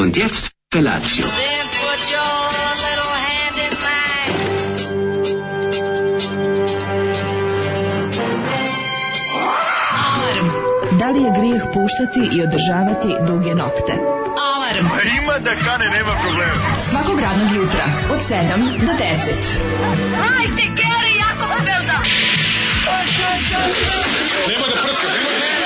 Und jetzt Felatio. Then put your little hand in mine. Alarm. Da li je grijeh puštati i održavati duge nokte? Alarm. Ima da kane, nema problema. Svakog radnog jutra od 7 do 10. Hajde, Geri, jako se velda. Nema da prska, nema da prska.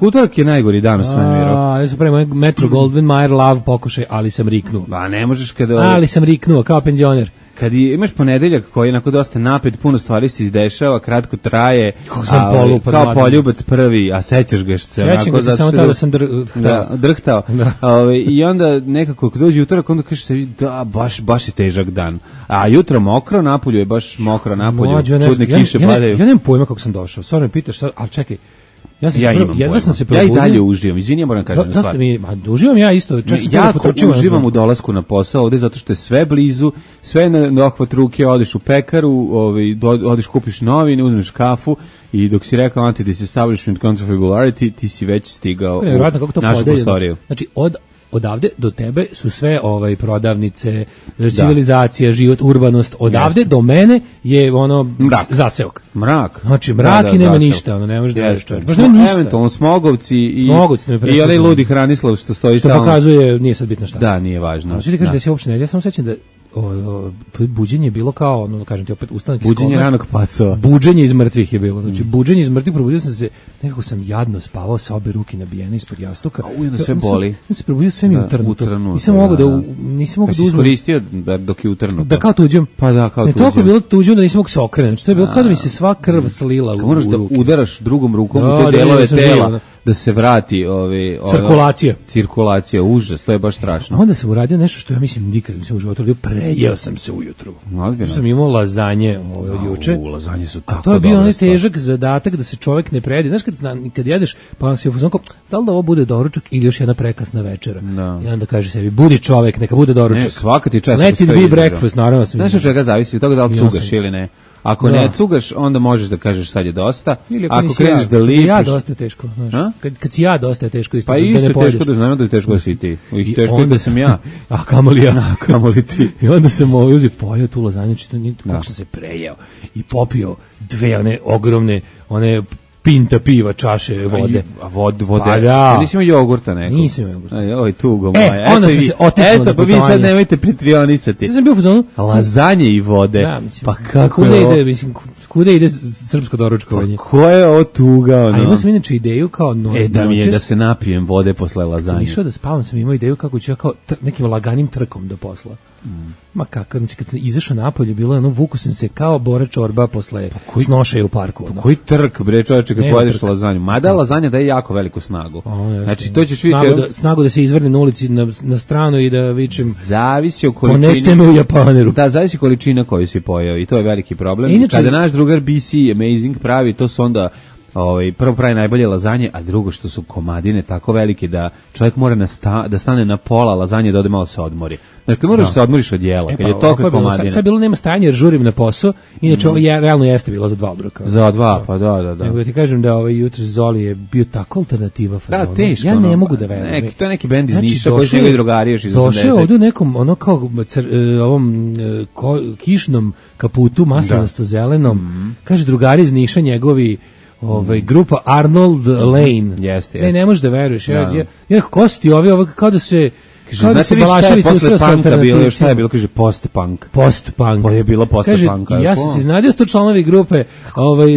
Utorak je najgori dan u svemiru. Ja sam pravimo Metro Goldwyn Mayer Love pokušaj, ali sam riknuo. Ba, ne možeš kada... Ali sam riknuo, kao penzioner. Kad imaš ponedeljak koji je onako dosta napet, puno stvari se izdešava, kratko traje, kao poljubac prvi, a sećaš ga se onako... Sećam ga se samo tada da sam drhtao. I onda nekako kad dođe utorak, onda kažeš se, da, baš je težak dan. A jutro mokro, napolju je baš mokro napolju, čudne kiše padaju. Ja nemam pojma kako sam došao, stvarno me pitaš, ali čekaj, ja i dalje uživam. Izvini, ja moram kažem stvar. Uživam ja isto. Ja uživam u dolasku na posao ovde zato što je sve blizu, sve na dohvat ruke, odeš u pekaru, odeš kupiš novine, uzmeš kafu i dok si rekao anti-disestablishment contra-regularity, ti si već stigao u našu prostoriju. Znači, odavde do tebe su sve prodavnice, civilizacija, život, urbanost. Odavde do mene je zaseok. Mrak. Znači mrak i nema ništa, ne može da veš čovjek. Baš nema ništa. Eventualno Smogovci i onaj ludi Hranislav što stoji tamo. Što pokazuje, nije sad bitno šta. Da, nije važno. Znači ti kažeš da se uopšte ne, ja samo sećam da buđenje je bilo kao, kažem ti opet, ustanak iz kome. Buđenje ranog pacova. Buđenje iz mrtvih je bilo. Znači, buđenje iz mrtvih, probudio sam se, nekako sam jadno spavao sa obe ruke nabijene ispod jastuka. Onda sve boli. Ja se probudio, sve mi utrnuto. Nisam mogao da uzmem. Iskoristio dok je utrnuto. Da kao tuđem. Pa da, kao tuđem. Toliko je bilo tuđem da nisam mogao se okrenuti. Znači, to je bilo kao da mi se sva krv slila u ruke. Možeš da udaraš drugom rukom u te delove tela. Da se vrati cirkulacija, užas, to je baš strašno. A onda sam uradio nešto što ja mislim nikad nisam u životu radio, prejeo sam se ujutru. Sam imao lazanje od juče. Lazanje su tako. A to je bio onaj težak zadatak da se čovjek ne prejede. Znaš kad jedeš, pa se ufuzonko, da li da ovo bude doručak ili još jedna prekasna večera. I onda kaže sebi, budi čovjek, neka bude doručak. Ne, svaka ti čast. Let it be breakfast, naravno sam. Znaš od čega zavisi, od toga da li cugaš ili ne. Ako ne cugaš, onda možeš da kažeš sad je dosta. Ako kreneš da lipiš... Ja dosta je teško. Kad si ja dosta je teško. Pa isto je teško da znamo da je teško da si ti. Teško je da sam ja. A kamoli ja. Kamoli ti. I onda sam uzio pojao tu lazanju, kako sam se prejeo. I popio dve one ogromne, one pinta piva, čaše vode. A vode? Pa da. Nisi imao jogurta nekog? Nisam imao jogurta. Oj, tugo moja. Onda sam se otisnuo na putovanje. Pa vi sad nemojte pritrionisati. Sad sam bio u fazonu. Lazanje i vode. Da, mislim. Pa kako je ovo? Kuda ide srpsko doručkovanje? Pa ko je ovo tuga? A imao sam inače ideju kao da se napijem vode posle lazanje. Sam išao da spavam, sam imao ideju kako ću ja kao nekim laganim trkom do posla. Ma kako, znači kad sam izašao napolje, bilo je vuku sam se kao Bora Čorba posle snošaja u parku. Koji trk, bre čoveče, kad pojedeš lazanju? Mada lazanja daje jako veliku snagu. Znači to ćeš vidjeti... Snagu da se izvrnem na ulici na stranu i da vičem... Zavisi o količini... Ponešte me u Japaneru. Da, zavisi količina koju si pojeo i to je veliki problem. Kada naš drugar BC Amazing pravi, to su onda... prvo pravi najbolje lazanje, a drugo što su komadine tako velike da čovjek mora da stane na pola lazanje da ode malo se odmori. Znači, moraš se odmoriš od jela, kad je toliko komadine. Sad bilo nema stajanja jer žurim na posao, inače ovo realno jeste bilo za 2 obroka. Za 2, pa da. Nego ti kažem da jutros Zoli je bio tako alternativa fazona. Da, teško. Ja ne mogu da verujem. To je neki bend iz Niša koji su njegovi drugari još iz 80. Došao ovdje u nekom, ono kao ovom kišnom kaputu, maslanasto zelenom, kaže drugari iz Niša njegovi, grupa Arnold Lane. Jeste. Ne možeš da veruješ. Ja kosti ovi kao da se... Znate vi šta je posle punka bilo? Šta je bilo? Kaže post-punk. Post-punk. Pa je bilo post-punka. Ja sam se iznadio 100 članovi grupe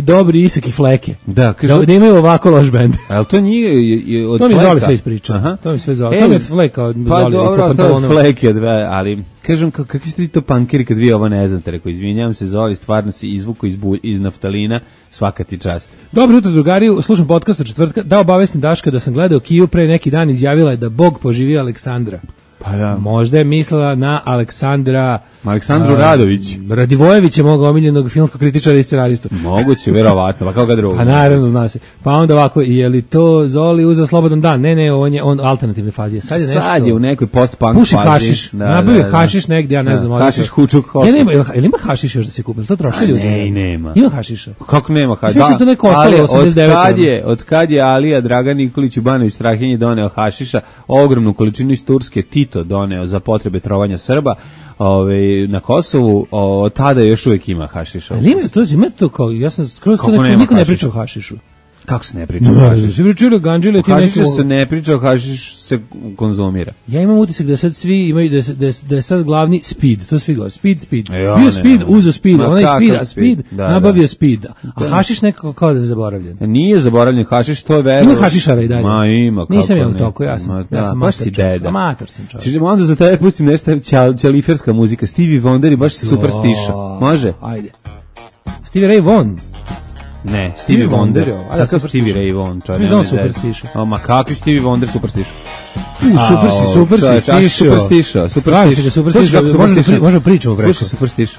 Dobri, Isak i Fleke. Da, kaže... Da imaju ovako loš bend. Ali to nije od Fleka? To mi Zoli sve ispriča. To mi sve Zoli. To mi je Fleka od Zoli. Pa dobro, to je od Fleke, ali... Kažem, kakvi ste vi to punkeri kad vi ovo ne znate? Rekao, izvinjam se, Zoli, stvarno si izvuko iz naftalina, svaka ti čast. Dobro jutro, drugari, slušam podcast od četvrtka, da obavestim Daška da sam gledao Kiju pre neki dan, izjavila je da Bog poživio Aleksandra. Pa da. Možda je mislila na Aleksandru Radović. Radivojevića, mog omiljenog filmskog kritičara i scenaristu. Moguće, verovatno, pa kao ga drugo. Pa naravno, zna se. Pa onda ovako, je li to Zoli uzeo slobodan dan? Ne, on alternativne fazi. Sad je nešto. Sad je u nekoj post-punk puši fazi. hašiš. Nabavio hašiš negdje, ja ne znam. Hašiš hučuk. Jel ima hašiš još da se kupi? To troši ljudi? Ne, nema. Ima hašiša. Kako nema hašiša? Mislim to neko ostalo 89. Od kad je Alija Dragan Nikolić u Banović Strahinji doneo hašiša, ogromnu količinu iz Turske Tito doneo za potrebe trovanja Srba, na Kosovu, tada još uvijek ima hašiša. Ali ima to kao, ja sam skroz niko ne priča o hašišu. Kako se ne priča o hašišu? Svi pričaju o ganđili. Hašiša se ne priča, o hašiš se konzumira. Ja imam utisak da sad svi imaju, da je sad glavni speed, to svi govore, speed. Bio speed, uzo speed, onaj speed, da, nabavio speed. A hašiš nekako kao da je zaboravljen. Nije zaboravljen hašiš, to je vero. Ima hašišara i dalje. Ma ima, kako nisam ja u toku, ja sam baš si deda. Amator sam čovjek. Čiže onda za tebe pustim nešto ćaliferska muzika, Stevie Wonder i baš si super stiša. Može? Ajde. Stevie Ray Vaughan. Ne, Stevie Wonder. Kakav Stevie Ray Vaughan? Svi znam super stiša. Ma kakvi Stevie Wonder super stiša? Super si stiša. Super stiša. Možemo pričamo preko. Slušaj super stiša.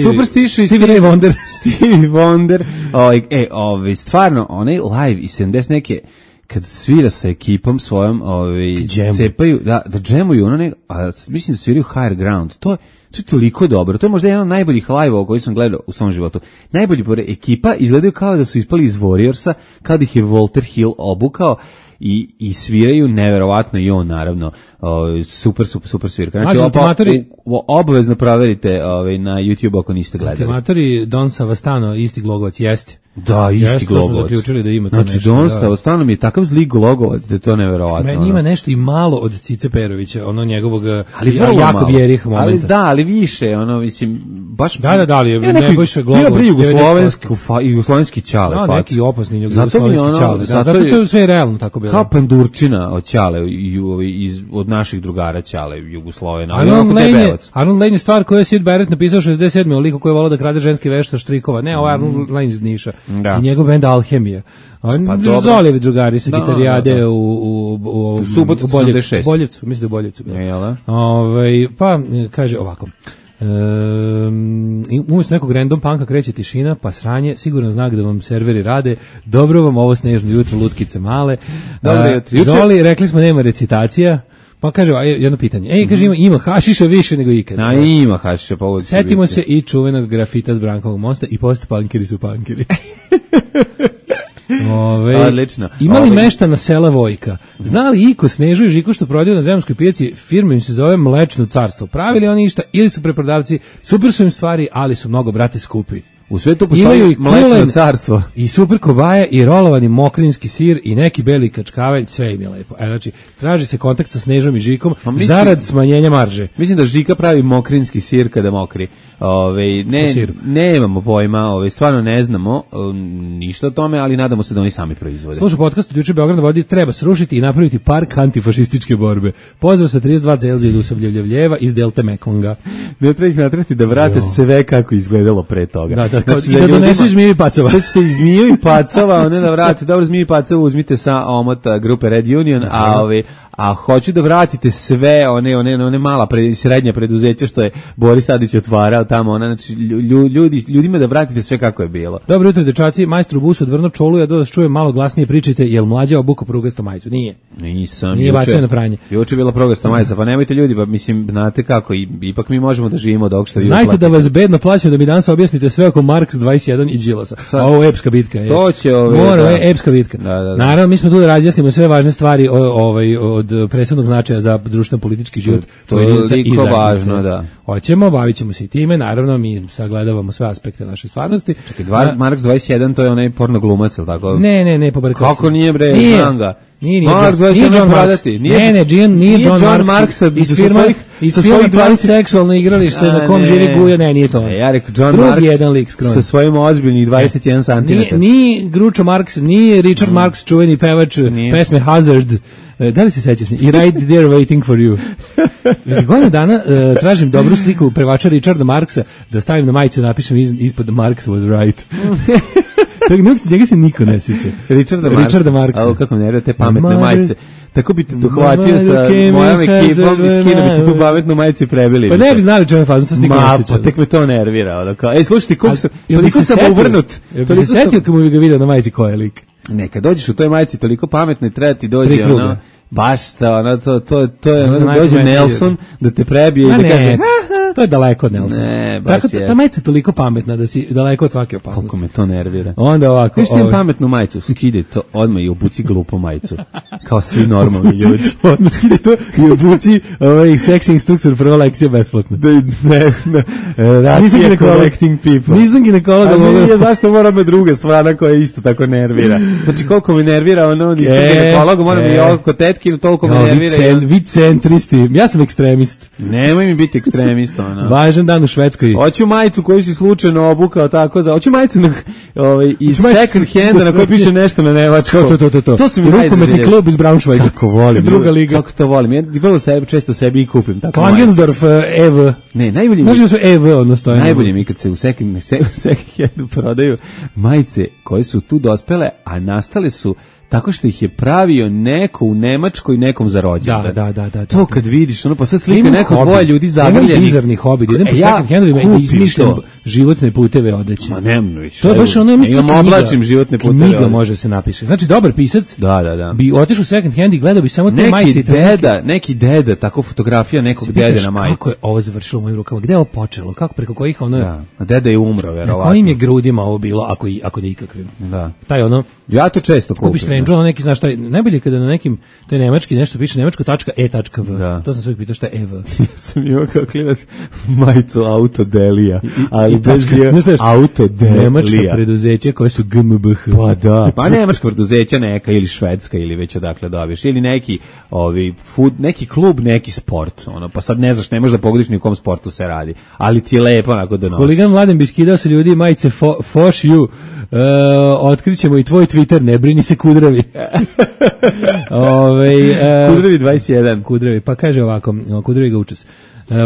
Super stiša. Stevie Ray Wonder. Stevie Wonder. Stvarno, onaj live i 70 neke kad svira sa ekipom svojom, cepaju, da džemuju, mislim da sviraju Higher Ground. To je toliko dobro. To je možda jedan od najboljih live-ova koji sam gledao u svom životu. Najbolji ekipa izgledaju kao da su ispali iz Warriorsa, kao da ih je Walter Hill obukao i sviraju neverovatno i on naravno super svirka. Znači obavezno proverite na YouTube ako niste gledali. Ultimatori Don Savastano, isti Glogovac, jeste. Da, isti Glogovac. Smo zaključili da ima to znači, nešto. Don Savastano mi je takav zli Glogovac da je to neverovatno. Meni ima nešto i malo od Cice Perovića, ono njegovog Jakov Jerih momenta. Ali više, mislim, baš... Da, ali Nebojša Glogovac. Jugoslovenski čale. Da, neki opasni jugoslovenski čale. Zato to je sve realno tako bilo. Kao pandurčina od čale, od naših drugara čale, Jugoslovena. Arnold Lane je stvar koju je Sid Barrett napisao 67. o liku koji je volao da krade ženski veš sa štrikova. Ne, ovo je Arnold Lane iz Niša. I njegov bend Alhemija. Zolijevi drugari sa gitarijade u Boljevcu. Mislim da u Boljevcu. Pa kaže ovako. Umjesto nekog random punka kreće tišina, pa sranje, siguran znak da vam serveri rade. Dobro vam ovo snežno jutro, lutkice male. Zoli, rekli smo nema recitacija. Pa kaže, jedno pitanje. Kaže, ima hašiša više nego ikad. Ima hašiša. Setimo se i čuvenog grafita s Brankovog mosta i post-punkeri su punkeri. Odlično. Imali meštana sela Vojka. Znali Iko, Snežu i Žiku što prodaju na zemljskoj pijaci, firma im se zove Mlečno carstvo. Pravili oni išta ili su preprodavci, super su im stvari, ali su mnogo, brate, skupi. U svetu postoji Mlečno carstvo. I super kobaje i rolovani mokrinski sir i neki beli kačkavelj, sve im je lepo. Znači, traži se kontakt sa Snežom i Žikom zarad smanjenja marže. Mislim da Žika pravi mokrinski sir kada mokri. Nemamo pojma, stvarno ne znamo ništa o tome, ali nadamo se da oni sami proizvode. Slušaj podcast od juče Beograd vodi, treba srušiti i napraviti park antifašističke borbe. Pozdrav sa 32 Celzija i Dusavljevljeva iz Delte Mekonga. Ne treba ih natrati da vrate sve kako izgledalo pre toga. Znači, i da donesu iz Zmijevi Pacova. Sve ćete iz Zmijevi Pacova, ne da vrati. Dobro, Zmijevi Pacova uzmite sa omota grupe Red Union, a hoću da vratite sve one mala srednja preduzeća što je Boris Tadić otvarao tamo, znači ljudima da vratite sve kako je bilo. Dobro jutro, dečaci, majstor u busu odvrno čolu, ja da vas čujem malo glasnije pričajte, jel mlađa obuko prugasto majicu? Nisam. Nije bačio na pranje. Juče je bila prugasto majica, pa nemojte ljudi, pa mislim, znate kako, ipak mi možemo da živimo od ovog što vi Znajte uplatite. Da vas bedno plaćam da mi danas objasnite sve oko Marks 21 i Đilasa. Ovo je epska bitka. To će epska bitka. Naravno, mi smo tu da razjasnimo sve važne stvari od presudnog značaja za društveno-politički život pojedinca i važno, da. Hoćemo, bavit ćemo se i time, naravno mi sagledavamo sve aspekte naše stvarnosti. Čekaj, Marks 21 to je onaj porno glumac, ili tako? Ne, pobrkao kako nije bre, znam ga. Nije John Marks. Nije John Marks iz firma 20 seksualno igralište na kom živi Guja, nije to. Ja rekao John Marks sa svojim ozbiljnih 21 cm. Nije Groucho Marx, nije Richard Marx, čuveni pevač pesme Hazard. Da li se sećaš? I right there waiting for you. Godinu dana tražim dobru sliku prevača Richarda Marksa da stavim na majicu i napišem ispod Marx was right. Njega se niko ne sjeća. Richarda Marksa. Kako ne nervira te pametne majice. Tako bi te dohvatio sa mojom ekipom i skinuo bi ti tu pametnu majicu i prebili. Pa ne bi znali čemu je fazno, to se niko ne sjeća. Pa tek me to nervira. Slušaj ti, toliko sam uvrnut. Jel bi se setio kad mu bi ga vidio na majici ko je lik? Ne, kad dođeš u toj majici toliko pametno i treba ti dođe ono... Baš to je dođe Nelson da te prebije i da kaže to je daleko od Nelsona. Ne, baš tako, ta majica je toliko pametna da si daleko od svake opasnosti. Koliko me to nervira. Onda ovako. Viš ti imam pametnu majicu, skide to odmah i obuci glupu majicu. Kao svi normalni ljudi. Odmah skide to i obuci seksi instruktor prva lekcija besplatno. Nisam collecting people. Nisam ginekolog. Ja zašto moram me druga strana koja isto tako nervira. Znači koliko me nervira ono, nisam ginekolog, moram i oko tetki, toliko me nervira. Vi centristi, ja sam ekstremist. Nemoj mi biti ekstremist. Važan dan u Švedskoj. Hoću majicu koju si slučajno obukao tako za. Hoću majicu iz second handa na kojoj piše nešto na nemačkom. To su mi rukometni klub iz Braunschweiga. Kako volim. Druga liga. Kako to volim. Ja vrlo često sebi i kupim tako. Klangensdorf EV. Ne, najbolje mi. Može su EV odnosno. Najbolje mi kad se u second handu prodaju majice koje su tu dospele, a nastale su tako što ih je pravio neko u Nemačkoj nekom za rođendan. Da. To kad vidiš, ono pa sad slika neko dvoje ljudi zagrljeni. Imam bizarni hobi, idem po second handovima i izmišljam životne puteve odeće. Ma nemoj više. To je baš ono, imam oblačim životne puteve. Knjiga može se napiše. Znači, dobar pisac bi otišao u second hand i gledao bi samo te majice. Neki deda, tako fotografija nekog dede na majici. Kako je ovo završilo u mojim rukama? Gde je ovo počelo? Kako, preko kojih ono... Da, deda je umro, verovatno. Na kojim je grudima ovo bilo, ako nikakvim? Da. Taj ono... Ja to često kupim. Kupiš Strange, ono neki, znaš šta, najbolje kada na nekim, to je nemački, nešto piše nemačko.e.v. Da. To sam sve pitao šta je EV. Ja sam imao kao klinac majicu Autodelija, ali bez Autodelija. Nemačka preduzeća koje su GmbH. Pa da, pa nemačka preduzeća neka ili švedska ili već odakle dobiješ, ili neki neki klub, neki sport, ono, pa sad ne znaš, ne možeš da pogodiš ni u kom sportu se radi, ali ti je lepo onako da nosiš. Huligan Mladen bi skidao se ljudi majice Foš you. Otkrićemo i tvoj Twitter, ne brini se Kudravi. Kudravi 21. Kudravi, pa kaže ovako, Kudravi ga učes.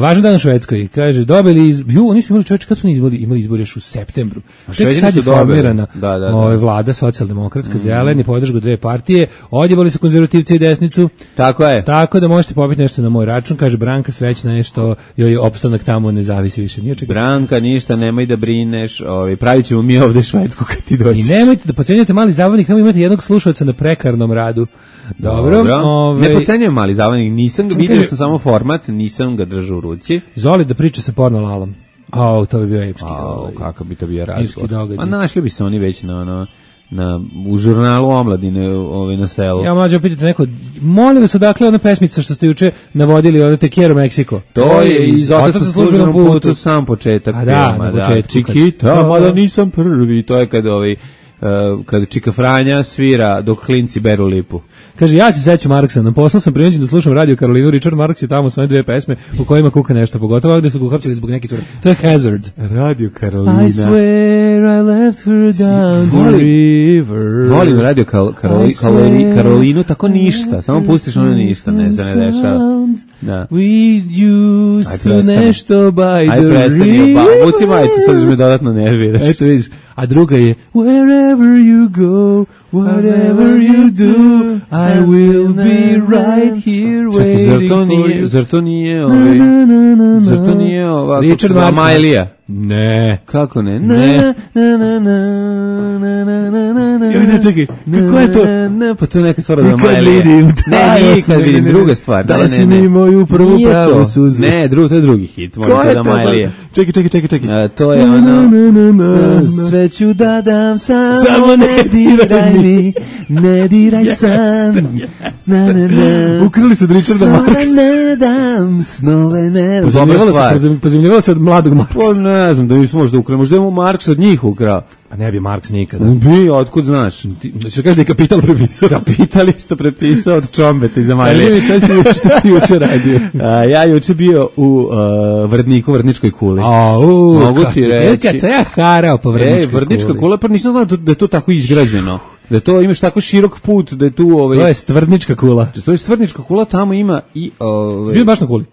Važan dan u Švedskoj, kaže, dobili oni su imali čovječe, kad su imali izbor još u septembru. Tek sad je formirana vlada socijaldemokratska, zeleni, podržgu dve partije, odjebali su konzervativci i desnicu. Tako je. Tako da možete popiti nešto na moj račun, kaže Branka, srećna je što joj opstanak tamo ne zavisi više. Branka, ništa, nemoj da brineš, pravit ćemo mi ovde Švedsku kad ti dođeš. I nemojte da podcenjujete mali zabavnik, tamo imate jednog slušalca na prekarnom radu. Dobro. Ne podcenjujem mali zabavnik, nisam ga vidio, sam samo format, nisam ga držao u ruci. Zoli da priča sa porno lalom. To bi bio epski. Kako bi to bio razgovor. A našli bi se oni već u žurnalu omladine na selu. Ja mlađe pitate neko, molim vas odakle ona pesmica što ste juče navodili, ono Te quiero Mexico. To je iz Otac sa službenom putu, sam početak filma. Na početku. Chiquita, mada nisam prvi, to je kad Čika Franja svira dok klinci beru lipu. Kaže, ja se sećam Marksa, na poslu sam prinuđen da slušam Radio Karolinu, Richard Marks je tamo svoje dve pesme u kojima kuka nešto, pogotovo gde su ga uhapsili zbog neke cure. To je Hazard. Radio Karolina. I swear I left her down the river. Volim Radio Karolinu, tako ništa, samo pustiš ono ništa, ne dešava. Da. We used to nešto by the river. Vuci majicu, sad me dodatno nerviraš. Eto vidiš. A druga je wherever you go, whatever you do, I will be right here waiting for you. Zar to nije ovako Richard Marks. Amajlija? Ne. Kako ne? Ne. Čekaj, kako je to? Pa to je neka stvar od Amajlije. Nikad vidim, druga stvar. Da li si mi moju prvu pravu suzu? Ne, to je drugi hit. Ko je to? Čekaj. To je ono... Sve ću da dam, samo ne diraj mi, ne diraj sam. Ukrali su od Richarda Marksa. Ne dam, snove ne... Pozemljivala se od mladog Marksa. Ne znam, da nismo možda ukrali, možda je Marks od njih ukrao. A ne bi Marks nikada. Otkud znaš? Što kaže da je Kapital prepisao? Kapital isto prepisao od Čombeta iz Amajlije. Šta si juče radio? Ja juče bio u Vrdničkoj kuli. Mogu ti reći. Kad se ja harao po Vrdničkoj kuli. Vrdnička kula, pa nisam znao da je to tako izgrađeno. Da to imaš tako širok put, da je tu... To je Stvrdnička kula. To je Stvrdnička kula, tamo ima i... Bio baš na kuli?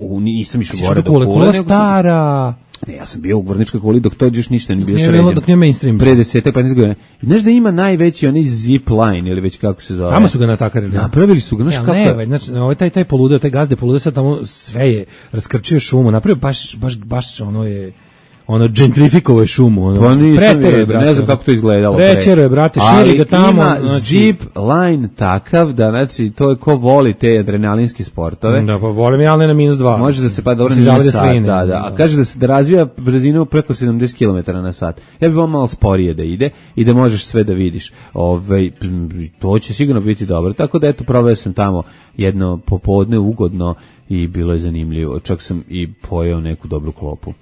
Nisam išao gore do kule. Kula stara... Ne, ja sam bio u Gvorničkoj kuli dok to još ništa nije bio sređeno. Dok nije mainstream. Pre 10-15 godina. I znaš da ima najveći onaj zip line ili već kako se zove. Tamo su ga natakarili. Napravili su ga, znaš kako. Ne, znači taj poludeo, taj gazde poludeo sad tamo sve je raskrčio šumu. Napravio baš ono gentrifikovao je šumu, ono. Pretero je, brate. Ne znam kako to izgledalo. Pretero je, brate, širi ga tamo. Ali ima zip line takav da, znači, to je ko voli te adrenalinske sportove. Da, pa volim ja, ali na -2. Može da se pa dobro nije sat, da. A kaže da razvija brzinu preko 70 km na sat. Ja bih vam malo sporije da ide i da možeš sve da vidiš. To će sigurno biti dobro. Tako da, eto, proveo sam tamo jedno popodne ugodno i bilo je zanimljivo. Čak sam i pojeo neku dobru klopu.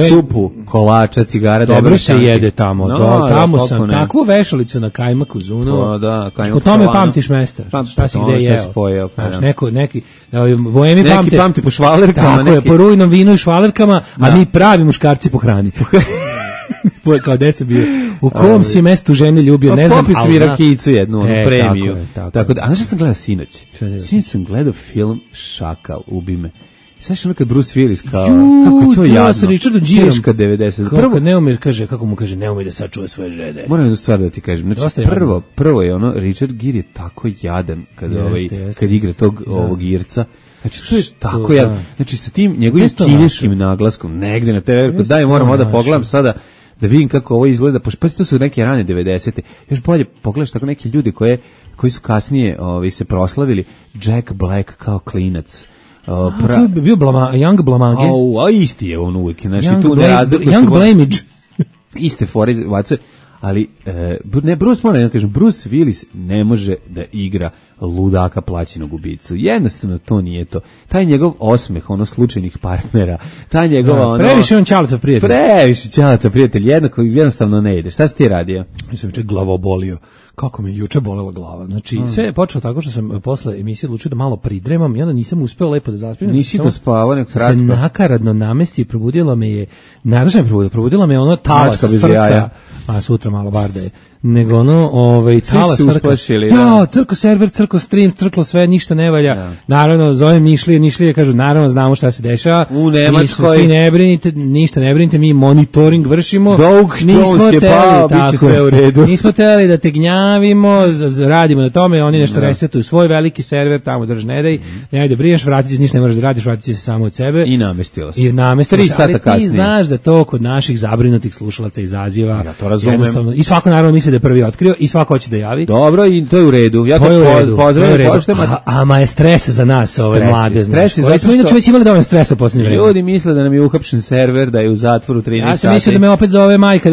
Supu, kolača, cigara. Dobro se jede tamo. Tamo sam takvu vešalicu na kajmaku zunuo. Po tome pamtiš mesta. Šta si gde jeo. Neki pamti po švalerkama. Tako je, po rujnom vinu i švalerkama, a mi pravi muškarci po hrani. Kao gde se bio, u kom si mestu žene ljubio, ne znam, ali zna. Rakijicu jednu, premiju. Tako da, a znaš što sam gledao sinoć? Sinoć sam gledao film Šakal, ubi me. Znaš ono kad Bruce Willis kao, kako to jadno, sa Richardom Gereom, teška 90. Kako mu kaže, ne ume da sačuva svoje žene. Moram jednu stvar da ti kažem, znači prvo je ono, Richard Gere je tako jadan kad igra ovog Irca. Znači, to je tako jadan. Znači, sa tim njegovim kineskim naglaskom, negde na TV, daj, moram da pogledam sada, da vidim kako ovo izgleda, pa to su neke rane 90. Još bolje pogledaš tako neke ljudi koji su kasnije se proslavili, Jack Black kao klinac. To je bio Young Blamage. A isti je on uvijek. Young Blamage. Iste fore vacuje. Ali, Bruce Willis ne može da igra ludaka plaćenog ubicu. Jednostavno to nije to. Taj njegov osmeh, slučajnih partnera, ta njegova previše on čalata prijatelj. Previše čalata prijatelj, jednostavno ne ide. Šta si ti radio? Ja sam juče glavobolio. Kako mi juče bolela glava. Znači, sve je počelo tako što sam posle emisije odlučio da malo pridremam i onda nisam uspeo lepo da zaspim. Nisi to spavao, nek se nakaradno namesti i probudila me je, probudila me ono talas frka, a sutra malo barda je, nego ono, talas frka. Ja, crko server, crko stream, crklo sve, ništa ne valja. Ja. Naravno, zovem Nišlije, kažu, naravno, znamo šta se dešava. U Nemačkoj. Svi ne brinite, ništa ne brinite, mi monitoring vršimo. Nismo je pao, bit će sve u redu. Nismo teli da te gnjavimo, radimo na tome, oni nešto resetuju svoj veliki server, tamo drž ne daj, ne da brineš, vratit će, ništa ne možeš da radiš, vratit će se samo od sebe. I namestilo se. 3 sata kasnije. Ti znaš da to kod naših zabrinutih slušalaca izaziva. Ja to razumem. I svako naravno misli da je prvi otkrio i svako hoće da javi. Dobro, i to je u redu. Ja to pozdravljam. Ama je stres za nas, ove mlade. Stres je zato smo inače već imali dovoljno stresa u posljednje vreme. Ljudi misle da nam je uhapšen server, da je u zatvoru 13 sati. Ja sam mislio da me opet zove majka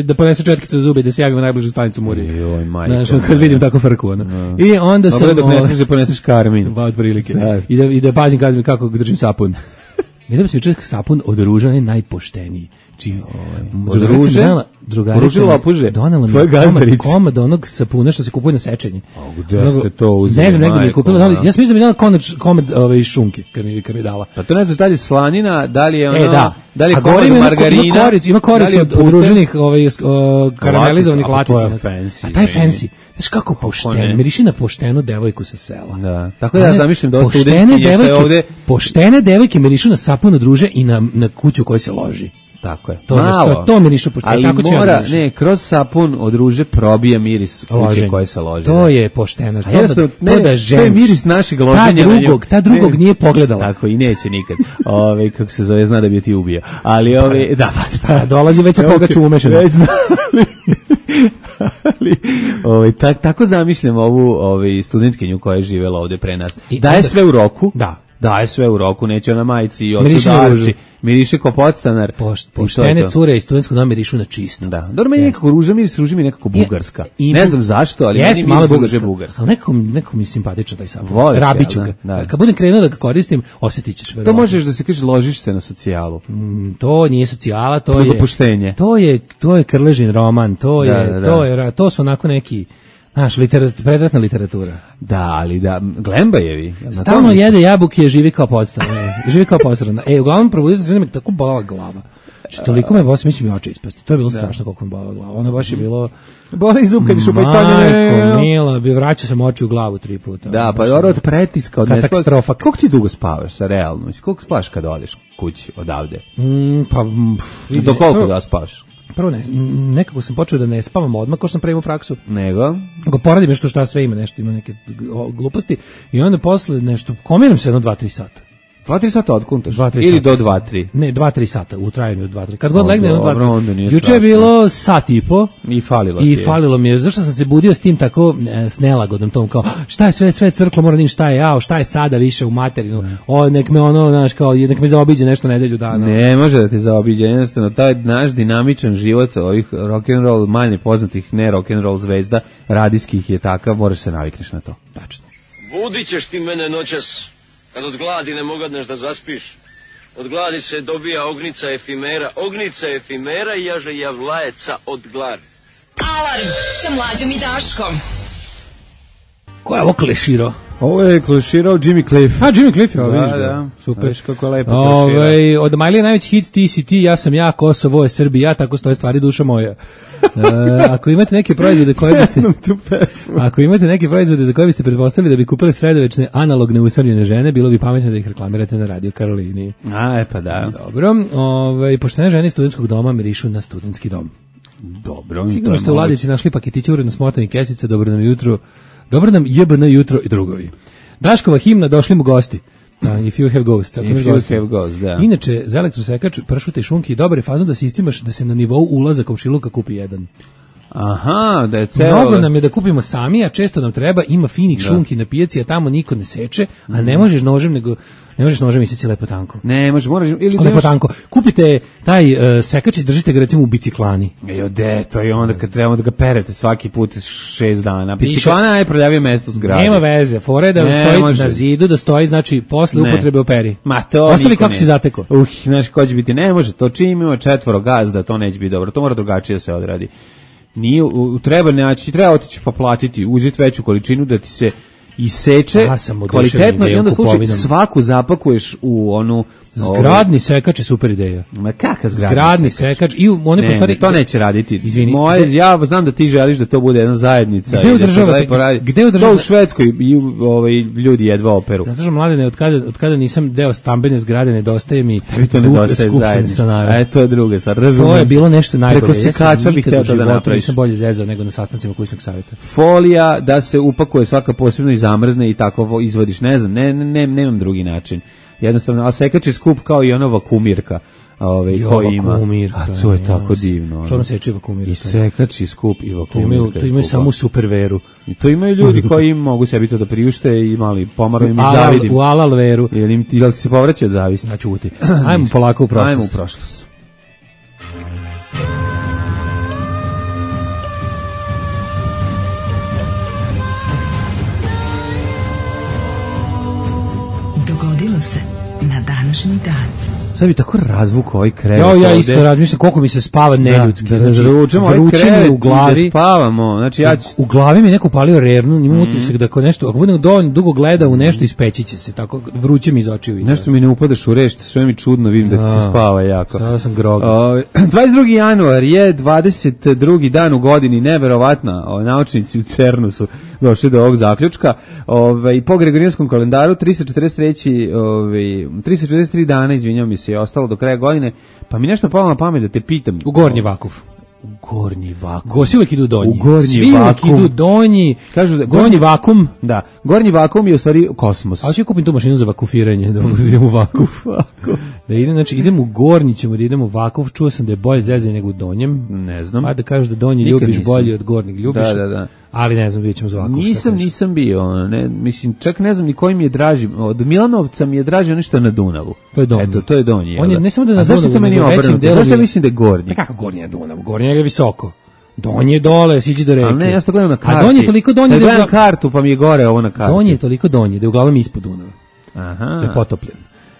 da ponese četkicu za zube, da se javimo u najbližu stanicu Muri. Joj, majka. Znaš, kad vidim tako frku. I onda sam... Dobro da ne poneseš Karmin. Ba, otprilike. I da pazim kako držim sapun. Vidim se juče sapun od ruža je najpošteniji. Od drugarica donela mi komad onog sapuna što se kupuje na sečenje. Gde ste to uzeli? Ne znam, negdje mi je kupila. Ja sam mislim da mi je dala komad šunke kad mi je dala. Pa to ne znaš da li je slanina, da li je ono... Da li je komad margarina? Ima koricu od udruženih karamelizovanih latica. To je fancy. A taj fancy. Znaš kako pošteno, miriši na poštenu devojku sa sela. Da. Tako da ja zamišljam da studenti što je ovde... Poštene devojke mirišu na sapun od ruže i na kuću u kojoj se loži. Tako je. To mirišu pošteno. Ali mora, kroz sapun od ruže probija miris kuće koje se lože. To je pošteno. To je miris našeg loženja. Ta drugog nije pogledala. Tako, i neće nikad. Kako se zove, zna da bi ti ubija. Ali dolazi već sa pogaču umešano. Tako zamišljam ovu studentkinju koja je živela ovde pre nas. Daje sve u roku. Daje sve u roku, neće ona majici i otudarči. Miriše ko podstanar. Poštene cure iz studentskog doma mirišu na čisto. Da. Dobro, meni nekako ruža mi nekako bugarska. Ne znam zašto, ali meni malo bugarska. Ali nekako mi simpatično taj sapun. Rabiću ga. Kad budem krenuo da ga koristim, osjetit ćeš. To možeš da se kažeš, ložiš se na socijalu. To nije socijala, to je dopuštenje. To je Krležin roman, to su onako neki... Znaš, predratna literatura. Da, ali Glembajevi. Stalno jede jabuke, živi kao podstanar. Uglavnom probudio se, tako bolala glava. Što toliko me bosi, mislim mi oči ispasti. To je bilo strašno koliko me bolelo glava. Ono baš je bilo... Boli zub kad je šupaj Majko mila, bi vraćao sam oči u glavu 3 puta. Da, pa dobro od pretiska. Od katastrofa. Koliko ti dugo spavaš, sa realno? Koliko spavaš kad odeš kući odavde? Do koliko da spavaš? Prvo nekako sam počeo da ne spavam odmah, kao što sam pravimo fraksu. Nego poradim nešto šta sve ima, nešto ima neke gluposti i onda posle nešto, komiram se 2-3 sata. 2-3 sata odkuntaš? Ili do 2-3? Ne, 2-3 sata, u trajanju od 2-3. Kad god legne, 2-3. Juče je bilo sat i po. I falilo mi je. Zašto sam se budio s tim tako s nelagodom tom, kao, šta je sve crklo, mora da šta je sada više u materinu. Nek me znaš, kao, nek me zaobiđe nešto nedelju dana. Ne može da te zaobiđe, jednostavno, taj naš dinamičan život ovih rock'n'roll, manje poznatih ne rock'n'roll zvezda, radijskih je takav, moraš se navikneš na to. Tačno. Budit ćeš ti mene noćas. Kad od gladi ne mogadneš da zaspiš, od gladi se dobija ognica efimera i jaže javlajeca od gladi. Alarm sa Mlađom i Daškom. Ko je ovo kleširao? Ovo je kleširao Jimmy Cliff. Jimmy Cliff, vidiš ga. Da, super. Viš kako lepo klešira. Od Miley je najveći hit Ti si ti, ja sam ja, Kosovo je Srbija, tako stoje stvari, duša moja. Ako imate neke proizvode koje biste Ako imate neke proizvode za koje biste pretpostavili da bi kupili sredovečne analogne usamljene žene, bilo bi pametno da ih reklamirate na Radio Karolini. Pa da. Dobro, poštene žene iz studentskog doma mirišu na studentski dom. Dobro. Sigurno ste u ladici našli paketiće uredno smotani kesice, dobro nam jutro. Dobro nam JBN jutro i drugovi. Daškova himna, došli mu gosti. If you have ghost. Da. Inače, za elektrosekač, pršute i šunki, dobar je fazon da se iscimaš da se na nivou ulaza komšiluka kupi jedan. Aha, da je celo... Mnogo nam je da kupimo sami, a često nam treba, ima finih šunki na pijaci, a tamo niko ne seče, a ne možeš nožem, nego... Ne možeš nožem isjeći lepo tanko. Ne, moraš ili lepo tanko. Kupite taj sekač i držite ga recimo u biciklani. To je onda kad trebamo da ga perete svaki put 6 dana. Biciklana je prljavije mesto u zgradi. Nema veze, fore da stoji na zidu, da stoji, znači posle upotrebe operi. Ma to ostavi kako si zateko. Znaš ko će biti, ne može, to čim ima 4 gazda, to neće biti dobro, to mora drugačije da se odradi. Treba otići pa platiti, uzeti veću količinu da ti se iseče kvalitetno i onda slučaj svaku zapakuješ u onu... Zgradni sekač je super ideja. Ma kakav zgradni sekač? To neće raditi. Izvini. Ja znam da ti želiš da to bude jedna zajednica. Gde to u Švedskoj ljudi jedva operu. Zato što, Mladene, od kada nisam deo stambene zgrade, nedostaje mi skupštine stanara. To je druga stvar. To je bilo nešto najbolje. Preko sekača bih htio to da napraviš. Nisam bolje zezao nego na sastancima kućnog savjeta. Folija da se upakuje svaka posebno i zamrzne i tako izvadiš. Ne znam, nemam drugi način. Jednostavno, a sekač je skup kao i ona vakumirka. Koji ima. A to je tako divno. Što ono seče vakumirka? I sekač je skup i vakumirka. To imaju samo superveru. I to imaju ljudi koji mogu sebi to da priušte i mali pomaru im i zavidim. U alal veru. Ili ti se povraća od zavisti? Znači uti. Ajmo polako u prošlost. Ajmo u prošlost. Dogodilo se na današnji dan. Sad bi tako razvuk ovaj krevet. Ja isto razmišljam koliko mi se spava neljudski. Vruće mi u glavi. Da spavamo. Znači, u glavi mi neko palio rernu, imam utisak da ako budem dovoljno dugo gleda u nešto, ispeći će se. Tako vruće mi iz očiju. Nešto mi ne upadaš u reš, sve mi čudno, vidim da ti se spava jako. Sada sam grogan. 22. januar je 22. dan u godini, neverovatna. Naučnici u CERN-u su došli do ovog zaključka. Po Gregorijanskom kalendaru 343 dana, izvinjam mi se, je ostalo do kraja godine, pa mi nešto palo na pamet da te pitam. U gornji vakuf. Gornji vakum. Gosi uvijek idu donji. U gornji Svi vakum. Uvijek idu donji. Kažu da gornji vakum. Da. Gornji vakum je u stvari kosmos. A ću kupim tu mašinu za vakufiranje, da idem u vakuf. Da idem, znači idem u gornji, ćemo da idem u vakuf. Čuo sam da je bolje zezanje nego u donjem. Ne znam. Pa da kažu da donji ljubiš bolje od gornjeg ljubiš. Da. Ali ne znam, vidjet ćemo za vakuf. Nisam bio, mislim, čak ne znam ni koji mi je draži. Od Milanovca mi je draži ono što je na Dunavu. To je donji. Eto, to je donji. On je ne samo da na Dunavu. A zašto to meni obrnuto? Zašto mislim da je gornji? Pa kako gornji je Dunav? Gornji je visoko. Donji je dole, siđi do reke. Ali ne, ja to gledam na karti. A donji je toliko donji da gledam kartu, pa mi je gore ovo na karti. Donji je toliko donji da je uglavnom ispod Dunava. Aha. Da je potopljen.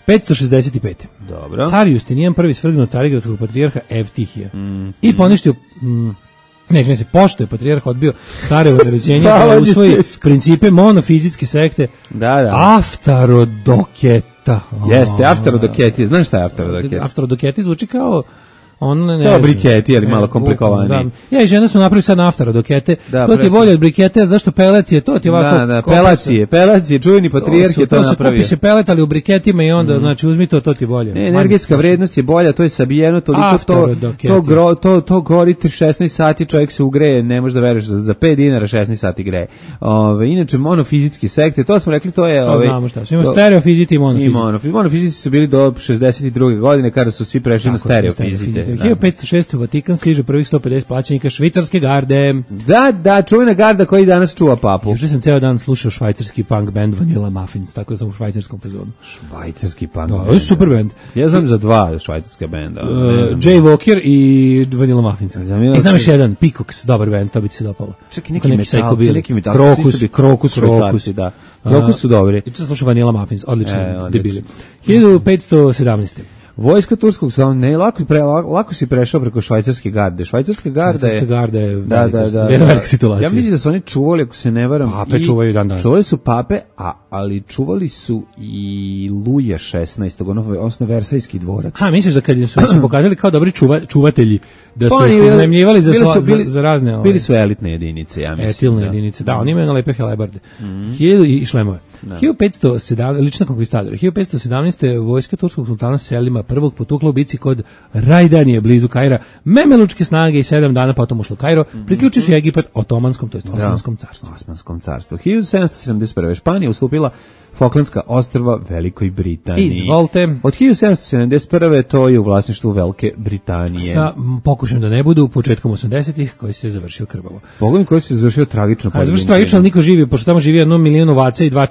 565. Dobro. Car Justinijan prvi svrgnuo carigradskog patrijarha Evtihija. I poništio... Ne, se pošto je patrijarh odbio carevo naređenje da usvoji principe monofizitske sekte. Da. Aftarodoketa. Jeste, aftarodoketi. Znaš šta je aftarodoketi? Aftarodoketi zvuči kao On ne. To briketi, ali malo komplikovani. Da. Ja i žena smo napravili sad naftara dokete. Da, to ti je bolje od brikete, zašto pelet je, to ti je ovako. Da, pelac je, čuveni patrijarh je to napravio. Kupi se pelet, ali u briketima i onda, znači uzmi to ti je bolje. Energetska vrednost je bolja, to je sabijeno, toliko to gori 16 sati, čovjek se ugreje, ne može da veruješ, za 5 dinara 16 sati greje. Inače, monofizitski sekte, to smo rekli, to je... Znamo šta, ima stereofiziti i monofiziti. Monofiziti su bili do 62. godine, kada su svi prešli na stereofizite. 1506. u Vatikan stiže prvih 150 plaćenika švicarske garde. Da, čuvena garda koji danas čuva papu. Juče sam ceo dan slušao švajcarski punk band Vanilla Muffins, tako da sam u švajcarskom fazonu. Švajcarski punk band. Da, super band. Ja znam za dva švajcarska benda. Jay Walker i Vanilla Muffins. I znam još jedan, Peacocks, dobar band, to bi ti se dopalo. Čak i neki metalci, Krokus švajcarci, da. Krokus su dobri. I to sam slušao Vanilla Muffins, odlično, debili. 1517. Vojska turskog lako si prešao preko švajcarske garde. Švajcarska garda je velika situacija. Ja mislim da su oni čuvali, ako se ne varam, pape čuvaju dan danas. Čuvali su pape, ali čuvali su i Luja 16. odnosno Versajski dvorac. Misliš da kad su pokazali kao dobri čuvatelji, da su ih iznajmljivali za razne... Bili su elitne jedinice, ja mislim. Etilne jedinice, da, oni imaju na lepe helebarde. I šlemove. 1517, lična konkvistadora. 1517. vojska turskog sultana Selima prvog potukla u bici kod Rajdanije, blizu Kaira, memelučke snage i 7 dana potom ušlo Kairo, priključio se Egipat Otomanskom, to jest Osmanskom carstvu. Osmanskom carstvu. 1771. Španija ustupila Falklandska ostrva Velikoj Britaniji. Izvolite. Od 1771. to je u vlasništvu Velike Britanije. Sa pokušajem da ne budu početkom 80-ih koji se završio krvavo. Pogledaj koji se završio tragično. Završio tragično, niko živi, pošto tamo živi 1 milion ovaca i 2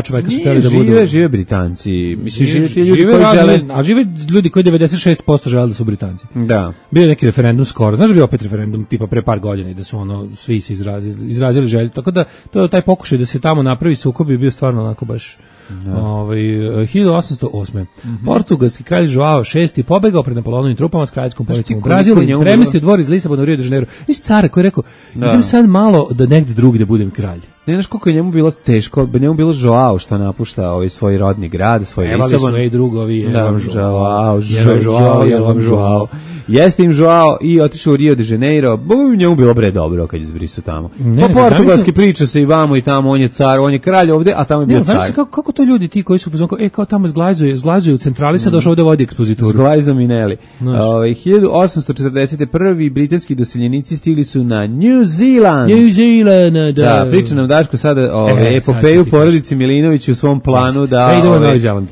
čoveka su hteli da budu... Žive Britanci. Mislim, žive ljudi koji 96% žele da su Britanci. Da. Bio je neki referendum skoro. Znaš da bio opet referendum tipa pre par godina i da su svi se izrazili želju. Tako da taj pokušaj da se tamo napravi sukob je bio stvarno onako baš 1808. Portugalski kralj Joao VI pobegao pred Napoleonovim trupama s kraljevskom policijom u Brazilu i premestio dvor iz Lisabona u Rio de Janeiro. Nisi cara koji je rekao, idem sad malo da negde drugde budem kralj. Ne znaš koliko je njemu bilo teško, njemu bilo Joao što napušta svoj rodni grad, svoj Lisabon. Evali svoje drugovi, Joao. Jeste im Joao i otišao u Rio de Janeiro, njemu bilo bre dobro kad je zbrisao tamo. Portugalski priča se i vamo i tamo, on je car, on je kralj ovde, a tamo je bio car. Kako to ljudi ti koji su kao tamo zglazuju u centrali, sad došao ovde vodi ekspozituru. Zglajzo Mineli. 1841. britanski doseljenici stigli su na New Zealand. Da, priča nam Daško sada epopeju porodici Milinović u svom planu da se ide u Novi Zeland.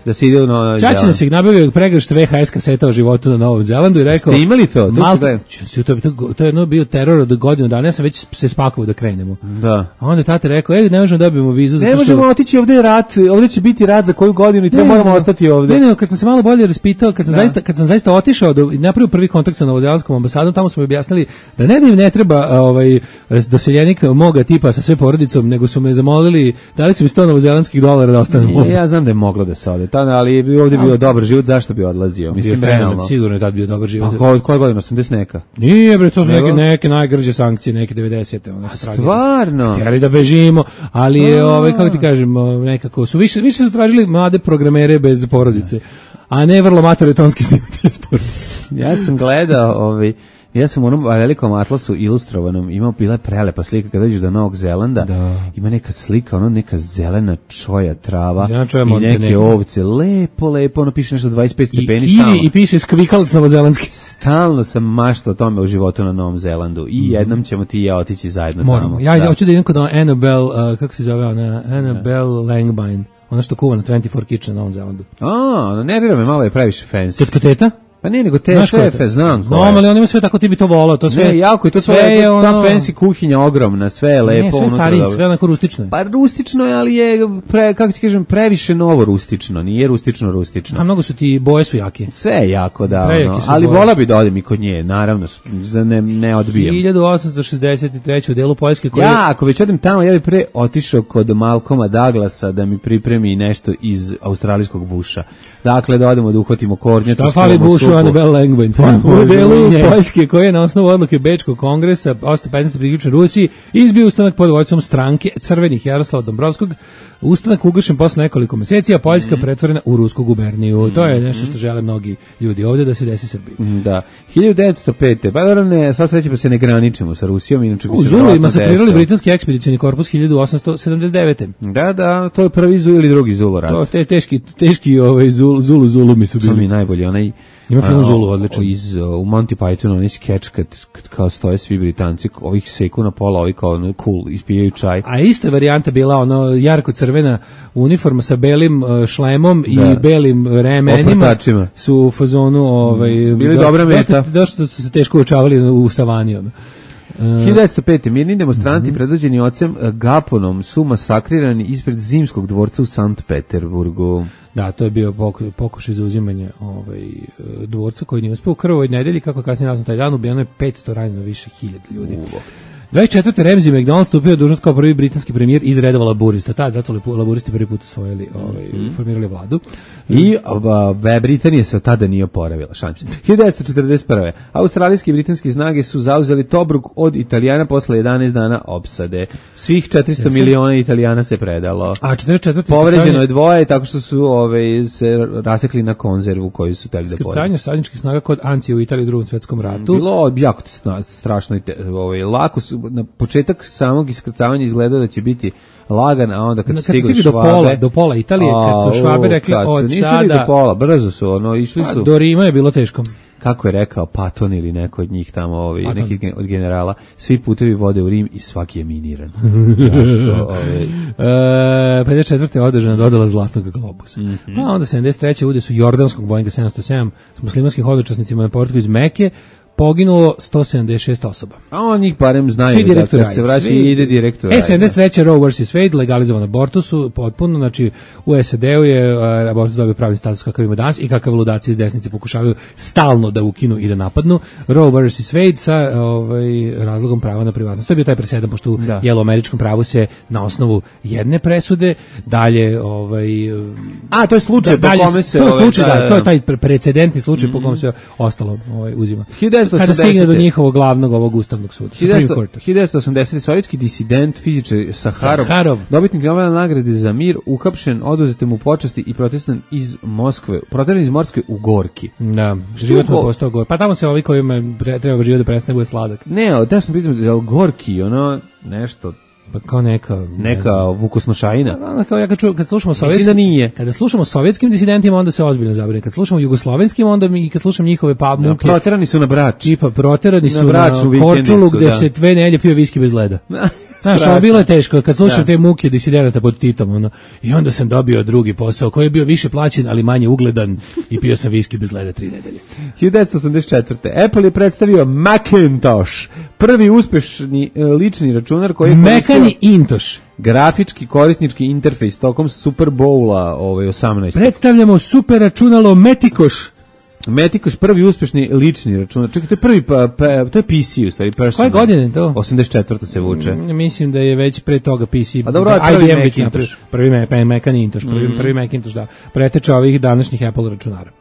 Čačina se nabavio pregršt VHS kaseta o životu na Novom Zelandu i rekao imali to? To je bio teror od godinu dana, ja sam već se spakovao da krenemo. Da. A onda tata rekao, ne možemo dobijemo vizu. Ne možemo otići, ovde je rat, ovde će biti rat za koju godinu i treba moramo ostati ovde. Ne, kad sam se malo bolje raspitao, kad sam zaista otišao i napravio prvi kontakt sa novozelandskom ambasadom, tamo su mi objasnili da im ne treba doseljenik moga tipa sa sve porodicom, nego su me zamolili, dali su mi $100 novozelandskih dolara da ostanem ovde. Ja znam da je moglo da se ode, ali ovde bio dobar život, zašto bi odlazio? Mislim, sigurno je tad bio dobar život. Koja godina, 80 neka? Nije bre, to su neke najgrđe sankcije, neke 90-te. Stvarno? Htjeli da bežimo, ali je, kako ti kažem, nekako su, više su tražili mlade programere bez porodice, a ne vrlo maturitonski snimati bez porodice. Ja sam gledao, ja sam u onom velikom atlasu ilustrovanom bila prelepa slika kada dođeš do Novog Zelanda, ima neka slika, neka zelena čoja trava i neke ovce, lepo, piše nešto 25 stepeni stalno. I piše skvikalac novozelandski. Stalno sam maštao o tome u životu na Novom Zelandu i jednom ćemo ti i ja otići zajedno tamo. Moramo. Ja hoću da idem kod Annabelle, kako se zove ona, Annabelle Langbein, ona što kuva na 24 Kitchen na Novom Zelandu. Nervira me, malo je previše fancy. Tetka teta? Pa ne, nego te šefe, znam ko je. Ali on ima sve tako, ti bi to volao, to sve. Ne, jako je to sve ta fancy kuhinja ogromna, sve je lepo. Ne, sve stariji, sve onako rustično. Pa rustično je, ali je, kako ti kažem, previše novo rustično, nije rustično. A mnogo su ti, boje su jake. Sve je jako, da, ali vola bi da odem i kod nje, naravno, ne odbijam. 1863. u delu Poljske koji... Ja, ako već odem tamo, ja bi pre otišao kod Malcolma Douglasa da mi pripremi nešto iz australijskog buša. Dakle, da odemo da uhvatimo kornjaču. Šta fali bušu Annabelle Langbein. U delu Poljske koji je na osnovu odluke Bečkog kongresa 815. priključen Rusiji izbio ustanak pod vođstvom stranke Crvenih Jaroslava Dombrovskog. Ustanak ugašen posle nekoliko meseci, a Poljska pretvorena u rusku guberniju. To je nešto što žele mnogi ljudi ovdje da se desi Srbiji. Da. 1905. Pa dobro ne, sad sreće pa se ne graničimo sa Rusijom, inače bi se Zulu masakrirali britanski ekspedicijni korpus 1879. Da, to je prvi Zulu ili drugi Zulu rat. To je teški Zulu mi su bili. To mi je najbolji, onaj ima film Zulu odličan. U Monty Pythonu onaj skeč kad kao stoje svi Britanci, ovih seku na pola, ovi kao cool, ispijaju čaj. A ista varijanta bila ono jarko crvena uniforma sa belim šlemom i belim remenima. Su u fazonu bili dobra meta. Došto su se teško učavali u savani. 1905. mirni demonstranti predvođeni ocem Gaponom su masakrirani ispred Zimskog dvorca u Sankt Peterburgu. Da, to je bio pokušaj za uzimanje dvorca koji nije uspeo u krvovoj nedelji, kako kasnije nazvan taj dan, ubijeno je 500, ranjeno više 1000 ljudi. 24. Ramsey MacDonald stupio dužnost kao prvi britanski premijer iz redova laburista. Zato laburisti prvi put osvojili, formirali vladu. I Britanija se od tada nije oporavila. 1941. Australijski i britanski snage su zauzeli Tobruk od Italijana posle 11 dana opsade. Svih 400 miliona Italijana se predalo. A 44. Povređeno je 2 tako što su se rasekli na konzervu koju su tek da porede. Skrcanje savezničkih snaga kod Ancije u Italiji u Drugom svjetskom ratu. Bilo jako strašno. Lako su, na početak samog iskrcavanja izgleda da će biti lagan, a onda kad stigli Švabe do pola Italije, kad su Švabe rekli od sada do pola, brzo su išli su. Do Rima je bilo teško. Kako je rekao Patton ili neko od njih tamo, neki od generala, svi putevi vode u Rim i svaki je miniran. 54. je održana dodala Zlatnog globusa. A onda 73. ude su jordanskog Boeinga 707 s muslimanskim hodočasnicima na povratku iz Mekke poginulo 176 osoba. A on njih barem znaju da kad se vraća ide direktor. 73. Roe vs. Wade, legalizovan abortus potpuno, znači u SAD-u je abortus dobio pravni status kakav ima danas i kakav ludaci iz desnice pokušavaju stalno da ukinu i da napadnu. Roe vs. Wade sa razlogom prava na privatnost. To je bio taj presedan, pošto u američkom pravu se na osnovu jedne presude dalje to je slučaj po kome se to je slučaj, to je taj precedentni slučaj po kome se ostalo uzima. Kada stigne do njihovog glavnog ovog ustavnog suda. 1980. sovjetski disident, fizičar Saharov, dobitnik Nobelove nagrade za mir, uhapšen, oduzete mu počasti i proteran iz Moskve u Gorki. Da, život mu postao Gorki. Pa tamo se ovi kojima treba život da prestane bude sladak. Ne, da sam pitao, Gorki, nešto... Pa kao neka vukosnošajina. Kao ja kad slušamo kada slušamo sovjetskim disidentima, onda se ozbiljno zabrine. Kad slušamo jugoslovenskim, onda i kad slušam njihove muke. Proterani su na Brač. Proterani su na Korčulu gde se 2 nedelje pio viski bez leda. Znaš, bilo je teško, kad slušam te muke disidenata pod Titom, i onda sam dobio drugi posao, koji je bio više plaćen, ali manje ugledan, i pio sam viski bez leda 3 nedelje. 1984. Apple je predstavio Macintosh, prvi uspešni lični računar koji je Macintosh. Grafički korisnički interfejs tokom Super Bowla 18. Predstavljamo super računalo Macintosh, prvi uspešni lični računar. Čekaj, to je prvi, to je PC u stvari. Koje godine to? 84. se vuče. Mislim da je već pre toga PC. Pa dobro, IBM već napravio. Prvi Macintosh, da. Preteče ovih današnjih Apple računara.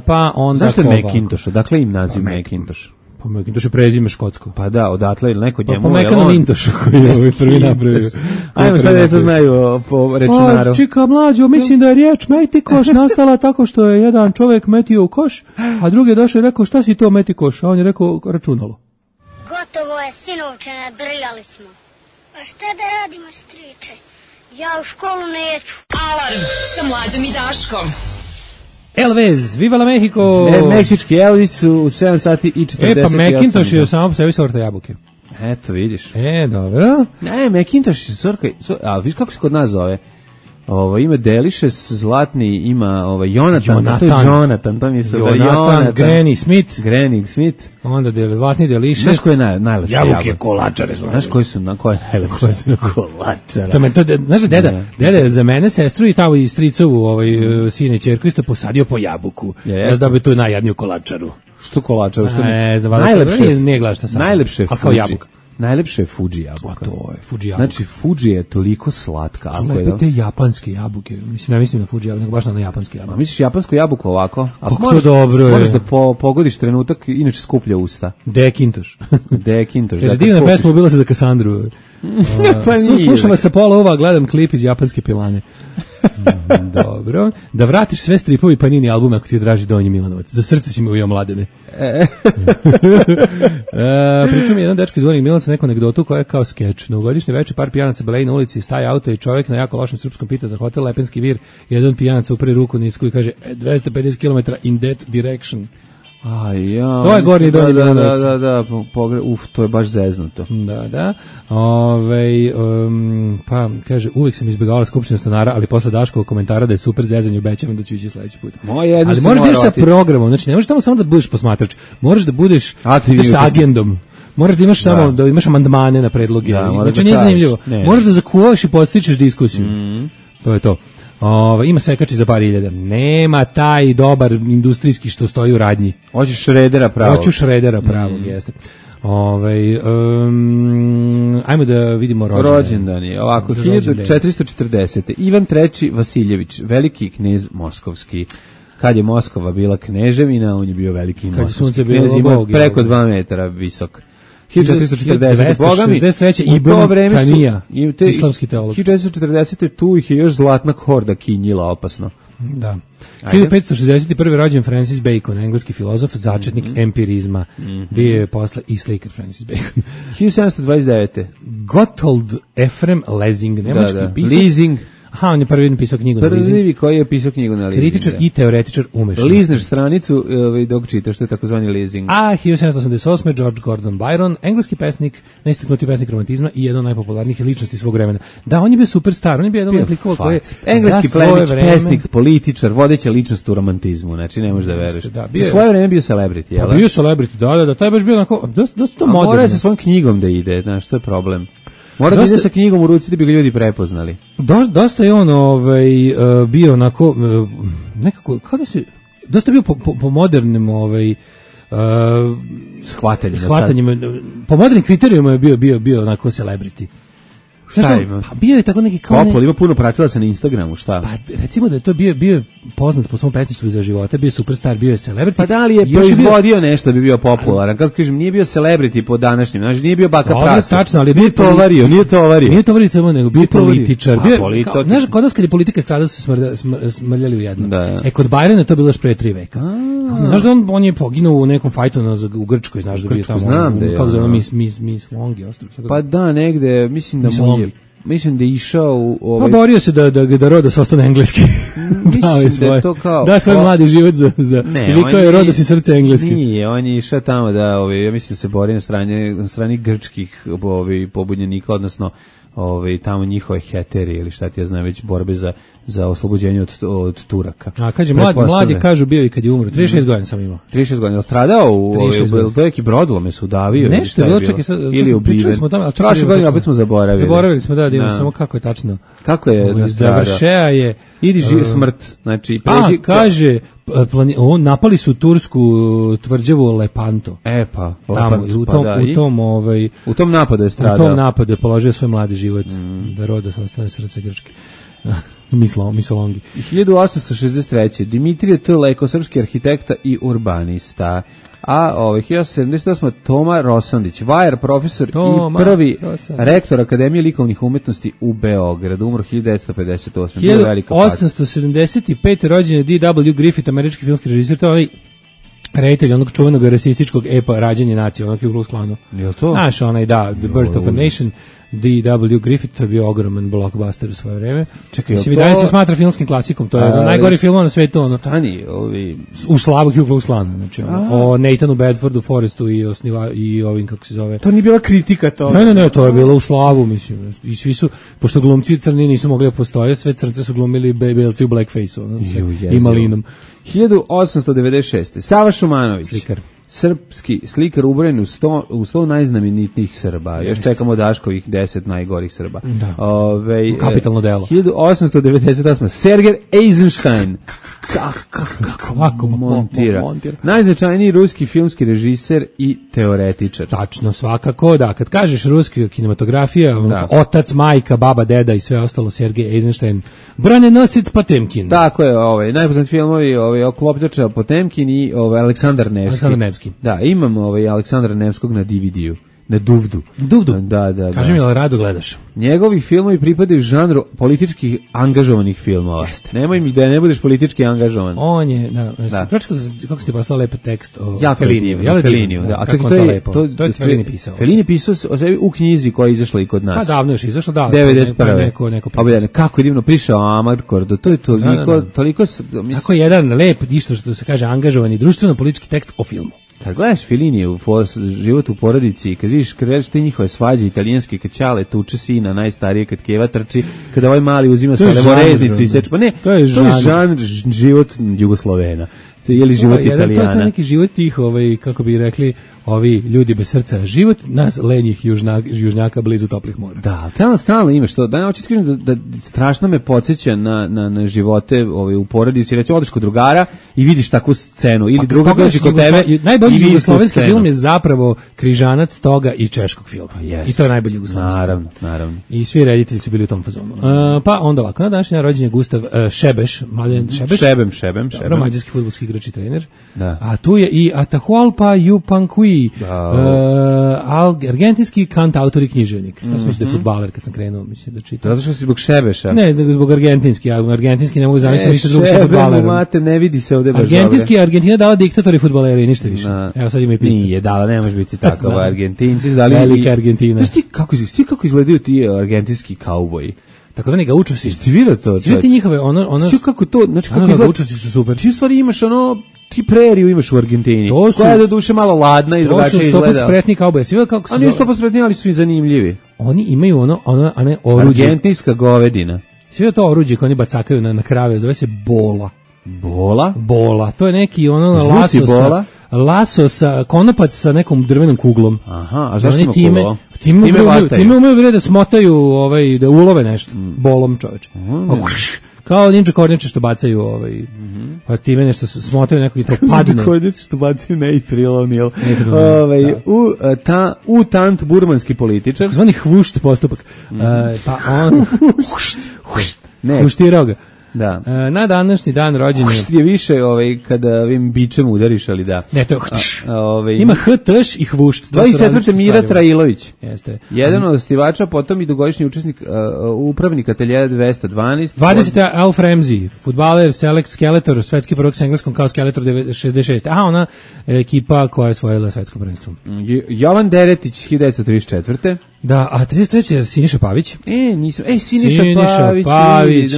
Pa onda... Zašto je Macintosh? Dakle im naziv Macintosh. Pa Macintosh je prezime škotsko. Pa da, odatle ili neko njemu... Pa Macintosh koji je prvi napravio. Ajmo šta da to znaju po računaru. Čika mlađo, mislim da je riječ metikoš nastala tako što je jedan čovjek metio u koš, a drugi je došao i rekao šta si to metikoš, a on je rekao računalo. Gotovo je, sinovče, nadrljali smo. Pa šta da radimo, striče? Ja u školu neću. Alarm sa Mlađom i Daškom. Elvis, Viva la Mexico! Meksički Elvis u 7 sati i 48. Pa Macintosh je samo po sebi sorta jabuke. Eto, vidiš. Dobro. Macintosh je sorka, a vidiš kako se kod nas zove? Ima Delicious, zlatni, ima Jonathan, to je Jonathan, to mi se Jonathan, Granny Smith. Onda zlatni Delicious. Znaš koje je najlepše jabuke? Kolačare. Znaš koje su najlepše? Kolačare. Znaš, deda za mene, sestru i tamo i stricovu sine i ćerku isto posadio po jabuku. Ja sam dobio tu najjadniju kolačaru. Što kolačaru? Najlepše. Nije gledao šta sam. Najlepše a kao jabuka. Najlepše je Fuji jabuka. A to je Fuji jabuka. Znači, Fuji je toliko slatka. Lepe te japanske jabuke. Mislim, ja mislim na Fuji jabuke, nego baš na japanske jabuke. A misliš japansku jabuku ovako? Kako to dobro je. Moraš da pogodiš trenutak, inače skuplja usta. Dekintoš. Dekintoš. Kaže, divna pesma, ubila se za Kasandru. Pa slušam vas sa pola ova, gledam klip iz japanske pilane. Dobro. Da vratiš sve stripovi Panini albume ako ti je draži Donji Milanovac. Za srce si mi ujeo mladene. Pričao mi jedan dečko iz Donjeg Milanovca neku anegdotu koja je kao skeč. Novogodišnje veče par pijanaca beleji na ulici, staje auto i čovjek na jako lošem srpskom pita za hotel Lepenski vir. Jedan pijanaca upre ruku nisku i kaže 250 km in that direction. To je gornji Donji Milanovac. Da, to je baš zeznuto. Da. Pa kaže, uvijek sam izbjegavala skupštinu stanara, ali posle Daškovog komentara da je super zezanje, obećavam da ću ići sledeći put. Ali moraš da ideš sa programom, znači ne možeš tamo samo da budeš posmatrač, moraš da budeš sa agendom. Moraš da imaš tamo, da imaš amandmane na predloge. Znači nije zanimljivo. Moraš da zakuvaš i podstičeš diskusiju. To je to. Ima sekači za par hiljada. Nema taj dobar industrijski što stoji u radnji. Hoćeš Šredera pravog. Hoću Šredera pravog, jeste. Ajmo da vidimo rođendani. Ovako, 1440. Ivan III. Vasiljević, veliki knez moskovski. Kad je Moskova bila kneževina, on je bio veliki moskovski knez, ima preko 2 metara visok. 1440. Bogami, Ibn Tanija, islamski teolog. 1440. tu ih je još Zlatna horda kinjila opasno. Da. 1561. rođen Francis Bacon, engleski filozof, začetnik empirizma. Bio je posle i slikar Francis Bacon. 1729. Gotthold Ephraim Lessing, nemački pisac. Leasing. Aha, on je prvi pisao knjigu na leasing. Prvi koji je pisao knjigu na leasing. Kritičar i teoretičar umešnosti. Lizneš stranicu dok čitaš, što je takozvani leasing. 1788. George Gordon Byron, engleski pesnik, najistaknutiji pesnik romantizma i jedan od najpopularnijih ličnosti svog vremena. Da, on je bio superstar, on je bio jedan od likova koji je engleski pesnik, političar, vodeća ličnost u romantizmu, znači ne možeš da veruješ. Za svoje vreme bio celebrity, jel? Pa bio celebrity, da, taj baš bio onako, dosta moderno. Mora se svojom knjigom da ide, znaš, to je problem. Mora da ide sa knjigom u ruci da bi ga ljudi prepoznali. Dosta je on bio onako, nekako, kao da se, dosta bio po modernim shvatanjima. Po modernim kriterijima je bio onako celebrity. Šta ima? Pa bio je tako neki kao... Popol, ima puno pratilaca na Instagramu, šta? Pa recimo da je to bio poznat po svom pesništvu za života, bio superstar, bio je celebrity. Pa da li je proizvodio nešto da bi bio popularan? Kako kažem, nije bio celebrity po današnjem, znači nije bio baka prasa. Tačno, ali nije tovario. Nije tovario, nego bio političar. Znaš, kod nas kad je politika stradala su smrljali u jedno. Kod Byrona to bilo još pre 3 veka. Znaš da on je poginuo u nekom fajtu u Grčkoj, znaš da bio tamo. Znam da je. Kako zove Miss Longi ostrov. Pa da, negde, mislim da je išao u Pa borio se da Rodos ostane engleski. Mislim da je to kao... Da svoj mladi život za... Ili kao je Rodos i srce engleski. Nije, on je išao tamo da, ja mislim da se bori na strani grčkih pobunjenika, odnosno tamo njihove heteri ili šta ti ja znam, već borbe za oslobođenje od Turaka. A kaže, mlad je, kažu, bio i kad je umro. 36 godina sam imao. 36 godina. Stradao u dojeki brodlome su udavio. Nešto je bilo, čekaj, ili ubiven. Prošle godine opet smo zaboravili. Zaboravili smo, da samo kako je tačno. Kako je nastradao? Završeja je... Idi smrt. Znači, kaže, napali su tursku tvrđavu Lepanto. Pa, u tom napadu je stradao. U tom napadu je položio svoj mladi život. Da Rodos ostane srce Grčke. Misolongi. 1863. Dimitrije T. Leko, srpski arhitekta i urbanista. A 1878. Toma Rosandić, vajar, profesor i prvi rektor Akademije likovnih umetnosti u Beogradu, umro 1958. 1875. rođen je D.W. Griffith, američki filmski režisir, to je reditelj onog čuvenog rasističkog epa Rađanje nacije, onog Ku Klux Klanu. Je to? Znaš, The Birth of a Nation. D.W. Griffith, to je bio ogroman blockbuster u svoje vreme. Čekaj, mislim, i dalje se smatra filmskim klasikom, to je najgori film na svetu. U slavu Ku Klux Klana, znači o Nathanu Bedfordu, Forrestu i ovim, kako se zove. To nije bila kritika toga. Ne, to je bilo u slavu, mislim. I svi su, pošto glumci crni nisu mogli da postoje, sve crnce su glumili belci u blackface-u, i malinom. 1896. Sava Šumanović. Slikar. srpski slikar ubrojen u 100 najznamenitijih Srba. Još čekamo Daškovih 10 najgorih Srba. Da. Kapitalno delo. 1898. Sergej Eisenstein. Kako montira. Najznačajniji ruski filmski režiser i teoretičar. Tačno, svakako, da. Kad kažeš ruski kinematografija, otac, majka, baba, deda i sve ostalo, Sergej Eisenstein, Branenosac Potemkin. Tako je, najpoznatiji filmovi, Oklopnjača Potemkin i Aleksandar Nevski. Da, imam Aleksandra Nevskog na DVD-u. Na Duvdu. Da. Kaži mi, ali rado gledaš? Njegovi filmovi pripadaju žanru politički angažovanih filmova. Jeste. Nemoj mi da ne budeš politički angažovan. On je, proči kako si ti poslao lepo tekst o Feliniju. Da. Kako to je lepo? To je Felini pisao. Felini pisao u knjizi koja je izašla i kod nas. Pa davno još izašla, da. 91. Kako je divno prišao Amarkordo, to je toliko... Tako je jedan lep, isto što se kaže, angažovani društveno-politički tekst o filmu. Kad gledaš Feliniju, život u porodici, kad vidiš te njihove svađe italijanske, kad Ćale tuče sina, najstarije, kad Keva trči, kad ovaj mali uzima sa levoreznicu i seče, pa ne, to je žanr život Jugoslovena. Ili život Italijana. To je neki život tih, kako bi rekli, ovi ljudi bez srca, život nas lenjih južnjaka blizu toplih mora. Da, ali stalno imaš to. Da, hoću ti kažem da strašno me podsjeća na živote u porodici. Recimo, odeš kod drugara i vidiš takvu scenu. Ili druga dođe kod tebe. Najbolji jugoslovenski film je zapravo križanac toga i češkog filma. I to je najbolji jugoslovenski film. Naravno. I svi reditelji su bili u tom fazonu. Pa onda ovako, na današnji rođendan je Gustav Šebeš, Mladen Šebeš. Šebem. Mađarski fudbalski igrač i trener. Da. A tu je i Atahualpa Yupanqui, argentinski kantautor i književnik. Ja sam mislio da je fudbaler kad sam krenuo, mislim da čitam. Zato što si zbog Šebeša? Ne, zbog argentinski. Argentinski ne mogu zamisliti ništa drugo sa fudbalerom. Mate, ne vidi se ovde baš argentinski, Argentina dala diktatori i fudbaleri, ništa više. Evo sad ima i pizza. Nije dala, ne može biti tako. Argentinci dali... Velika Argentina. Znaš ti kako izgledaju ti argentinski kauboji? Tako da ne ga učusi. Jeste vidio to? Svi ti njihove, Znaš kako to, znači kako izgleda? Učusi su super. Ti u stvari imaš ti preriju imaš u Argentini, koja je do duše malo ladna i drugačije izgleda. To su 100% spretni kauboji. Svi kako se zove? Oni su 100% spretni, ali su i zanimljivi. Oni imaju ono oruđe. Argentinska govedina. Svi to oruđe koje oni bacakaju na krave, zove se bola. Bola, to je neki laso sa konopac sa nekom drvenom kuglom. Aha, a zašto ima kuglo? Time umeju da smotaju, da ulove nešto, bolom čoveče. Kao ninja kornjače što bacaju, pa time nešto smotaju nekog i to padne. Ninja kornjače što bacaju ne i prilonil. U tant burmanski političar. Zvani hvušt postupak. Pa on... Hvuštirao ga. Da. Na današnji dan rođenja je više kada ovim bičem udariš, ali da. Ne, to je ima htš i hvušt. 24. Mira Trailović. Jeste. Jedan od osnivača, potom i dugogodišnji učesnik upravnik ateljea 212. 20. Alf Ramsey, fudbaler, Skeletor, svetski prvak s engleskom kao Skeletor 66. Aha, ona ekipa koja je osvojila svetsko prvenstvo. Jovan Deretić, 1934. Da, a 33. je Siniša Pavić. Siniša Pavić,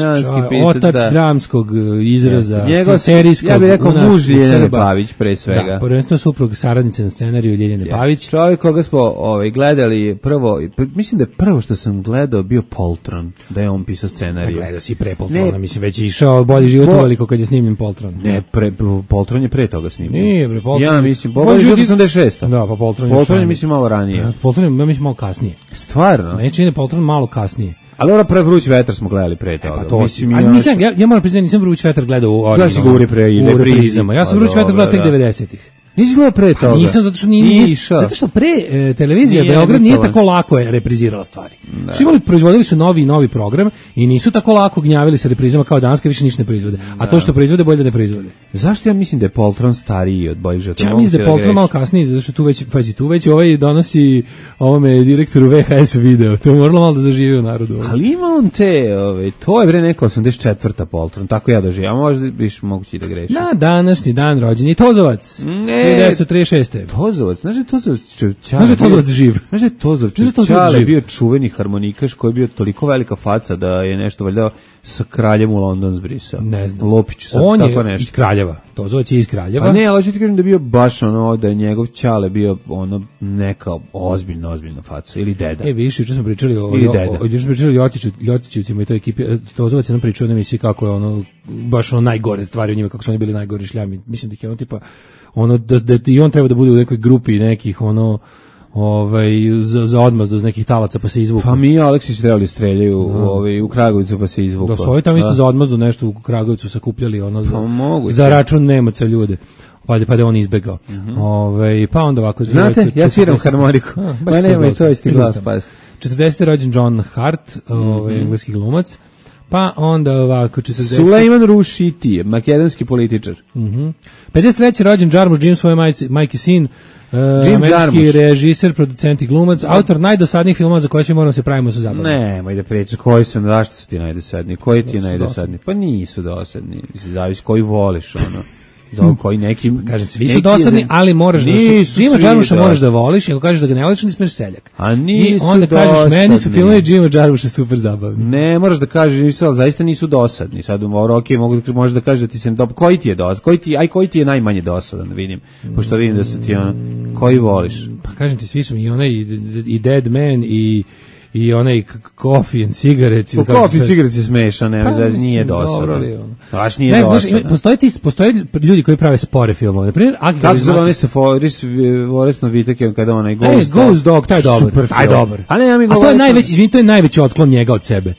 otac dramskog izraza, serijskog. Ja bih rekao muž Ljeljane Pavić, pre svega. Da, prvenstveno suprug saradnice na scenariju Ljeljane Pavić. Čovjek koga smo gledali prvo, mislim da je prvo što sam gledao bio Poltron, da je on pisao scenariju. Gledao si pre Poltrona, mislim već išao bolji život uveliko kad je snimljen Poltron. Ne, Poltron je pre toga snimljen. Nije, pre Poltron. Ja mislim, bolji život 86. Da, pa Poltron je mislim malo ranije. Poltron je mislim malo kasnije. Stvarno? Neće ne Poltron malo kasnije. Ali ona pre Vruć vetar smo gledali pre toga. Pa mislim, ja moram priznati, nisam Vruć vetar gledao u reprizama. Ja sam Vruć vetar gledao tek 90-ih. Nisi gledao pre toga? Nisam, zato što pre televizija Beograd nije tako lako je reprizirala stvari. Svi proizvodili su novi program i nisu tako lako gnjavili sa reprizama kao danas, više ništa ne proizvode. A to što proizvode, bolje da ne proizvode. Zašto ja mislim da je Poltron stariji od Boljih života? Ja mislim da je Poltron malo kasniji, zato što tu već donosi ovome direktoru VHS video. To je moralo malo da zaživi u narodu. Ali ima on to je neka 84. Poltron, tako ja doživim. A možda biš mogući da grešim. Na današnji dan rođenja Tozovac. 1936. Tozovac, znaš je Tozovac živ. Znaš je Tozovac Čale bio čuveni harmonikaš koji je bio toliko velika faca da je nešto valjda sa kraljem u London zbrisao. Ne znam. Lopić sad on tako je nešto. Iz Kraljeva. Tozovac je iz Kraljeva. A ne, ali ću ti kažem da je bio baš da je njegov Čale bio neka ozbiljna faca ili deda. Više, juče smo pričali o Ljotićevcima i toj ekipi. Tozovac je nam pričao na emisiji kako je baš najgore stvari u njima, kako su oni bili najgori šljami. Mislim da ih je tipa ono da i on treba da bude u nekoj grupi nekih ono za odmazdu iz nekih talaca pa se izvuku. Pa mi Aleksić trebali streljaju u Kragujevcu pa se izvuku. Da su ovi tamo isto za odmazdu nešto u Kragujevcu sakupljali ono za račun Nemaca ljude. Pa da on izbegao. Pa onda ovako... Znate, ja sviram harmoniku. Ma nemoj, to je ti glas. 40. rođen John Hart, engleski glumac. Pa onda ovako 40. Sulejman Rušiti, makedonski političar. 53. rođen Jarmusch Jim, svoje majke sin, američki režiser, producent i glumac, autor najdosadnijih filmova za koje svi moramo se pravimo su zabavni. Nemoj da pričaš, koji su, zašto su ti najdosadniji? Koji ti je najdosadniji? Pa nisu dosadni, zavisi koji voliš, ono. Za koji neki kaže svi su dosadni, ali moraš da Jima Jarmuscha moraš da voliš, ako kažeš da ga ne voliš, nismeš seljak. A nisu i onda kažeš dosadni. Meni su filmovi Jima Jarmuscha super zabavni. Ne, moraš da kažeš nisu, ali zaista nisu dosadni. Sad možeš da kažeš da ti se koji ti je dosadan, koji ti je najmanje dosadan, vidim. Pošto vidim da su ti ono koji voliš. Pa kažem ti svi su mi onaj i Dead Man i onaj Coffee and Cigarettes. Coffee and Cigarettes je smešan, nije dosadan. Baš nije dosadan. Postoje ljudi koji prave spore filmove. Naprimjer, kako se zove se Voresno Viteke kada onaj Ghost Dog, taj dobar. A to je najveći otklon njega od sebe.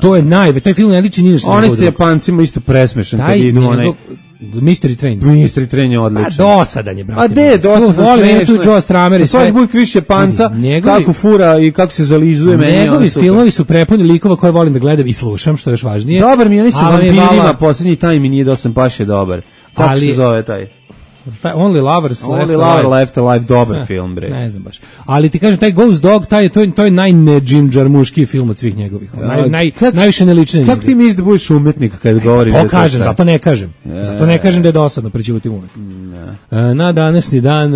To je taj film ne liči ni na što. Oni se Japancima isto presmešan kad idu onaj Mystery Train je odličan. Dosadan je, brate. A de, dosadan. Volim tu Joe Stramer i sve. Svaki bujk više Panca, kako fura i kako se zalizuje meni. Njegovi filmovi su prepuni likova koje volim da gledam i slušam, što je još važnije. Dobar mi je, oni sa vampirima, posljednji taj mi nije dosadan, baš je dobar. Kako se zove taj? Only Lovers Left Alive, dobar film, bre. Ne znam baš. Ali ti kažem, taj Ghost Dog, to je najne Jim Jarmuški film od svih njegovih. Najviše nelične. Kako ti misliš da budeš umetnik kad govoriš? To kažem, zato ne kažem. Zato ne kažem da je dosadno, prećutim uvek. Na današnji dan,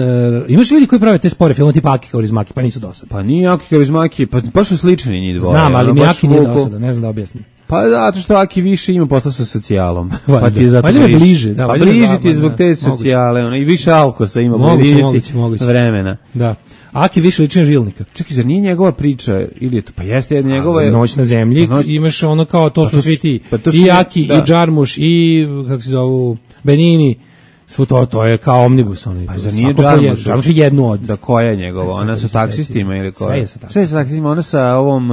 imaš ljudi koji prave te spore filmove tipa Aki Kaurismäki, pa nisu dosadni. Pa nije Aki Kaurismäki, pa baš su slični njih dvoje. Znam, ali mi Aki nije dosadan, ne znam da objasnim. Pa zato što Aki više ima posla sa socijalom. Pa ti je zato bliže. Pa bliže ti je zbog te socijale, i više alkosa ima u rizici vremena. Da. Aki više liči na Žilnika. Čekaj, zar nije njegova priča ili je to? Pa jeste njegova Noć na zemlji, imaš ono kao to su svi ti. I Aki, i Jarmusch, i kako se zovu Benini. Svo to je kao omnibus. Pa zar nije Jarmusch? Jarmusch je jednu od. Da, koja je njegova? Ona sa taksistima ili koja? Sve je sa taksistima, ona sa ovom...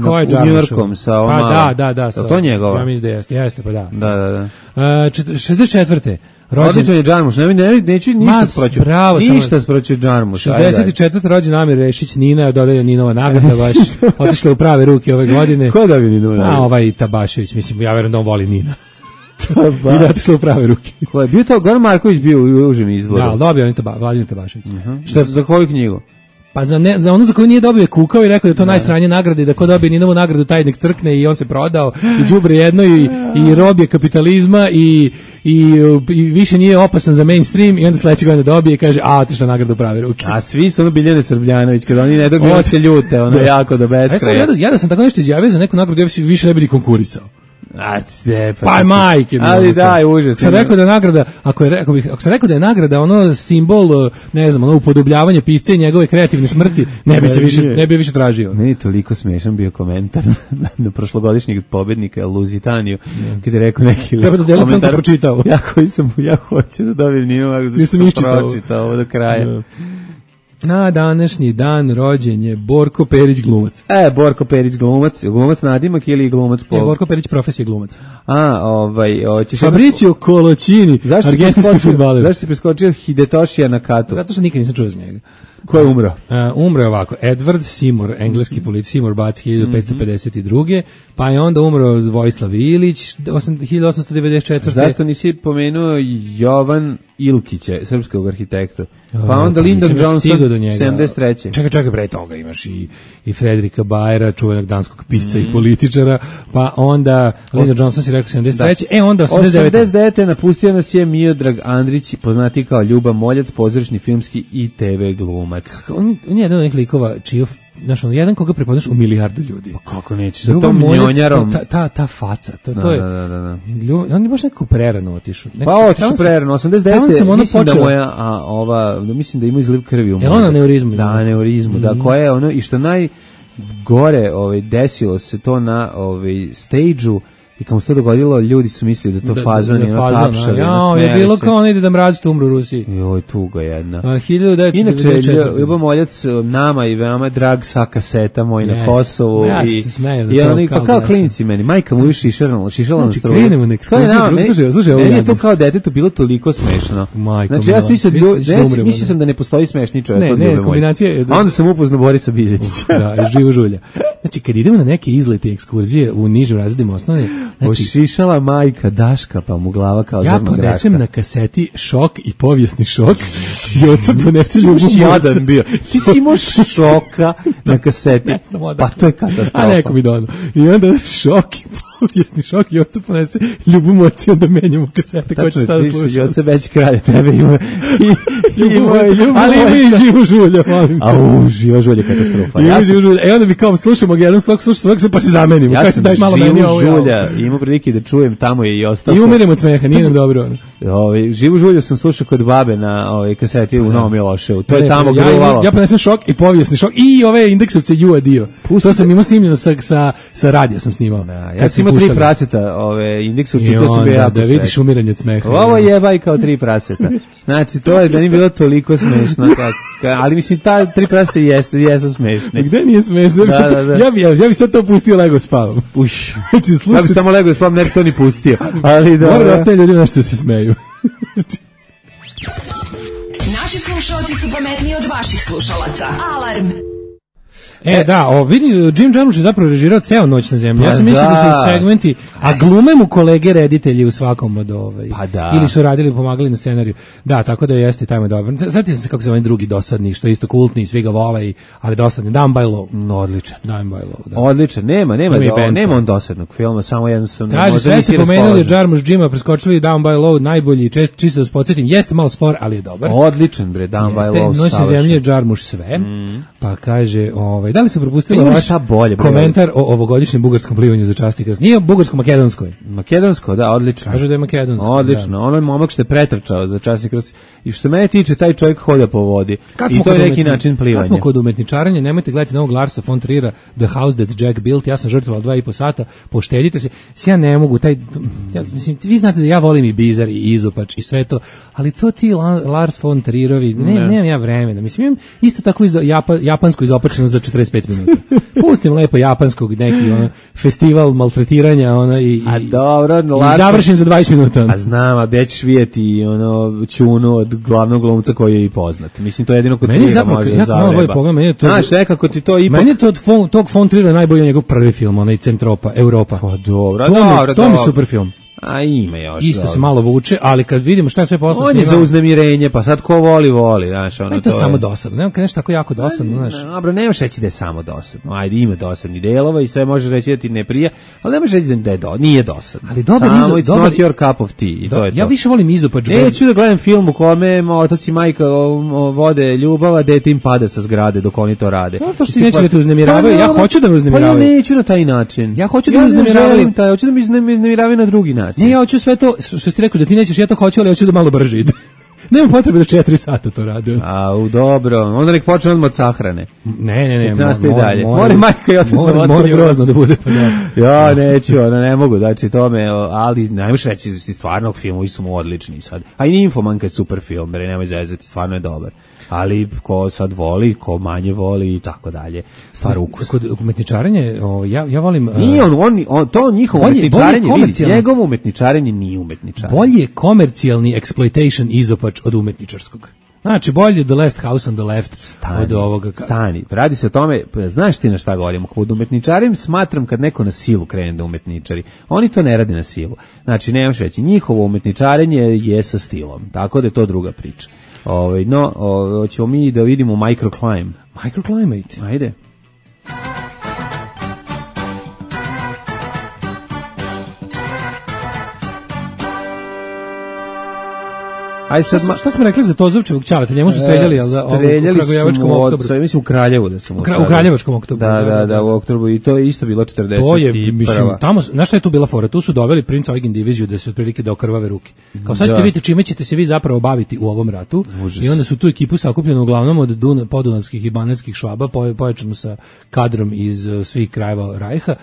Ko je Njujorkom sa ovom da. To njegova? Ja mislim da jeste, pa da. Da. 64. Odličan je Jarmusch, neću ništa sproću Jarmusch. 64. rođen Amir Rešić, Nina je dodelja Ninova nagrada, baš otišla u prave ruke ove godine. Ko dobio Ninova nagrada? Ovaj Tabašević, mislim, ja verujem da on voli Nina. I da otišla u prave ruke. Ko je bio to? Goran Marković bio u užem izboru. Da, dobio on Vladimir Tabašević. Za koju knjigu? Pa za ono za koju nije dobio je kukao i rekao da je to najsranje nagrade i da ko dobije Ninovu nagradu taj nek crkne i on se prodao i đubre jedno i rob je kapitalizma i više nije opasan za mainstream i onda sledeće godine dobije i kaže otišla nagrada u prave ruke. A svi su ono Biljane Srbljanović kada oni ne dobiju se ljute, ono jako do beskraja. Ja da sam tako nešto izjavio za neku nagradu ja više ne bi ni konkurisao. Pa majke. Ali daj, užasno. Sam rekao da je nagrada, ako sam rekao da je nagrada ono simbol, ne znam, ono upodobljavanje pisca i njegove kreativne smrti, ne bi više tražio. Meni je toliko smešan bio komentar na prošlogodišnjeg pobednika Luzitaniju, kada je rekao neki treba da delim sam to pročitao. Ja hoću da dobijem Ninovu, nisam pročitao ovo do kraja. Na današnji dan rođen je Borko Perić glumac. Borko Perić glumac nadimak ili glumac po? Borko Perić profesija glumac. Fabricio Colocini, argentinski fudbaler. Zašto si preskočio Hidetoshija Nakatu? Zato što nikad nisam čuo za njega. Ko je umro? Umro je ovako, Edward Seymour, engleski politik, Seymour Bac 1552. Pa je onda umro Vojislav Ilić 1894. Zašto nisi pomenuo Jovan Ilkića, srpskog arhitekta? Pa onda Lyndon Johnson 73. Čekaj, pre toga imaš i Fredrika Bajera, čuvenog danskog pisca i političara, pa onda Lyndon Johnson si rekao 73. Onda 89. napustio nas je Miodrag Andrić, poznati kao Ljuba Moljac, pozorišni, filmski i TV glumac. On je jedan od nekih likova znaš, jedan koga prepoznaš u milijardu ljudi. Pa kako neće, sa tom njonjarom. Ta faca, to je. Da. On je baš nekako prerano otišao. Pa otišao prerano, 89. Mislim da mislim da ima izliv krvi u mozak. Je on aneurizmu? Da, aneurizmu, da, koja je ono, i što najgore desilo se to na stage-u I kad mu se to dogodilo, ljudi su mislili da to fazon je tapšali. Je bilo kao ono ide da mrazite umru u Rusiji. Joj, tuga jedna. 1994. Inače, Ljubo Moljac nama i veoma drag sa kaseta moj na Kosovu. Ja se smeju. I oni, pa kao klinici meni, majka mu još šišala na struju. Znači, krenemo na ekskluziju. Slušaj, meni je to kao detetu bilo toliko smešno. Znači, ja mislio sam da ne postoji smešni čovjek od Ljube Moljac. A onda sam upoznao Borisa Biljetića. Da, živo žulja. Znači, kad idemo na neke izlete ekskurzije u nižim razredima osnovne, znači, ošišala majka Daška, pa mu glava kao zrna graka. Ja ponesem na kaseti Šok i povijesni šok i oca ponese Ljubu Moljac. Ti si imao Šoka na kaseti, pa to je katastrofa. A neko mi dono. I onda Šok i povijesni šok i oca ponese Ljubu Moljac i onda menjamo kasete koje će sada slušati. Tačno, oca već kralje, tebe ima ali ima i Živu žulja, molim. Au, Živa žulja katastrofa. E onda bi kao slušamo jedan slog, pa se zamenimo. Ja sam Živu žulja, imao prilike da čujem, tamo je i ostao. I umirem od smeha, nije nam dobro. Živu žulju sam slušao kod babe na kaseti u Novom Miloševu. To je tamo gruvalo. Ja ponesem Šok i povijesni šok i ove indeksovce Jua Dio. To sam imao snimljeno sa radija sam snimao. Ja sam imao 3 praseta, indeksovce, to su bio jako da vidiš umiranje od smeha. Ovo jebaj kao 3 praseta. Znači, to je da nije bilo toliko smešno. Ali mislim, ta 3 praseta jesu smešne. Gde nije smešno? Ja bi sad to pustio lego spavam. Uš. Ja bi samo lego spavam, ne bi to ni pustio. Ali da... Mora da ostaje ljudi nešto se smeju. Naši slušalci su pametniji od vaših slušalaca. Alarm! Vidi, Jim Jarmusch je zapravo režirao ceo Noć na zemlji. Ja sam mislio da su segmenti, a glume mu kolege reditelji u svakom od ili su radili, pomagali na scenariju. Da, tako da jeste tamo dobro. Zatim se kako se ovaj drugi dosadni, što je isto kultni, svi ga vole, ali dosadni. Down by Law. Odličan. Down by Law, da. Odličan, nema on dosadnog filma, samo jednostavno. Kaže, sve ste pomenuli Jarmusch Jima, preskočili Down by Law, najbolji, čisto da se podsjetim, jeste malo spor, ali je dobar. Odličan, bre, Down by Law. Noć na zemlji je Jarmusch sve, pa kaže, da li se propustila vaš komentar o ovogodišnjem bugarskom plivanju za čast i krst? Nije bugarsko-makedonsko. Makedonsko, da, odlično. Kažu da je makedonsko. Odlično, ono je momak što je pretrčao za čast i krst. I što se mene tiče, taj čovjek hoda po vodi. I to je neki način plivanja. Kad smo kod umetničaranja, nemojte gledati novog Larsa von Trier'a, The House That Jack Built. Ja sam žrtvoval 2,5 sata, poštedite se. Ja ne mogu, mislim, vi znate da ja volim i Bizar i Izopač i sve to, ali to ti Lars von Trierovi, nemam ja vremena. Mislim, imam isto tako japansko izopačeno za 45 minuta. Pustim lepo japanskog neki festival maltretiranja i završim za 20 minuta. A znam, a gde ćeš vidjeti Ćunu od glavnog glumca koji je i poznat. Mislim, to je jedino kod Triera može da zavreba. Znaš, nekako ti to ipak... Meni je to od tog von Triera najbolji njegov prvi film, onaj Centropa, Europa. Pa dobro. To mi je super film. A ima još. Isto se malo vuče, ali kad vidimo šta je sve posle on je za uznemirenje, pa sad ko voli, znaš, ono to je samo dosadno. Nema nešto tako jako dosadno, znaš. Dobro, nemaš reći da je samo dosadno. Ajde, ima dosadni delova i sve možeš reći da ti ne prija, ali nemaš reći da je nije dosadno. Ali dobar not your cup of tea i to je to. Ja više volim Izopač. Neću da gledam film u kome otac i majka vode ljubav, dete im pada sa zgrade dok oni to rade. To što ti neće da te uznemiravaju, ja hoću da me uznemiravaju. Pa ja neću na taj način. Ja hoću da me uznemiravaju. Hoću da me uznemiravaju na drugi način. Ne, ja hoću sve to, što si rekao da ti nećeš, ja to hoću, ali hoću da malo brže ide. Nema potrebe da 4 sata to rade. Dobro. Onda nek počne odmah od sahrane. Ne. Mora majka i otac mora grozno da bude. Pa ja neću, ne mogu, znači tome, ali najmoš reći da si stvarno filmovi su mu odlični sad. A i Ninfomanka je super film, jer nemoj zezati, stvarno je dobar. Ali ko sad voli, ko manje voli i tako dalje. Stvar ukus. Kod umetničarenja, ja volim... Nije to njihovo umetničarenje, vidi, njegovo umetničarenje nije umetničarenje. Bolje je komercijalni exploitation Izopač od umetničarskog. Znači, bolje The Last House on the Left od ovoga. Stani, radi se o tome, znaš ti na šta govorim, kod umetničarim smatram kad neko na silu krene da umetničari. Oni to ne rade na silu. Znači, nemaš reći, njihovo umetničarenje je sa stilom, tako da je to druga priča. Hoćemo mi da vidimo Microclimate. Microclimate? Ajde. Aj sad šta smo rekli za Tozovčevog ćaleta? Njemu su streljali, al da u Kragujevačkom oktobru. Mislim u Kraljevu da sam. U Kraljevačkom oktobru. Da, u oktobru i to je isto bilo 40. To je, mislim, tamo, znaš šta je tu bila fora? Tu su doveli Prince Eugen diviziju da se otprilike da okrvave ruke. Kao sad ćete vidjeti čime ćete se vi zapravo baviti u ovom ratu. Užas. I onda su tu ekipu sakupljenu uglavnom od podunavskih i banatskih švaba, pojačano sa kadrom iz svih krajeva Rajha,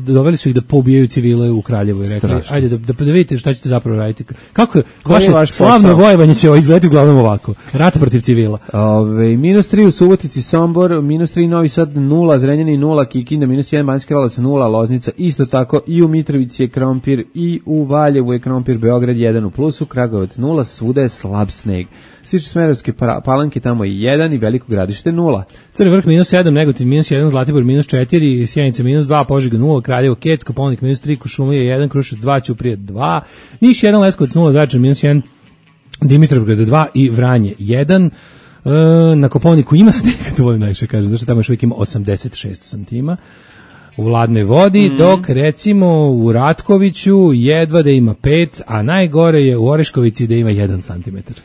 doveli su ih da poubijaju civile u Kraljevu i rekli, ajde da vidite šta ćete zapravo raditi. Kako vaše slavno vojevanje će izgledati uglavnom ovako. Rat protiv civila. -3 u Subotici, Sombor, -3 Novi Sad 0, Zrenjanin 0, Kikinda -1, Banjski Karlovac 0, Loznica isto tako, i u Mitrovici je krompir, i u Valjevu je krompir, Beograd 1 u plusu, Kragujevac 0, svuda je slab sneg. Stiče Smederevske Palanke, tamo je 1 i Veliko Gradište 0. Crni Vrh -7, Negotin -1, Zlatibor -4, Sjenica -2, Požega 0, Kraljevo, Kec, Kopaonik -3, Kuršumlija 1, Kruševac 2, Ćuprija 2, Niš 1, Leskovac 0, Zaječar -1, Dimitrovgrad 2 i Vranje 1. Na Kopaoniku ima snega, to volim najviše kaže, zato što tamo još uvijek ima 86 santima u ladnoj vodi, dok recimo u Ratkoviću jedva da ima 5, a najgore je u Oreškovici da ima 1 santimetar.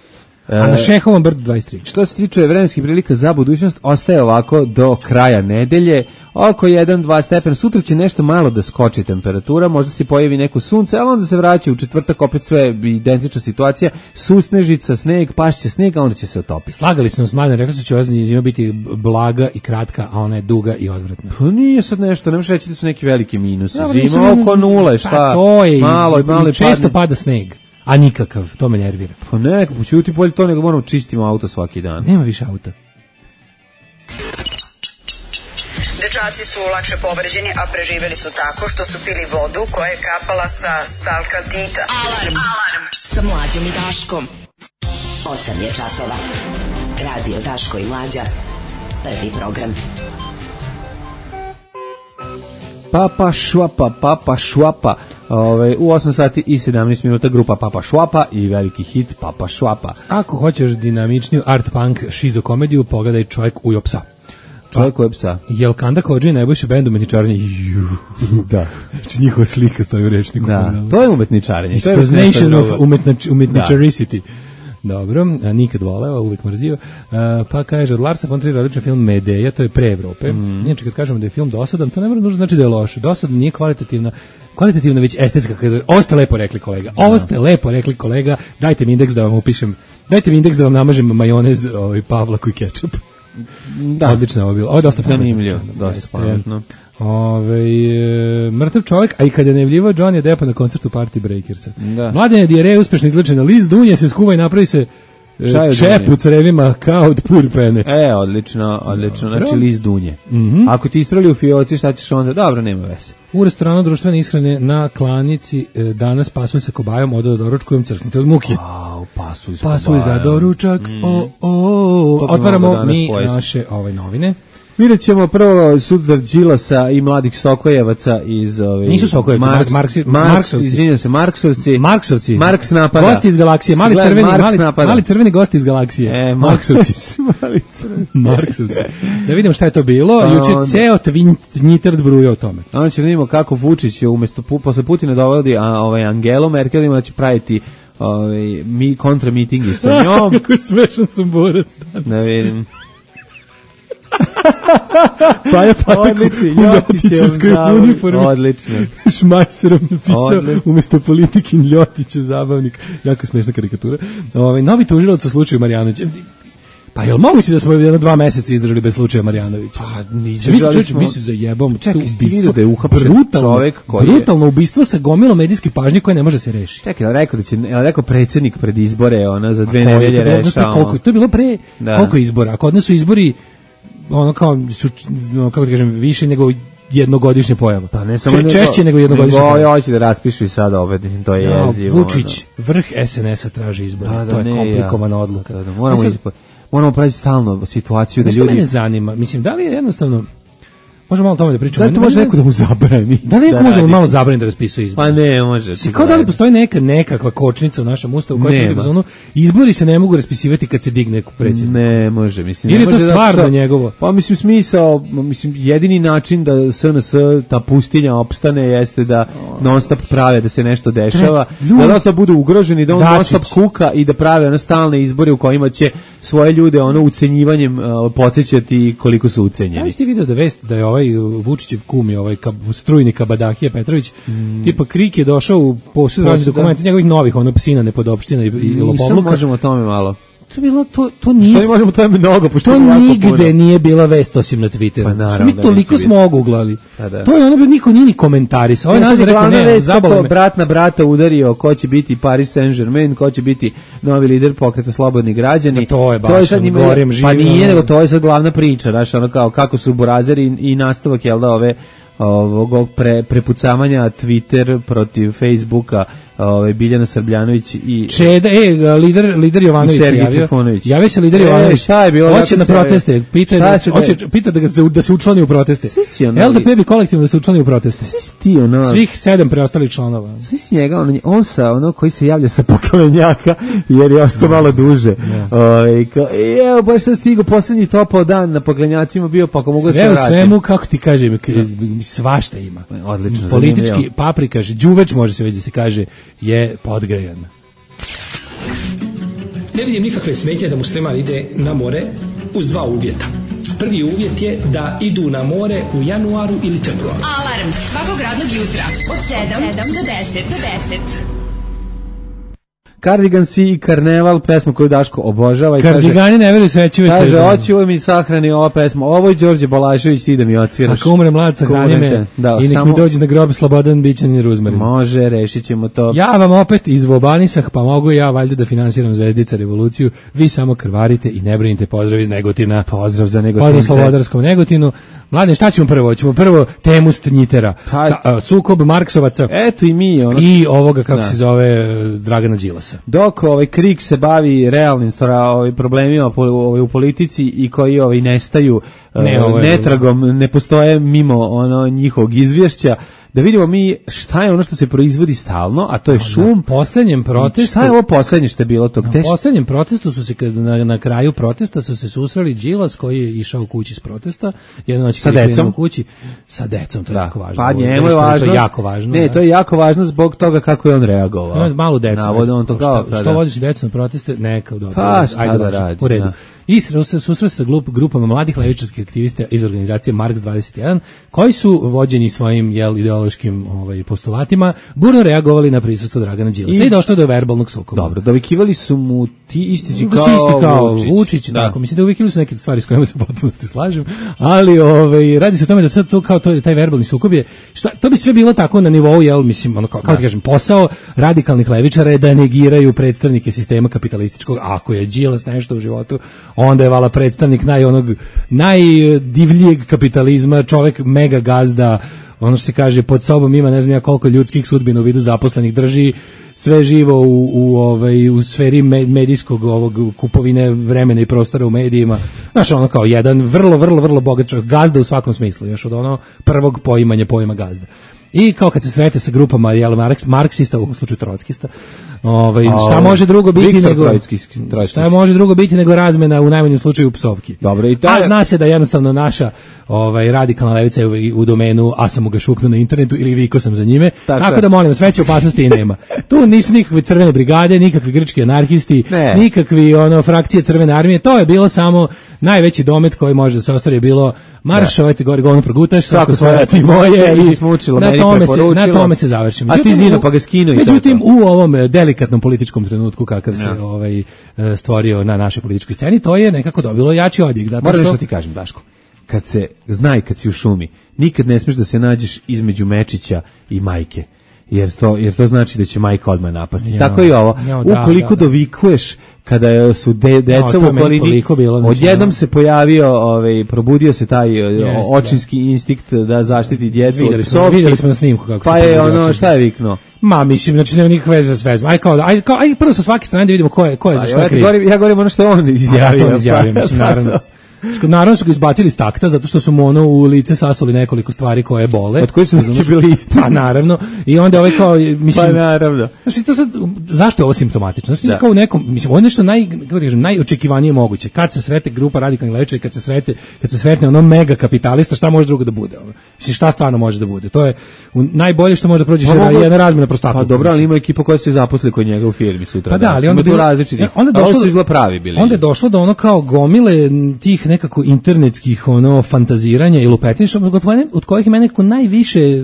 A na Šehovom brdu 23. Što se tiče vremenskih prilika za budućnost, ostaje ovako do kraja nedelje, oko 1-2 stepena. Sutra će nešto malo da skoči temperatura, možda se pojavi neko sunce, ali onda se vraća u četvrtak, opet sve identična situacija, susnežica, sneg, pašće sneg, a onda će se otopiti. Slagali smo s Mladen, rekli su će ova zima biti blaga i kratka, a ona je duga i odvratna. Pa nije sad nešto, ne možeš reći da su neki veliki minusi. Zima oko nule, šta? Pa to je, malo često pada sneg. A nikakav, to me nervira. Pa neko, ćuti bolje to nego moramo čistimo auto svaki dan. Nema više auta. Dečaci su lakše povređeni, a preživeli su tako što su pili vodu koja je kapala sa stalkaltita. Alarm sa Mlađom i Daškom. 8 je časova. Radio Daško i Mlađa. Prvi program. Papa švapa. U 8 sati i 17 minuta grupa Papa Švapa i veliki hit Papa Švapa. Ako hoćeš dinamičniju art punk šizo komediju, pogledaj Čovjek ujo psa. Čovjek ujo psa. Jelkanda Kodži najbolji bend umetničarenja. Da. Znači njihova slika stoji u rečniku. Da, to je umetničarenje. Exposition of umetničaricity. Dobro, a nikad voleo, uvijek mrzio. Pa kaže, od Larsa von Triera odličan film Medeja, to je pre Evrope. Inače, kad kažemo da je film dosadan, to ne mora nužno znači da je loš. Dosadan nije kvalitativna već estetska. Ovo ste lepo rekli, kolega. Ovo ste lepo rekli, kolega. Dajte mi indeks da vam upišem. Dajte mi indeks da vam namažem majonez, pavlaku i kečap. Da. Odlično ovo bilo. Ovo je dosta zanimljivo, dosta pametno. Mrtav čovjek, a i kad je najavljivao Johnny Deppa na koncertu Party Breakersa. Da. Mladene dijareje uspešno izlečena, Liz Dunje se skuva i napravi se čep u crevima kao od purpene. Odlično. Znači Liz Dunje. Ako ti istrali u fioci, šta ćeš onda? Dobro, nema veze. U restoranu društvene ishrane na Klanici danas pasuj sa kobajom, odo da doručkujem, crknite od muke. Pasuj za doručak. Otvaramo mi naše novine. Vidjet ćemo prvo sudar Đilasa i mladih Sokojevaca iz nisu Sokojevci, Marksovci. Marks napada. Gosti iz galaksije, mali crveni gosti iz galaksije. Marksovci. Da vidimo šta je to bilo. Juče ceo Twitter bruje o tome. Onda ćemo vidimo kako Vučić umjesto posle Putina dovodi Angelu Merkel, ima da će praviti kontra mitingi sa njom. Kako smešan sam borac danas. Da vidim. Paja Patak u Ljotićevskoj uniformi. Odlično. Šmajserom napisao umjesto politikin Ljotićev zabavnik. Jako smešna karikatura. Novi tužilac u slučaju Marjanovića. Pa je li moguće da smo 2 meseca izdržali bez slučaja Marjanovića? Pa mi se zajebamo. Čekaj, stigli da je uhapšen čovek koji je... Brutalno ubistvo sa gomilom medijske pažnje koje ne može se rešiti. Čekaj, rekao predsjednik pred izbore, za 2 nedelje rešao. To je bilo pre koliko izbora? Kod nas su izbori kako ti kažem, više nego jednogodišnje pojava. Pa ne samo češće nego jednogodišnje pojava. Hoće da raspišu i sada opet, to je jezivo. Vučić, vrh SNS-a traži izbore. To je komplikovana odluka. Moramo praviti stalno situaciju da ljudi... Što mene zanima, mislim, da li je jednostavno Možemo malo o tome da pričamo. Da, to može neko da mu zabrani. Da neko može malo zabrani da raspisuje izbore. Pa ne, može. Kao da li postoji nekakva kočnica u našem ustavu koja će da izbori se ne mogu raspisivati kad se digne predsjednik. Ne može, mislim. Ili je to stvarno njegovo? Pa mislim smisao, jedini način da SNS ta pustinja opstane jeste da non stop prave da se nešto dešava, da non stop budu ugroženi, da on non stop kuka i da prave stalne izbore u kojima će svoje ljude ucenjivanjem podsjećati koliko su ucenjeni. Ja ste vidio da vest da je ovaj Vučićev kum je ovaj strujni Kabadahija Petrović, tipa Krik je došao u posjed raznih dokumenta njegovih novih, psina nepodopština i lopovluka. Možemo o tome malo. To bilo to nije. Što možemo to mnogo pošto nigde nije bila vest osim na Twitteru. Što mi toliko smo oguglali. To je ono niko nije ni komentarisao. Ovaj nazva rekao ne, zabavno. Brat na brata udario ko će biti Paris Saint-Germain, ko će biti novi lider pokreta Slobodni građani. To je baš gorem živim. Pa nije, nego to je sad glavna priča, znaš, ono kao kako su burazeri i nastavak jel da ovog prepucavanja Twitter protiv Facebooka, Biljana Srbljanović i Čeda, lider Jovanović javio se lider Jovanović. Šta je bilo? Hoće na proteste, pita da se učlani u proteste. LDP bi kolektivno da se učlani u proteste. Svih 7 preostalih članova. Svi s njega, on sa koji se javlja sa Poklenjaka, jer je ostao malo duže. Evo, baš sam stigao poslednji topao dan na Poklenjacima bio, pa ako mogu da se vratim. Sve u svemu, kako ti kažem, svašta ima. Odlično, politički paprikaš, đuveč može se već da se kaže, je podgrejan. Ne vidim nikakve smetnje da musliman ide na more uz 2 uvjeta. Prvi uvjet je da idu na more u januaru ili februaru. Alarm svakog radnog jutra od 7 do 10. Cardigansi i Karneval, pesma koju Daško obožava i Kardigani ne veruju srećivi. Kaže, hoću mi sahrani ova pesma. Ovo je Đorđe Balašević, ti da mi odsviraš. Ako umre mlad, sahrani me i nek mi dođe na grob slobodan bićan i ruzmarin. Može, rešit ćemo to. Ja vam opet izvobanisah, pa mogu ja valjda da finansiram Zvezdica revoluciju. Vi samo krvarite i ne brinite. Pozdrav iz Negotina. Pozdrav za Negotince. Pozdrav Slobodarskom Negotinu. Mladen, šta ćemo prvo? Ćemo prvo temu Stnjitera. Sukob Marksovaca. Eto i mi. I ovoga, kako se zove, Dragana Đilasa. Dok Krik se bavi realnim problemima u politici i koji nestaju netragom, ne postoje mimo njihovog izvješća, da vidimo mi šta je ono što se proizvodi stalno, a to je šum. Na posljednjem protestu... Šta je ovo posljednje što je bilo tog? Na posljednjem protestu su se, na kraju protesta su se susreli Đilas koji je išao kući s protesta, jedno noć sa decom. Sa decom, to je jako važno. Pa njemu je važno. To je jako važno. Ne, to je jako važno zbog toga kako je on reagovao. Malu decu. Što vodiš decu na proteste? Neka, dobro. Pa šta da radi. U redu. I susreo sa grupama mladih levičarskih aktivista iz organizacije Marks 21, koji su vođeni svojim ideološkim postulatima, burno reagovali na prisustvo Dragana Đilasa i došlo do verbalnog sukoba. Dobro, dovikivali su mu ti isti kao Vučić. Tako, mislim da dovikivali su neke stvari s kojima se potpuno slažem, ali radi se o tome da sad to kao taj verbalni sukob je, to bi sve bilo tako na nivou, mislim, kao ti kažem, posao radikalnih levičara je da negiraju predstavnike sistema kapitalističkog. Ako je Đilas nešto u životu, onda je vala predstavnik najdivljeg kapitalizma, čovjek mega gazda, ono što se kaže, pod sobom ima ne znam ja koliko ljudskih sudbina u vidu zaposlenih, drži sve živo u sferi medijskog kupovine vremena i prostora u medijima. Znaš, ono kao jedan vrlo bogat čovjek, gazda u svakom smislu, još od prvog pojma gazda. I kao kad se srete sa grupama marksista, u slučaju trockista, šta može drugo biti nego razmena u najmanjem slučaju psovki. Dobro, i a zna se da jednostavno naša radikalna levica je u domenu a sam mu ga šuknuo na internetu ili viko sam za njime, tako da molim, sveće opasnosti i nema. Tu nisu nikakve crvene brigade, nikakvi grčki anarhisti, nikakvi frakcije crvene armije, to je bilo samo najveći domet koji može da se ostvari, je bilo marš, ovajte gore govno progutaš, svako svoja ti moje i na tome se završimo. A ti zino pa ga skinu. Međutim, u ovom delikatnom političkom trenutku kakav se stvorio na našoj političkoj sceni, to je nekako dobilo jači odjek. Moram što ti kažem, Daško, kad se zna i kad si u šumi, nikad ne smiješ da se nađeš između Mečića i majke. Jer to znači da će majka odmah napasti. Tako i ovo. Ukoliko dovikuješ kada su deca u okolini, odjednom se pojavio, probudio se taj očinski instinkt da zaštiti djecu od psovki. Vidjeli smo na snimku kako pa je šta je viknuo? Ma, mislim, znači nema nikakve veze s vezom. Aj prvo sa svake strane da vidimo ko je za šta kriv. Ja govorim ono što on izjavio. Mislim, naravno. Naravno su ga izbacili iz takta zato što su mu ono u lice sasuli nekoliko stvari koje bole. Od koji su neki bili isti. Pa naravno. I onda ovaj kao mislim pa naravno. Znači to sad zašto je ovo simptomatično? Znači kao u nekom mislim ovo je nešto najočekivanije moguće. Kad se sretne grupa radikalnih levičara, kad se sretne ono mega kapitalista, šta može drugo da bude? Mislim šta stvarno može da bude? To je najbolje što može da prođe jedna razmena prostata. Pa dobro, ali ima ekipa koja se zaposli kod njega u firmi sutra. Pa da, ali onda bilo različiti. Onda su izgleda pravi bili. Onda je došlo do ono kao gomile tih nekako internetskih ono fantaziranja i lupetinja od kojih je mene nekako najviše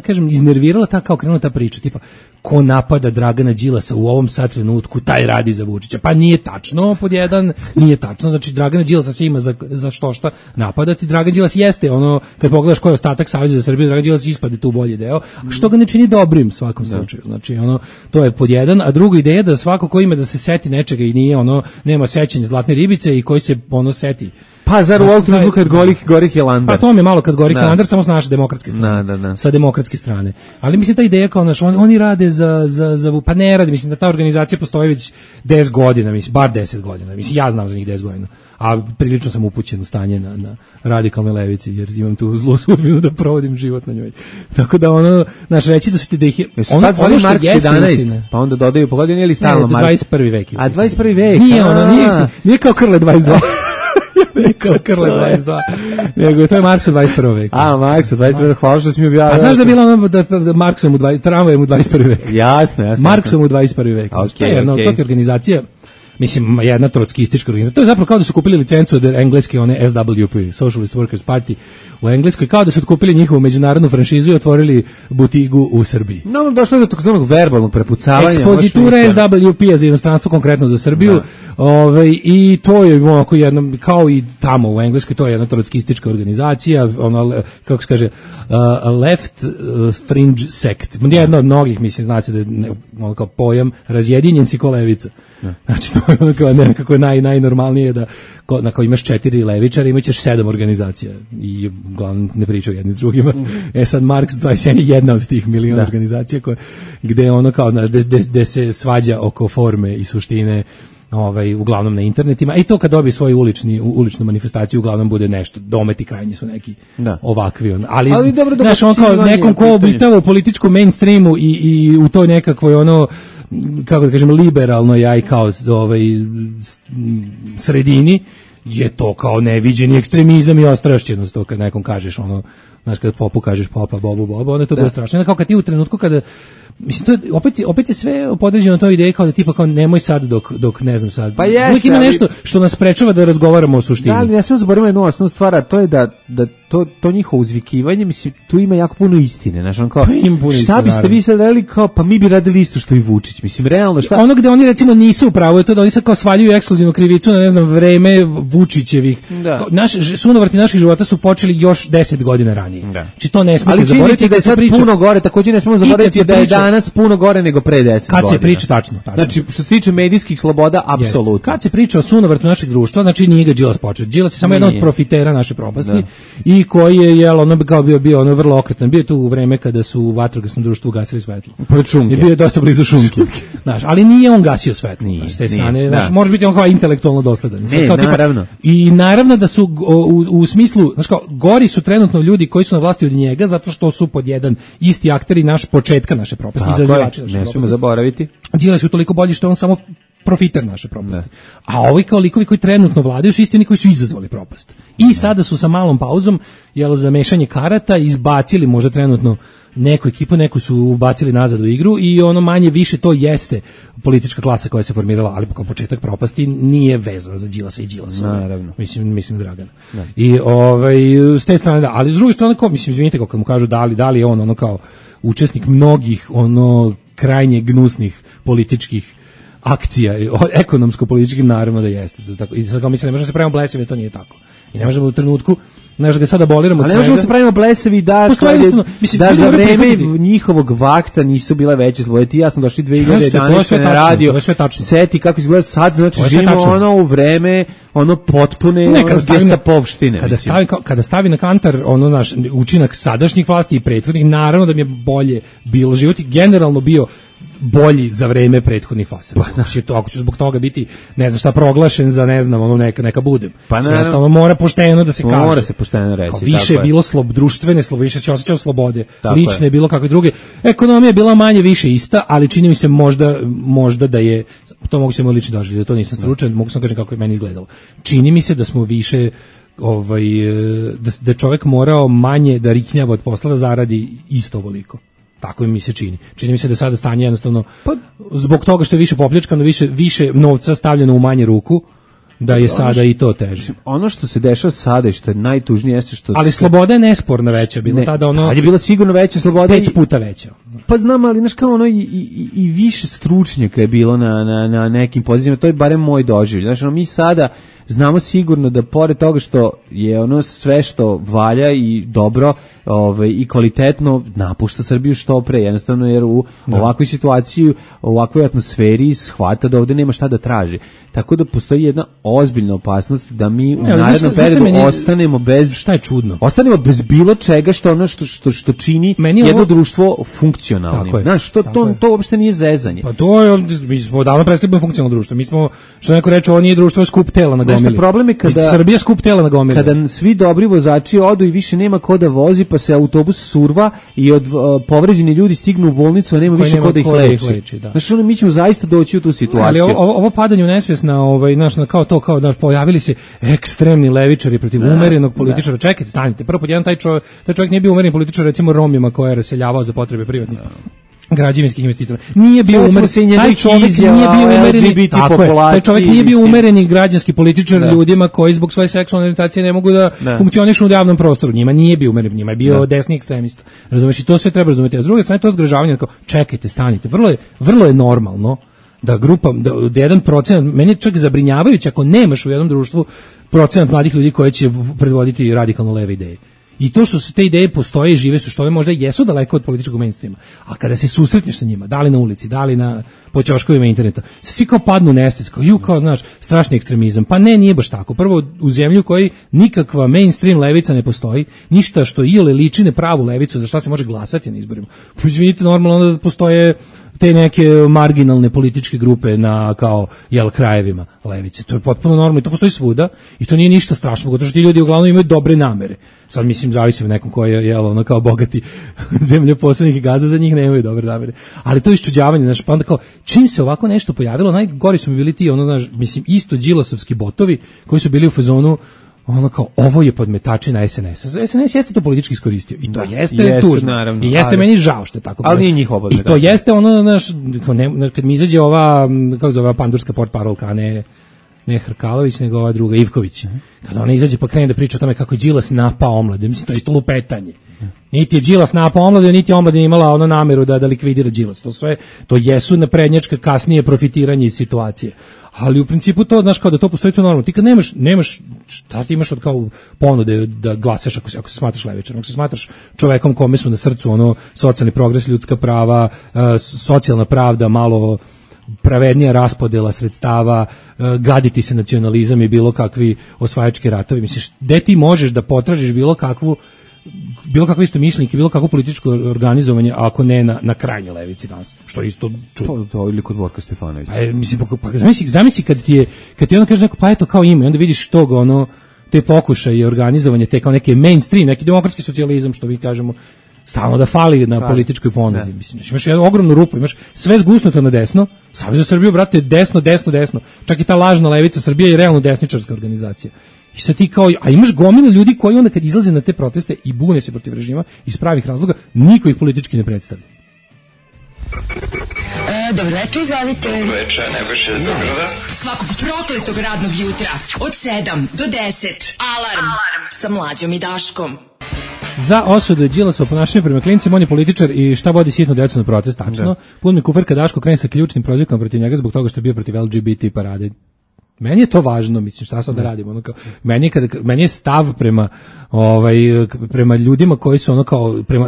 kažem iznervirala ta kao krenula ta priča tipa ko napada Dragana Đilasa u ovom sad trenutku taj radi za Vučića. Pa nije tačno, pod jedan nije tačno, znači Dragana Đilasa se ima za šta napadati. Dragan Đilas jeste ono, kad pogledaš koji je ostatak Saveza za Srbiju, Dragan Đilas ispade tu bolji deo, što ga ne čini dobrim u svakom slučaju. Znači ono, to je pod jedan, a druga ideja da svako ko ima da se seti nečega i nije ono, nema sećanja zlatne ribice i koji se ono seti. Pa zar u ovom trenutku kad gorih je Landar? Pa to mi je malo kad gorih je Landar, samo s naše demokratske strane. Sa demokratske strane. Ali mislim ta ideja kao naš, oni rade za pa ne rade, mislim da ta organizacija postoji već 10 godina, mislim, bar 10 godina. Mislim, ja znam za njih 10 godina. A prilično sam upućen u stanje na radikalnoj levici, jer imam tu zlu sudbinu da provodim život na njoj. Tako da ono, naš reći da su ti da ih je... Ono što jeste 11, pa onda dodaju po godini ili stalno Marks? 21. vek. A 21. vek? Nije kao Krle 22. Kao Krle 22. Nego to je Marks u 21. veku. A, Marks u 21. veku, hvala što si mi objavio. A znaš da je bilo ono da Marksom tramvajem u 21. vek? Jasno. Marksom u 21. veku. To je organizacija, mislim, jedna trotskistička organizacija. To je zapravo kao da su kupili licencu od engleske, one SWP, Socialist Workers Party u Engleskoj, kao da su otkupili njihovu međunarodnu franšizu i otvorili butigu u Srbiji. No, došlo je do takzvanog verbalnog prepucavanja. Ekspozitura SWP-a za inostranstvo, konkretno za Srbiju. I to je onako jedno, kao i tamo u Engleskoj, to je jedna trotskistička organizacija, ono, kako se kaže, left fringe sect. Jedna od mnogih, mislim, zna se da je ono kao pojam razjedinjen si ko levica. Znači, to je ono kao nekako najnormalnije da ako imaš 4 levičara, imaćeš 7 organizacija i uglavnom ne pričaju jedni s drugima. Sad Marks 21 je jedna od tih miliona organizacija gde ono kao, gde se svađa oko forme i suštine, uglavnom na internetima, i to kad dobije svoju uličnu manifestaciju uglavnom bude nešto, dometi krajnji su neki ovakvi, ali dobro, znaš, on kao nekom ko obitava u političkom mainstreamu i u toj nekakvoj ono, kako da kažem, liberalnoj aj kao sredini, je to kao neviđeni ekstremizam i ostrašćenost, to kad nekom kažeš ono, znaš, kad popu kažeš popa, bobu, boba, onda je to bilo strašno. Kao kad ti u trenutku kada, mislim, to je, opet je sve podređeno toj ideji kao da tipa kao nemoj sad dok ne znam sad. Pa jeste, uvijek ima nešto što nas sprečava da razgovaramo o suštini. Da, ali ne smemo zaboraviti jednu osnovnu stvar, a to je da to njihovo uzvikivanje, mislim, tu ima jako puno istine, znaš, on kao, šta biste vi sad radili, kao, pa mi bi radili isto što i Vučić, mislim, realno, šta? Ono gde oni recimo nisu u pravu je to da oni sad kao svaljuju ekskluzivnu krivicu na, ne znam, vreme Vučićevih. Sunovrti naših života su počeli još 10 godina ranije. Znači to ne smijete zaboraviti. Ali da je sad puno gore, također ne smemo zaboraviti da je danas puno gore nego pre 10 godina. Kad se priča, tačno. Znači, što se tiče medijskih sloboda, apsolutno. Kad se priča o sunovrtu našeg društva, znači nije ga Đilas počeo. Đilas je samo jedan od profitera naše propasti i koji je ono kao bio ono vrlo okretan. Bio je tu u vreme kada su u vatrogasnom društvu gasili svetlo. I bio je dosta blizu šunke. Znaš, ali nije on gasio svetlo. S te strane, znaš, može biti on kao intelektualno dosledan. Naravno. I naravno da su u smislu, znaš kao, gori su trenutno ljudi koji su na vlasti od njega zato što su pod jedan isti akteri naš početka naše propasti. Ne smijemo zaboraviti. Đilas je toliko bolji što on samo profiter naše propasti. A ovi kao likovi koji trenutno vladaju su isti oni koji su izazvali propast. I sada su sa malom pauzom, za mešanje karata izbacili možda trenutno neku ekipu, neku su ubacili nazad u igru i ono manje više to jeste politička klasa koja se formirala, ali kao početak propasti nije vezan za Đilasa i Đilasa. Naravno. Mislim Dragana. I s te strane ali s druge strane kao, mislim, izvinite, kad mu kažu da li je on ono kao učesnik mnogih ono krajnje gnusnih političkih akcija, ekonomsko-političkim, naravno da jeste. I sad kao mislim, ne možemo se pravimo blesavi, to nije tako. I ne možemo u trenutku, znaš, ga sad aboliramo od svega. Ali ne možemo se pravimo blesavi da za vreme njihovog vakta nisu bile veće slobode. Ti ja sam došli 2011. na radio, seti kako izgleda sad, znači živimo ono u vreme ono potpune gestapovštine. Kada stavi na kantar ono naš učinak sadašnjih vlasti i prethodnih, naravno da mi je bolje bilo život i generalno bio bolji za vreme prethodnih fasa. Ako će zbog toga biti, ne znam šta, proglašen za, ne znam, ono neka budem. Pa jednostavno mora pošteno da se kaže. Mora se pošteno reći. Kao više je bilo društvene slobode, više se osjećao slobode, lične je bilo kakve druge. Ekonomija je bila manje više ista, ali čini mi se možda da je, to mogu se moj lično doživjeti, da to nisam stručan, mogu sam kažem kako je meni izgledalo. Čini mi se da smo više da čovjek morao manje da riknjava od posla da zaradi isto ovoliko. Tako mi se čini. Čini mi se da sada stanje jednostavno zbog toga što je više popljačkano, više novca stavljeno u manje ruku, da je sada i to teže. Ono što se dešava sada i što je najtužnije jeste što... Ali sloboda je nesporno veća, bila tada ono... Tad je bila sigurno veća sloboda. 5 puta veća. Pa znam, ali znaš kao ono i više stručnjaka je bilo na nekim pozicijama, to je barem moj doživljaj. Znaš, ono, mi sada znamo sigurno da pored toga što je ono sve što valja i dobro i kvalitetno napušta Srbiju što pre, jednostavno jer u ovakvoj situaciji, u ovakvoj atmosferi shvata da ovde nema šta da traži. Tako da postoji jedna ozbiljna opasnost da mi u narednom periodu ostanemo bez... Šta je čudno? Ostanemo bez bilo čega što ono što čini jedno društvo funkcionalnim. Znaš, to uopšte nije zezanje. Pa to je, mi smo davno prestali funkcionalno društvo. Mi smo, što neko reče, ovo nije društvo, je skup tela na gomili. Problem je kada Srbija skup tela na gomili. Kada svi dobri vozači odu i više nema ko da vozi, pa se autobus surva i od povređeni ljudi stignu u bolnicu, a nema više ko da ih leči. Znaš, mi ćemo zaista doći u tu situaciju. Ali ovo padanje u nesvijest na kao pojavili se ekstremni levičari protiv umerenog političara. Čekajte, stanite. Prvo pod jedan taj čovjek nije bio umereni političar, recimo Romima koje je raseljavao za potrebe privatnih građevinskih investitora. Nije bio umeren. Taj čovjek nije bio umereni. Taj čovjek nije bio umereni građanski političar ljudima koji zbog svoje seksualne orijentacije ne mogu da funkcionišu u javnom prostoru. Njima nije bio umeren, njima je bio desni ekstremista. Razumeš, i to sve treba razumeti. A s druge strane to zgražavanje, kao čekajte, stanite. Vrlo je normalno da grupa, da 1%, meni je čak zabrinjavajuće ako nemaš u jednom društvu procenat mladih ljudi koji će predvoditi radikalno leve ideje. I to što su te ideje postoje i žive su, što one možda jesu daleko od političkog mainstreama, a kada se susretneš sa njima, da li na ulici, da li po ćoškovima interneta, svi kao padnu u nesvijest, kao znaš, strašni ekstremizam. Pa nije baš tako. Prvo, u zemlju koji nikakva mainstream levica ne postoji, ništa što ile liči na pravu levicu, za šta se može glasati na izborima. Izvinite, normalno da postoje te neke marginalne političke grupe na krajevima levice. To je potpuno normalno i to postoji svuda i to nije ništa strašno, zato što ti ljudi uglavnom imaju dobre namere. Sad mislim zavisi od nekom koji je kao bogati zemljoposednik i gazda, za njih nemaju dobre namere. Ali to je iščuđavanje, znaš, pa onda kao čim se ovako nešto pojavilo, najgori su mi bili ti isto đilasovski botovi koji su bili u fazonu kao ovo je podmetačina SNS-a. SNS jeste to politički iskoristio i to jeste tužno. I jeste meni žao što je tako. Ali nije njihova podmetačina. I to jeste kad mi izađe ova, kako zove, pandurska portparolka, ne Hrkalović, nego ova druga, Ivković. Kada ona izađe pa krene da priča o tome kako je Đilas napao omladinu, mislim, to je isto lupetanje. Niti je Đilas napao omladinu, niti je omladina imala nameru da likvidira Đilas. To jesu naprednjačka kasnije profitiranje iz situacije. Ali u principu to, znaš, kao da to postoji, to normalno. Ti kad nemaš, šta ti imaš od kao ponude da glasaš ako se smatraš levičarom, ako se smatraš čovekom kome su na srcu socijalni progres, ljudska prava, socijalna pravda, malo pravednija raspodela sredstava, gaditi se nacionalizam i bilo kakvi osvajački ratovi. Misliš, gde ti možeš da potražiš bilo kakvo istomišljenike, bilo kakvo političko organizovanje, ako ne na krajnjoj levici danas, što je isto čudno. To ili kod Borka Stefanovića. Zamisli kad ti ono kaže neko, pa eto kao ima, i onda vidiš tog, te pokušaje organizovanje, te kao neke mainstream, neki demokratski socijalizam, što mi kažemo, stalno da fali na političkoj ponudi. Mislim, imaš jednu ogromnu rupu, imaš sve zgusnuto na desno, Savez za Srbiju, brate, desno. Čak i ta lažna levica Srbije je realno desničarska organizacija. I sad ti kao, a imaš gomilu ljudi koji onda kad izlaze na te proteste i bune se protiv režima iz pravih razloga, niko ih politički ne predstavlja. Dobro večer, izvalite. Dobro večer, Nebojša iz Beograda. Svakog prokletog radnog jutra od 7 do 10. Alarm sa Mlađom i Daškom. Za osudu Đilasova ponašanje prema klincima, on je političar i šta vodi sitnu decu na protest, tačno. Pun mi kuferka, Daško krene sa ključnim prozivkama protiv njega zbog toga što je bio protiv LGBT parade. Meni je to važno, mislim, šta sad da radimo, meni je stav prema ljudima koji su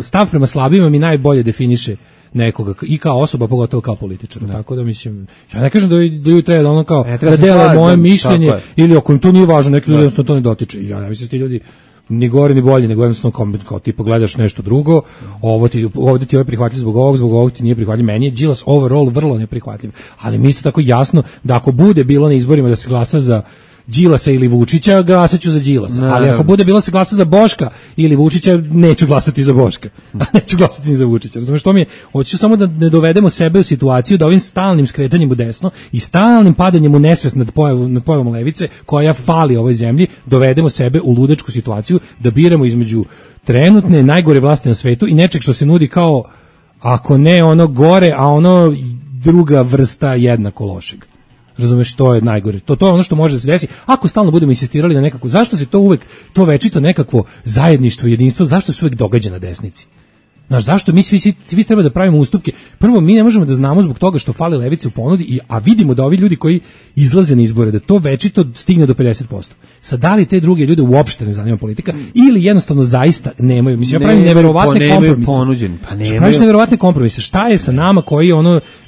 stav prema slabima mi najbolje definiše nekoga i kao osoba, pogotovo kao političar. Tako da mislim, ja ne kažem da ljudi treba da da dele moje mišljenje ili ako im to nije važno, neki ljudi jednostavno to ne dotiče. Ja ne mislim da ti ljudi ni gore ni bolje, nego jednostavno kao ti pogledaš nešto drugo, ovdje ti je prihvatljiv zbog ovog ti nije prihvatljiv, meni je Đilas overall vrlo neprihvatljiv, ali mi isto tako jasno da ako bude bilo na izborima da se glasa za Đilasa ili Vučića, glasaću za Đilasa. Ali ako bude bilo se glasa za Boška ili Vučića, neću glasati za Boška. A neću glasati ni za Vučića. Razumeš, što mi je, hoću samo da ne dovedemo sebe u situaciju da ovim stalnim skretanjem u desno i stalnim padanjem u nesvest nad pojavom levice, koja fali ovoj zemlji, dovedemo sebe u ludačku situaciju da biramo između trenutne najgore vlasti na svetu i nečeg što se nudi kao, ako ne ono gore, a ono druga vrsta jednako lošeg. Razumeš, to je najgore. To je ono što može da se desi. Ako stalno budemo insistirali na nekako, zašto se to uvek, to večito nekakvo zajedništvo, jedinstvo, zašto se uvek događa na desnici? Znaš, zašto mi svi treba da pravimo ustupke? Prvo, mi ne možemo da znamo zbog toga što fali levice u ponudi, a vidimo da ovi ljudi koji izlaze na izbore, da to večito stigne do 50%. Sad, da li te druge ljude uopšte ne zanima politika ili jednostavno zaista nemaju? Mislim, ja pravim neverovatne kompromise. Praviš neverovatne kompromise. Šta je sa nama koji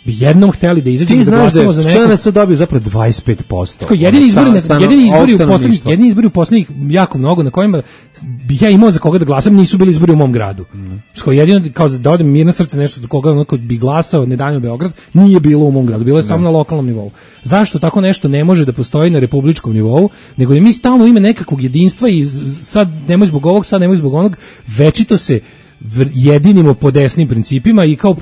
bi jednom hteli da izađemo da glasamo za neko? SNS dobio zapravo 25%. Jedini izbori u poslednjih jako mnogo na kojima bih ja imao za koga da glasam nisu bili izbori u mom gradu. Jedino kao da odem mir na srce nešto za koga onako bi glasao ne danju Beograd, nije bilo u mom gradu, bilo je samo na lokalnom nivou. Zašto tako nešto ne može da postoji na republičkom nivou, nego da mi stalno ime nekakvog jedinstva i sad nemoj zbog ovog, sad nemoj zbog onog, večito se jedinimo po desnim principima i kao u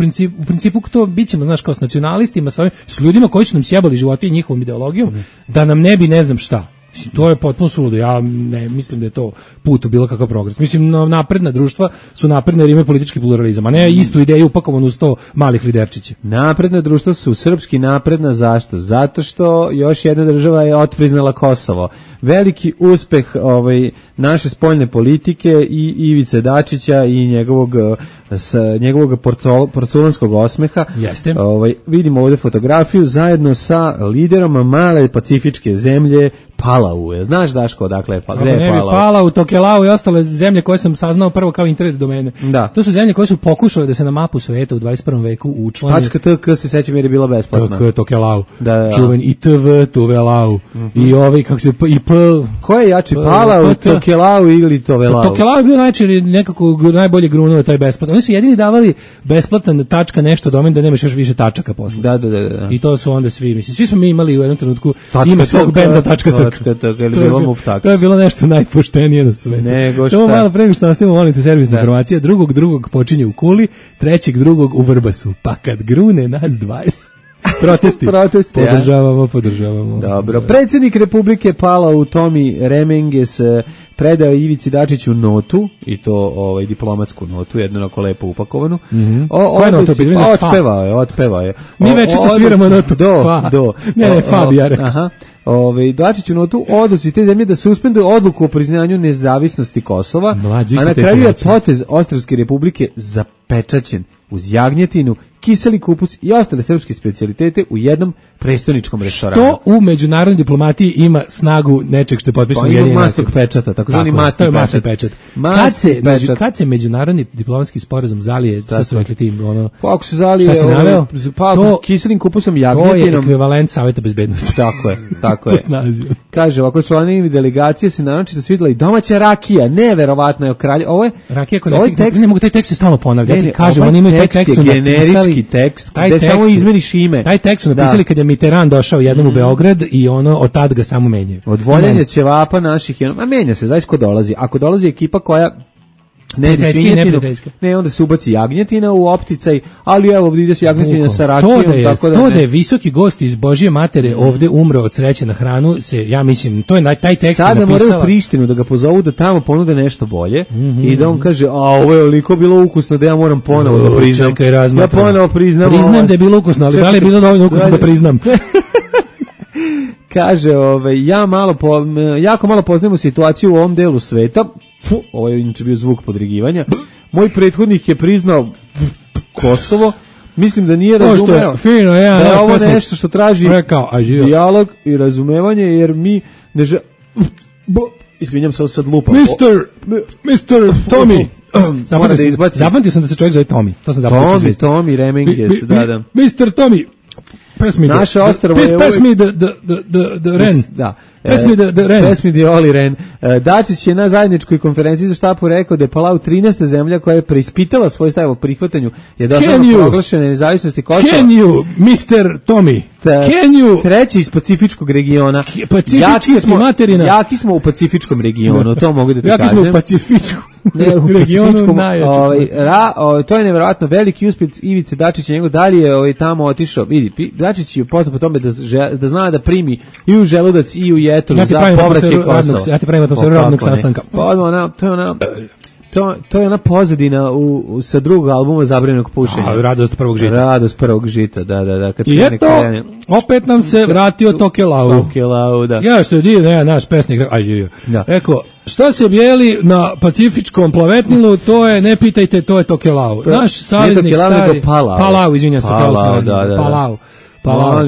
principu to bićemo, znaš, kao s nacionalistima, s ljudima koji su nam sjebali živote i njihovom ideologijom, da nam ne bi ne znam šta. To je potpuno suludo. Ja ne mislim da je to put u bilo kakav progres. Mislim, napredna društva su napredne jer imaju politički pluralizam, a ne istu ideju upakovanu u 100 malih liderčića. Napredna društva su srpski napredna, zašto? Zato što još jedna država je otpriznala Kosovo. Veliki uspeh naše spoljne politike i Ivice Dačića i njegovog porculanskog osmeha. Jeste. Vidimo ovdje fotografiju zajedno sa liderom male pacifičke zemlje Palau. Znaš, Daško, odakle je Palau? Palau, Tokelau i ostale zemlje koje sam saznao prvo kao internet domene. Da. To su zemlje koje su pokušale da se na mapu sveta u 21. veku učlane. .tk se sećam jer je bila besplatna. Tokelau. Da. Čuven i TV, Tuvelau. I ovi, kako se, i P. Ko je jači, Palau, Tokelau ili Tuvelau? Tokelau je bio najčešće nekako najbolje grunuo taj besplatno. Oni su jedini davali besplatan tačka nešto domen da nemaš još više tačaka posle. Da. I to su onda svi, mislim, svi smo mi imali u jednom trenutku ime svog benda .tk. To je bilo nešto najpoštenije na svetu. Samo malo pre nego što nastavimo, molite servisna informacija, drugog počinje u Kuli, drugog u Vrbasu, pa kad grune nas 20. Protesti. Podržavamo. Dobro. Predsjednik Republike Palau Tomi Remenges predao Ivici Dačiću notu, i to diplomatsku notu, jednu onako lepo upakovanu. Koja nota? Otpevao je. Mi večito sviramo notu. Do. Ne, fa bi ja rekao. Aha. Dačiću notu odluci te zemlje da suspenduju odluku o priznanju nezavisnosti Kosova, a na kraju je potez Ostrvske Republike zapečaćen uz jagnjetinu, kiseli kupus i ostale srpske specijalitete u jednom prestoničkom restoranu. Što u međunarodnoj diplomatiji ima snagu nečeg što je potpisano Ujedinjenim nacijama. Mastog pečata, takozvani mastog pečat. Kad se međunarodni diplomatski sporazum zalije, što su rekli tim, ako se zalije, kiselim kupusom, jagnjetinom. To je ekvivalent Saveta bezbednosti. Tako je. Kaže, ovako članovi delegacije se naročito svidjela i domaća rakija, neverovatno je ovo je rakija, ne mogu taj tekst se stalno ponavljati. Kažem, oni imaju taj tekst generički tekst, gde samo izmeniš ime. Taj tekst su napisali kad je Mitterrand došao jednom u Beograd i od tad ga samo menjaju. Od voljenja ćevapa naših, menja se, zaista ko dolazi. Ako dolazi ekipa koja ne, onda se ubaci jagnjetina u opticaj, ali evo ide se jagnjetina sa rakijom. To da je visoki gost iz Božje matere ovde umro od sreće na hranu, ja mislim, to je taj tekst sada moraju Prištinu da ga pozovu da tamo ponude nešto bolje i da on kaže, ovo je oliko bilo ukusno da ja moram ponovo da priznam. Ja ponovo priznam. Priznam da je bilo ukusno, ali da li je bilo dovoljno ukusno da priznam? Kaže, jako malo poznajemo situaciju u ovom delu sveta. Ovo je inače bio zvuk podrigivanja. Moj prethodnik je priznao Kosovo. Mislim da nije razumeo da je ovo nešto što traži dijalog i razumevanje, jer mi ne izvinjam se, sad lupa. Mr. Tommy. Zapamtio sam da se čovjek zove Tommy. To sam zapamtio. Tommy Remenges, da. Mr. Tommy. Naše ostrvo je Pass me the Ren. Da. Pass me the Oli Ren. Dačić je na zajedničkoj konferenciji za štapu rekao da je Palau 13. zemlja koja je preispitala svoj stav o prihvatanju proglašene nezavisnosti Kosova. Can you, Mr. Tommy? Can you? Treći iz Pacifičkog regiona. Pacifički materina. Jaki smo u Pacifičkom regionu, to mogu da ti kažem. Jaki smo u Pacifičku. Ne, u regionu najjači. To je nevjerojatno veliki uspjeh Ivice Dačića, njegov dalje tamo otišao. Vidi, Dačić je poznat po tome da zna da primi i u želudac i u jetru za povraćaj Kosova. Ja ti pravim atmosferu radnog sastanka. To je ona pozadina sa drugog albuma Zabranjenog pušenja. Radost prvog žita. Radost prvog žita, da. I eto, opet nam se vratio Tokelau. Tokelau, da. Ja što je divno, naš pesnik, rekao, što se bijeli na Pacifičkom plavetnilu, to je, ne pitajte, to je Tokelau. Naš saveznik stari... Palau, izvinjam se, Palau.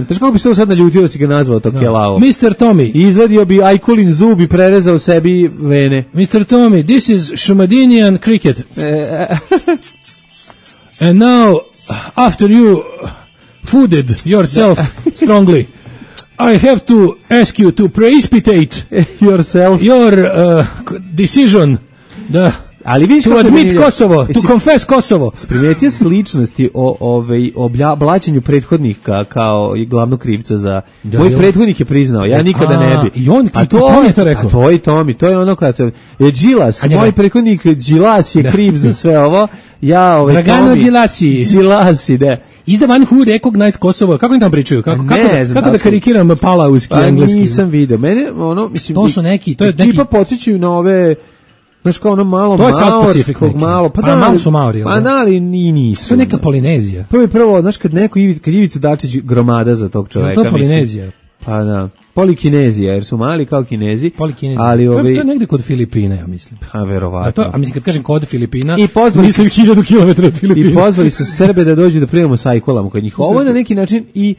Znaš kako bi se sad naljutio da si ga nazvao Tokelau? Mr. Tommy. Izvadio bi Ajkulin zub i prerezao sebi vene. Mr. Tommy, this is Shumadinian cricket. And now, after you fooded yourself strongly, I have to ask you to preispitate yourself, your decision to admit Kosovo, to confess Kosovo. Primetio sličnosti o blaćenju prethodnika kao i glavnog krivca za... Moj prethodnik je priznao, ja nikada ne bi. I on je to rekao. To je Tomi, to je ono kada je Đilas, moj prethodnik Đilas je kriv za sve ovo. Dragano Đilasi. Đilasi, da. Is the one who recognized Kosovo. Kako im tam pričaju? Kako da karikiram palauski, engleski? Nisam vidio. Mene, mislim... To su neki... Tipa podsjećaju na ove... Znaš kao ono malo maorskog, malo... Pa malo su maori, pa da li nisu. To je neka Polinezija. Prvo, znaš kad Ivica Dačić gromada za tog čoveka. To je Polinezija. Pa da. Polikinezija, jer su mali kao Kinezi. Polikinezija. Ali to je negde kod Filipina, ja mislim. Pa verovatno. A mislim kad kažem kod Filipina, mislim 1000 km od Filipina. I pozvali su Srbe da dođu da primamo sajkolama kod njih. Ovo je na neki način i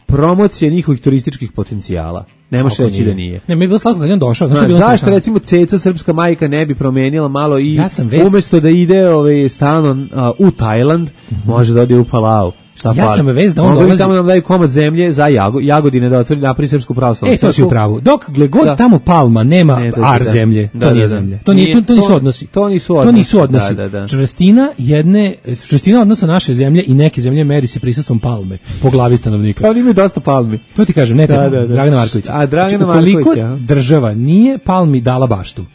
promocija njihovih turističkih potencijala. Ne može reći da nije. Ne, mi je bilo slatko kad je on došao. Zašto recimo Ceca, srpska majka, ne bi promenila malo i umjesto da ide stalno u Tajland, može da ode u Palau. Ja sam vez da on dolazi... Tamo nam daju komad zemlje za Jagodine da otvori napri srpsku pravoslavnu. To si u pravu. Dok god tamo Palma nema zemlje, to nije zemlje. To nisu odnosi. To nisu odnosi. Čvrstina odnosa naše zemlje i neke zemlje meri se prisustvom Palme po glavi stanovnika. Pa oni imaju dosta Palmi. To ti kažem, ne Dragana Markovića. A Dragana Markovića. Koliko država nije Palmi dala baštu,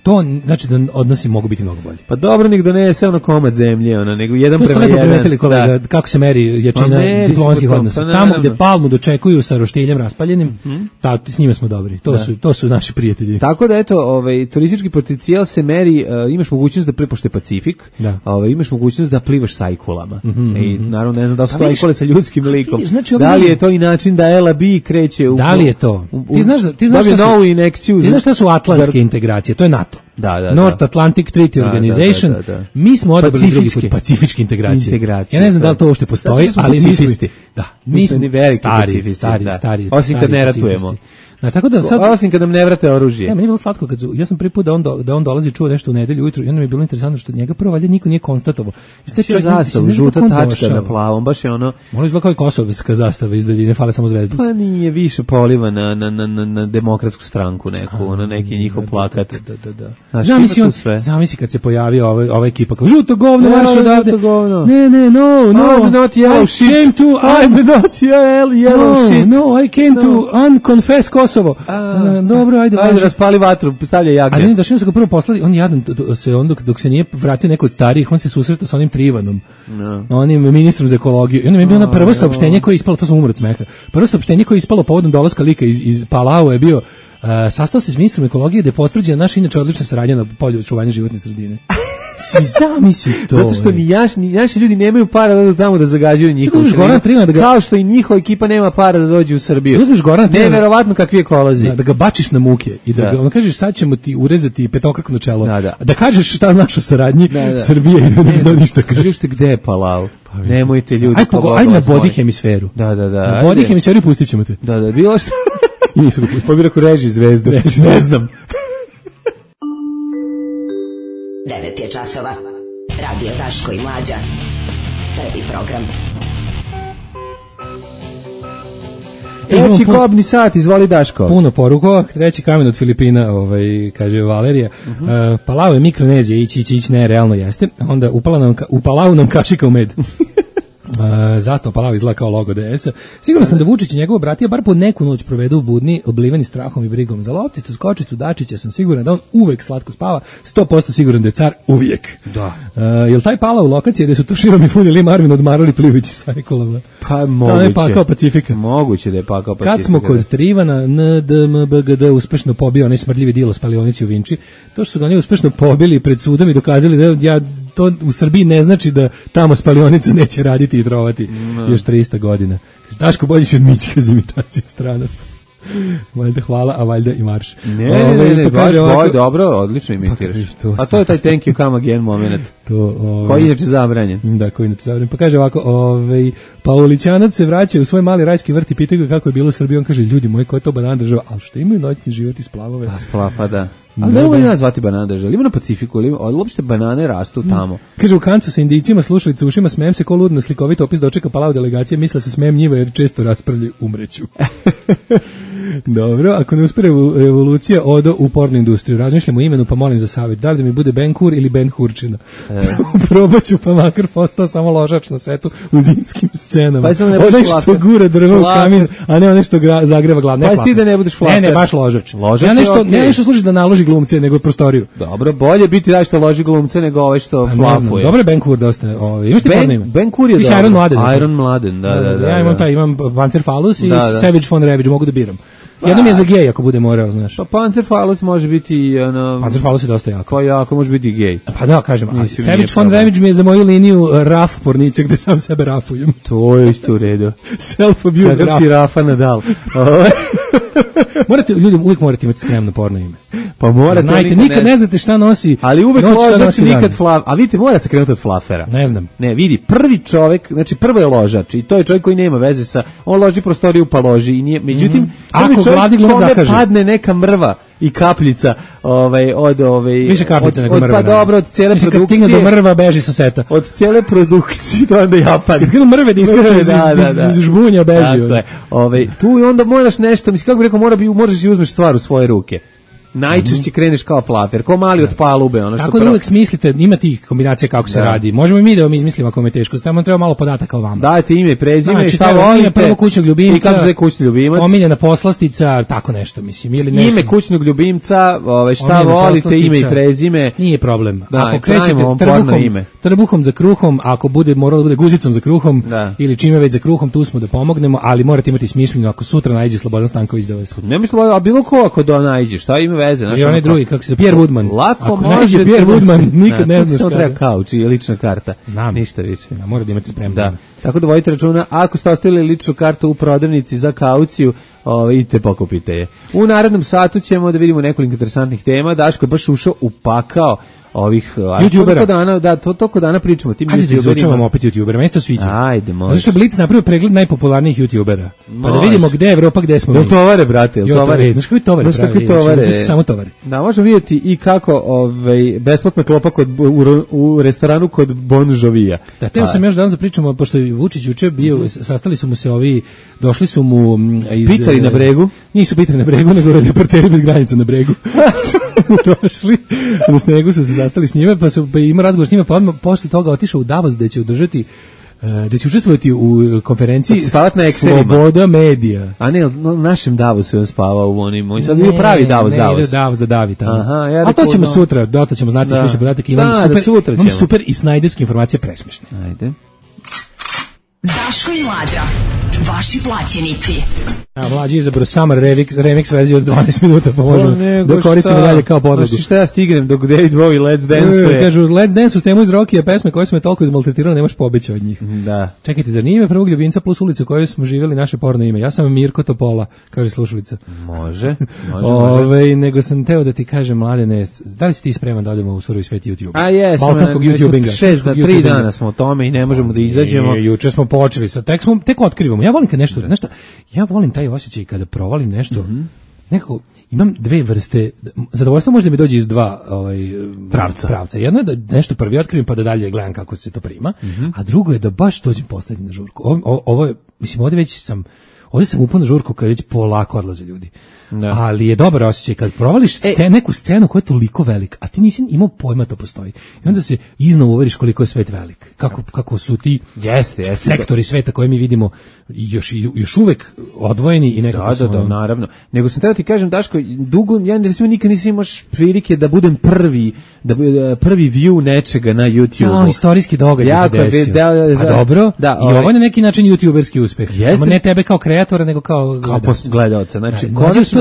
to znači da odnosi mogu biti mnogo bolji. Pa dobro, nek donese komad zemlje, nego jedan prema jedan. To ste lepo primetili, kolega, kako se meri jačina diplomatskih odnosa. Tamo gde Palmu dočekuju sa roštiljem raspaljenim, s njima smo dobri. To su naši prijatelji. Tako da, eto, turistički potencijal se meri, imaš mogućnost da prepošte Pacifik, imaš mogućnost da plivaš sajkulama. I naravno, ne znam da su to sajkule sa ljudskim likom. Da li je to i način da LAB kreće u... Da li je to? Ti znaš šta su atlantske integracije? To je NATO. North Atlantic Treaty Organization. Mi smo odabrali drugi put pacifičke integracije. Ja ne znam da li to uopšte postoji, ali mi smo stari. Osim kad ne ratujemo. Tako da sad, osim kad nam ne vrate oružje. Meni je bilo slatko ja sam prvi put da on dolazi čuo nešto u nedelju ujutru i onda mi je bilo interesantno što njega prvo valjda niko nije konstatovao. Što je zastav, žuta tačka na plavom, baš je ono... Ono izgleda kao i kosovska zastava iz daljine, fale samo zvezdice. Pa nije više poliva na demokratsku stranku neku, na neki njihov plakat. Zamisli kad se pojavio ova ekipa kao žuto govno, marš odavde. Ne, no, I'm not yellow shit. I'm not yellow shit. No, I came to unconfess Kosovo. Dobro, ajde raspali vatru, stavlja jagnje. Ali da što su ga prvo poslali, on jadan dok se nije vratio neko od starijih, on se susretao sa onim Trivanom, onim ministrom za ekologiju. I onda mi je bilo na prvo saopštenje koje je ispalo, to sam umro od smeha. Prvo saopštenje koje je ispalo povodom dolaska lika iz Palau je bio sastao se s ministrom ekologije da je potvrđena naša inače odlična saradnja na polju očuvanja životne sredine. Zamisli to. Zato što ni naši ljudi nemaju para da dođu tamo da zagađuju njihovu sredinu. Kao što i njihova ekipa nema para da dođe u Srbiju. Neverovatno kakvi ekolozi. Da ga bačiš na muke i da ga kažeš sad ćemo ti urezati petokrako čelo. Da kažeš šta znači o saradnji Srbije i da ne znaš ništa kažeš. Kažete gde je Palau? Nemojte ljudi. Ajde na body hemisferu. Da. Na body hemisferu pustit ćemo te. Da, bilo što. I nisu ga pustili. Pobira ko reži zvezdom. 9 je časova. Radio Daško i Mlađa. Prvi program. Treći kobni sat, izvoli Daško. Puno poruka, treći kamen od Filipina, kaže Valerija. Palau je Mikronezija, ići, ne, realno jeste. Onda u Palau nam kašika u med. Zastava Palau izgleda kao logo DS-a. Siguran sam da Vučić i njegova bratija bar po neku noć provedu u budni, obliveni strahom i brigom. Za lopticu, skočicu, Dačića sam siguran da on uvek slatko spava, 100% siguran da je car uvijek. Da. Jel taj Palau lokacija gde su Tuširom i Funi Marvin odmarali Plivić i Sajkolova? Pa moguće. je pakao Pacifika. Moguće da je pakao Pacifika. Kad smo kod Trivana, NDMBGD uspešno pobio onaj smrdljivi dilo spalionici u Vinči, to što su ga oni uspešno pobili pred sudom i dokazali da to u Srbiji ne znači da tamo spalionica neće raditi i trovati još 300 godina. Daško, bolji si od Mićka za imitaciju stranaca. Valjda hvala, a valjda i marš. Ne, baš dobro, odlično imitiraš. A to je taj thank you come again moment. Koji je inače zabranjen. Da, koji je inače zabranjen. Pa kaže ovako, Paulićanac se vraća u svoj mali rajski vrt i pita ga kako je bilo u Srbiji. On kaže, ljudi moji, ko je to banana država? Ali što imaju noćni život i splavove? Da, splapa, da. Ali ne mogu nas zvati banana država. Ima na Pacifiku, ali uopšte banane rastu tamo. Kaže, u Kancu sa Indijcima, slušalice ušima, smijem se ko lud na slikovit opis dočeka Palau delegacije, misle se smijem njiva jer često raspravljaju, umreću. Dobro, ako ne uspije revolucija, odo u pornu industriju. Razmišljamo o imenu, pa molim za savjet. Da li da mi bude Ben Hur ili Ben Hurčina? Probaću, pa makar postao samo ložač na setu u zimskim scenama. Onaj što gura drvo u kamin, a ne onaj što zagreva glav. Pa ti da ne budeš flater. Ne, baš ložač. Ne nešto služi da naloži glumce, nego prostoriju. Dobro, bolje biti da što loži glumce nego ovaj što flafuje. Dobro je Ben Hur dosta. Imaš ti porno ime? Ben Hur je dobro. Iron Mladen. Iron Mladen, da. Ja imam Panzerfaust i Savage von Ravage, mogu da biram. Jednom je za gej ako bude morao, znaš. Pa Panzerfaust može biti Panzerfaust je dosta jako. Pa jako može biti gej. Pa da, kažem, Savage von Ravage mi je za moju liniju raf porničak gde sam sebe rafujem. To je isto u redu. Self-abuse raf. Kada si Rafa Nadal. Ljudi uvijek morate imati spremno porno ime. Pa morate. Znajte, nikad ne znate šta nosi. Ali uvijek ložač, nikad flaf. A vidite, mora se krenuti od flafera. Ne znam. Ne, vidi, prvi čovjek, znači prvo je ložač i to je čovjek koji nema veze sa, on loži prostoriju pa loži i nije, međutim, prvi čovjek kome padne neka mrva i kapljica, više kapljica nego mrva. Pa dobro, od cijele produkcije. Kad stigne do mrva, beži sa seta. Od cijele produkcije, to onda ja padne. Kad krenu mrve da iskaču iz žbunja, beži. Dakle, tu i onda moraš nešto, mislim, kako bih rekao, moraš i uzmeš stvar u svoje ruke. Najčešće kreneš kao flafer, kao mali od palube. Ono što tako da uvek smislite, ima tih kombinacija kako se radi. Možemo i mi da vam izmislimo ako vam je teško. Samo treba malo podataka o vama. Dajte ime, prezime, znači, šta volite. Prvo kućnog ljubimca. I kako se zove kućni ljubimac. Omiljena poslastica, tako nešto, mislim. Ili nešto. Ime kućnog ljubimca, šta volite, ime i prezime. Nije problem. Da, ako krećete trbuhom za kruhom, ako bude moralo da bude guzicom za kruhom ili čime već za kruhom, tu smo da pomognemo, ali morate imati smišljeno ako sutra naiđe Slobodan Stanković da vas. Ne mislim, a bilo ko ako naiđe, šta ima veze, znači onaj drugi kako se Pierre Woodman. Lako ako može Pierre Woodman, nikad ne znaš kada. Treba kauč i lična karta. Znam. Ništa više. Da, mora da imate spremno. Da. Tako da vodite računa, ako ste ostavili ličnu kartu u prodavnici za kauciju, idite pokupite je. U narednom satu ćemo da vidimo nekoliko interesantnih tema. Daško je baš ušao u pakao ovih YouTubera. Toliko dana pričamo tim YouTuberima. Ajde da izučavamo opet YouTubera, meni se to sviđa. Ajde, može. Zašto je Blic napravio pregled najpopularnijih YouTubera? Pa da vidimo gde je Evropa, gde smo mi. Jel tovare, brate, jel tovare? Znaš koji tovare pravi? Samo tovare. Da, možemo vidjeti i kako besplatna klopa u restoranu kod Bon Jovija. Da, teo sam još danas da pričamo, pošto je Vučić juče bio, sastali su mu se došli su mu iz... Pitari na bregu? Nisu pitari na bregu, nego reporteri bez granica na bregu. Došli, na snegu su se zastali s njime, pa ima razgovor s njime, pa odmah posle toga otišao u Davos gde će održati da će učestvovati u konferenciji Sloboda medija. A ne, u našem Davosu je on spavao u onim, sad nije pravi Davos. Ne, Davos da davi tamo. Aha, a to ćemo sutra, dosta ćemo znati više podataka, imamo super i snajderske informacije presmešne. Ajde. Daško i Mlađa, vaši plaćenici. Mlađi je izabrao Summer remix verziju od 12 minuta, pa možemo da koristimo dalje kao podlogu. Znači šta ja stignem dok David Bowie Let's Dance-uje. Kažu, Let's Dance-u s temu iz Rokija pesme koje smo je toliko izmaltretirali, nemaš pobeća od njih. Da. Čekajte, zar nije ime prvog ljubimca plus ulica u kojoj smo živjeli naše porno ime? Ja sam Mirko Topola, kaže slušalica. Može. Nego sam teo da ti kažem, Mladene, da li si ti spreman da odemo u surovi svet YouTube? A jesam. Balkanskog YouTubinga. 3 dana smo o tome i ne možemo da izađemo. Juče smo počeli, tek otkrivamo. Ja volim kad nešto, ja volim taj osjećaj kada provalim nešto, nekako imam dve vrste, zadovoljstvo može da mi dođe iz dva pravca. Jedno je da nešto prvi otkrivam pa da dalje gledam kako se to prima, a drugo je da baš dođem poslednji na žurku. Ovo je, mislim, ovdje već sam, Ovdje sam upao na žurku kad već polako odlaze ljudi. Ali je dobar osjećaj kad provališ neku scenu koja je toliko velika, a ti nisi imao pojma to postoji. I onda se iznova uveriš koliko je svet velik. Kako su ti sektori sveta koje mi vidimo još uvek odvojeni i nekako su... Da, naravno. Nego sam teo ti kažem, Daško, dugo, ja nikad nisam imao prilike da budem prvi view nečega na YouTube-u. Istorijski događaj se desio. Pa dobro, i ovo je na neki način youtuberski uspeh. Samo ne tebe kao kreatora, nego kao gledaoca. Znači,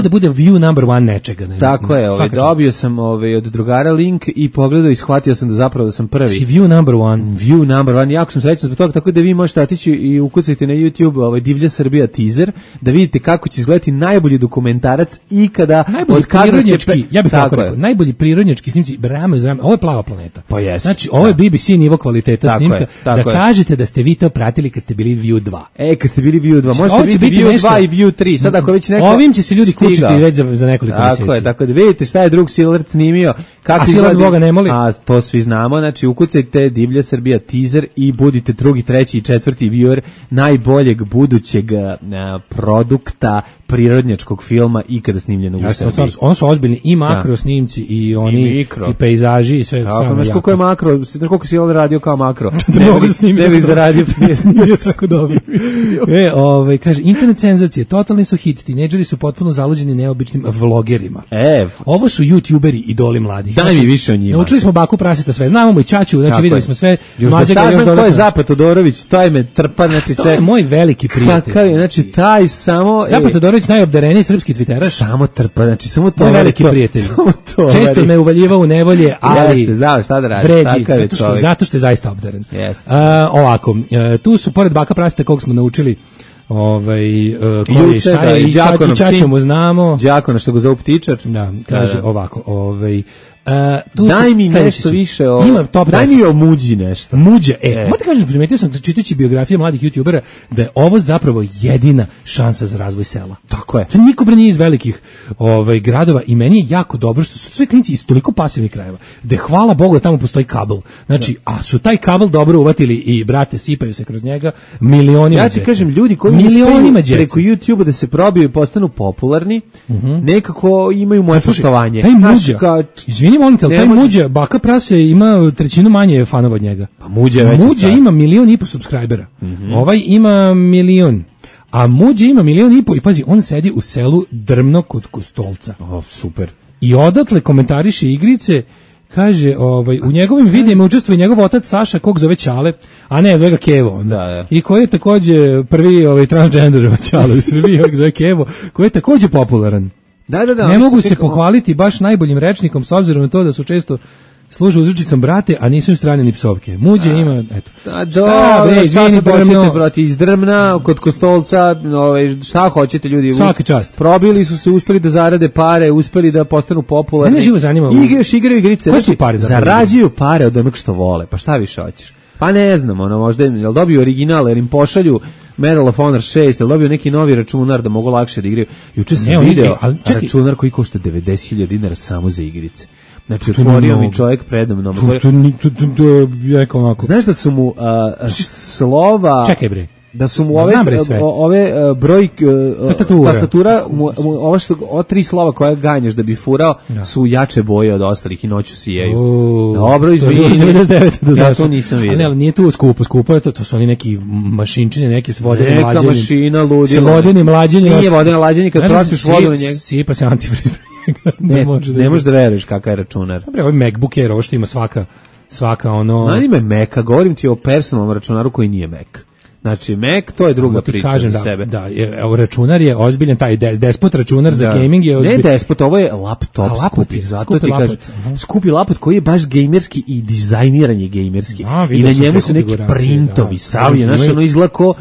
da bude view number one nečega. Tako je, dobio sam od drugara link i pogledao i shvatio sam da zapravo da sam prvi. Znači view number one. View number one, jako sam srećan zbog toga, tako da vi možete otići i ukucati na YouTube Divlja Srbija teaser, da vidite kako će izgledati najbolji dokumentarac ikada. Najbolji prirodnjački, ja bih tako rekao, najbolji prirodnjački snimci, rame uz rame, ovo je Plava planeta. Pa jest. Znači, ovo je BBC nivo kvaliteta snimka, da kažete da ste vi to pratili kad ste bili View 2. Kad ste bili View 2, možete biti View 2 i View 3, sad ako već neko... Ovim će se ljudi kućiti već za nekoliko mjeseci. Tako da vidite šta je drug Silvert snimio. A Silvert Boga ne moli. A to svi znamo, znači ukucajte Divlja Srbija teaser i budite drugi, treći i četvrti viewer najboljeg budućeg produkta prirodnjačkog filma ikada snimljenog u Srbiji. Ono su ozbiljni i makro snimci i oni i pejzaži i sve. Znaš koliko je makro, znaš koliko si ovdje radio kao makro. Ne bih zaradio snimio tako dobro. Kaže, internet senzacije, totalni su hit, tinejdžeri su potpuno zaluđeni neobičnim vlogerima. Ovo su youtuberi idoli mladih. Daj mi više o njima. Naučili smo Baku Praseta sve, znamo i Ćaću, znači videli smo sve. Još da saznam ko je Zapad Todorović, to je me trpa, znači sve. To je moj veliki prijatelj. Znači taj samo... Zapad Todorović najobdareniji srpski twiteraš. Samo trpa, znači samo to. Moj veliki prijatelj. Često me uvaljivao u nevolje, ali... Jeste, znaš šta da radiš. Vredi, zato što je zaista obdaren. Ovako, tu su pored Baka Praseta kog smo naučili koji šta je i Ćaću mu znamo. Đakona što ga zovu ptičar. Da, kaže ovako, daj mi nešto više daj mi o Muđi nešto. Muđa, možete kažem, primetio sam čitajući biografije mladih youtubera da je ovo zapravo jedina šansa za razvoj sela. Tako je. To niko bre nije iz velikih gradova i meni je jako dobro što su sve klinci iz toliko pasivnih krajeva, gde hvala Bogu da tamo postoji kabel. Znači, a su taj kabel dobro uvatili i brate, sipaju se kroz njega milionima. Ja ti kažem, ljudi koji uspeju preko YouTube da se probiju i postanu popularni, nekako imaju moje poštovanje. Taj Muđa, izvini molim te, taj Muđa, Baka Prase ima trećinu manje fanova od njega. Pa Muđa ima 1,5 miliona subscribera. Ovaj ima 1 milion. A Muđa ima 1,5 miliona i pazi, on sedi u selu Drmno kod Kostolca. Super. I odatle komentariše igrice. Kaže, u njegovim videima učestvuje njegov otac Saša, kog zove Ćale, a ne, zove ga Kevo. Da. I koji je takođe prvi transgender Ćale u Srbiji, zove Kevo, koji je takođe popularan. Da. Ne mogu se pohvaliti baš najboljim rečnikom, s obzirom na to da su često služe uzručicom brate, a nisu im strane ni psovke. Muđe ima, eto. Izvini, brate, iz Drmna, kod Kostolca, šta hoćete ljudi? Svaka čast. Probili su se, uspeli da zarade pare, uspeli da postanu popularni. Mene živo zanima. Još igraju igrice. Koje su pare? Zarađuju pare od onog što vole. Pa šta više hoćeš? Pa ne znam, možda jel dobiju original, jer im pošalju Medal of Honor 6, jel dobio neki novi računar da mogu lakše da igraju. Juče sam video računar koji košta 90.000 dinara samo za igrice. Znači, otvorio mi čovjek predamnom. To je onako. Znaš da su mu slova... Čekaj bre. Da su mu ove broj tastatura, ova 3 slova koja ganjaš da bi furao, su jače boje od ostalih i noću sijeju. Dobro, izvini. Ja to nisam vidio. Ali nije tu skupo je to su oni neki mašinčine, neki s vodenim mlađenjem. Neka mašina ludila. S vodenim mlađenjem. Nije vodeno mlađenje, kad prospiš vodu na njega. Sipa se antifriz. Ne možeš da veruješ kakav je računar. Dobre, ovaj MacBook Air, ovo što ima svaka ono... Nani me Maca, govorim ti o personalnom računaru koji nije Mac. Znači, Mac, to je druga priča za sebe. Da, računar je ozbiljan, taj despot računar za gaming je ozbiljan. Ne despot, ovo je laptop skupi, zato ti kažem. Skupi laptop koji je baš gejmerski i dizajniran je gejmerski. I na njemu su neki printovi, savlje, znaš, ono izlako,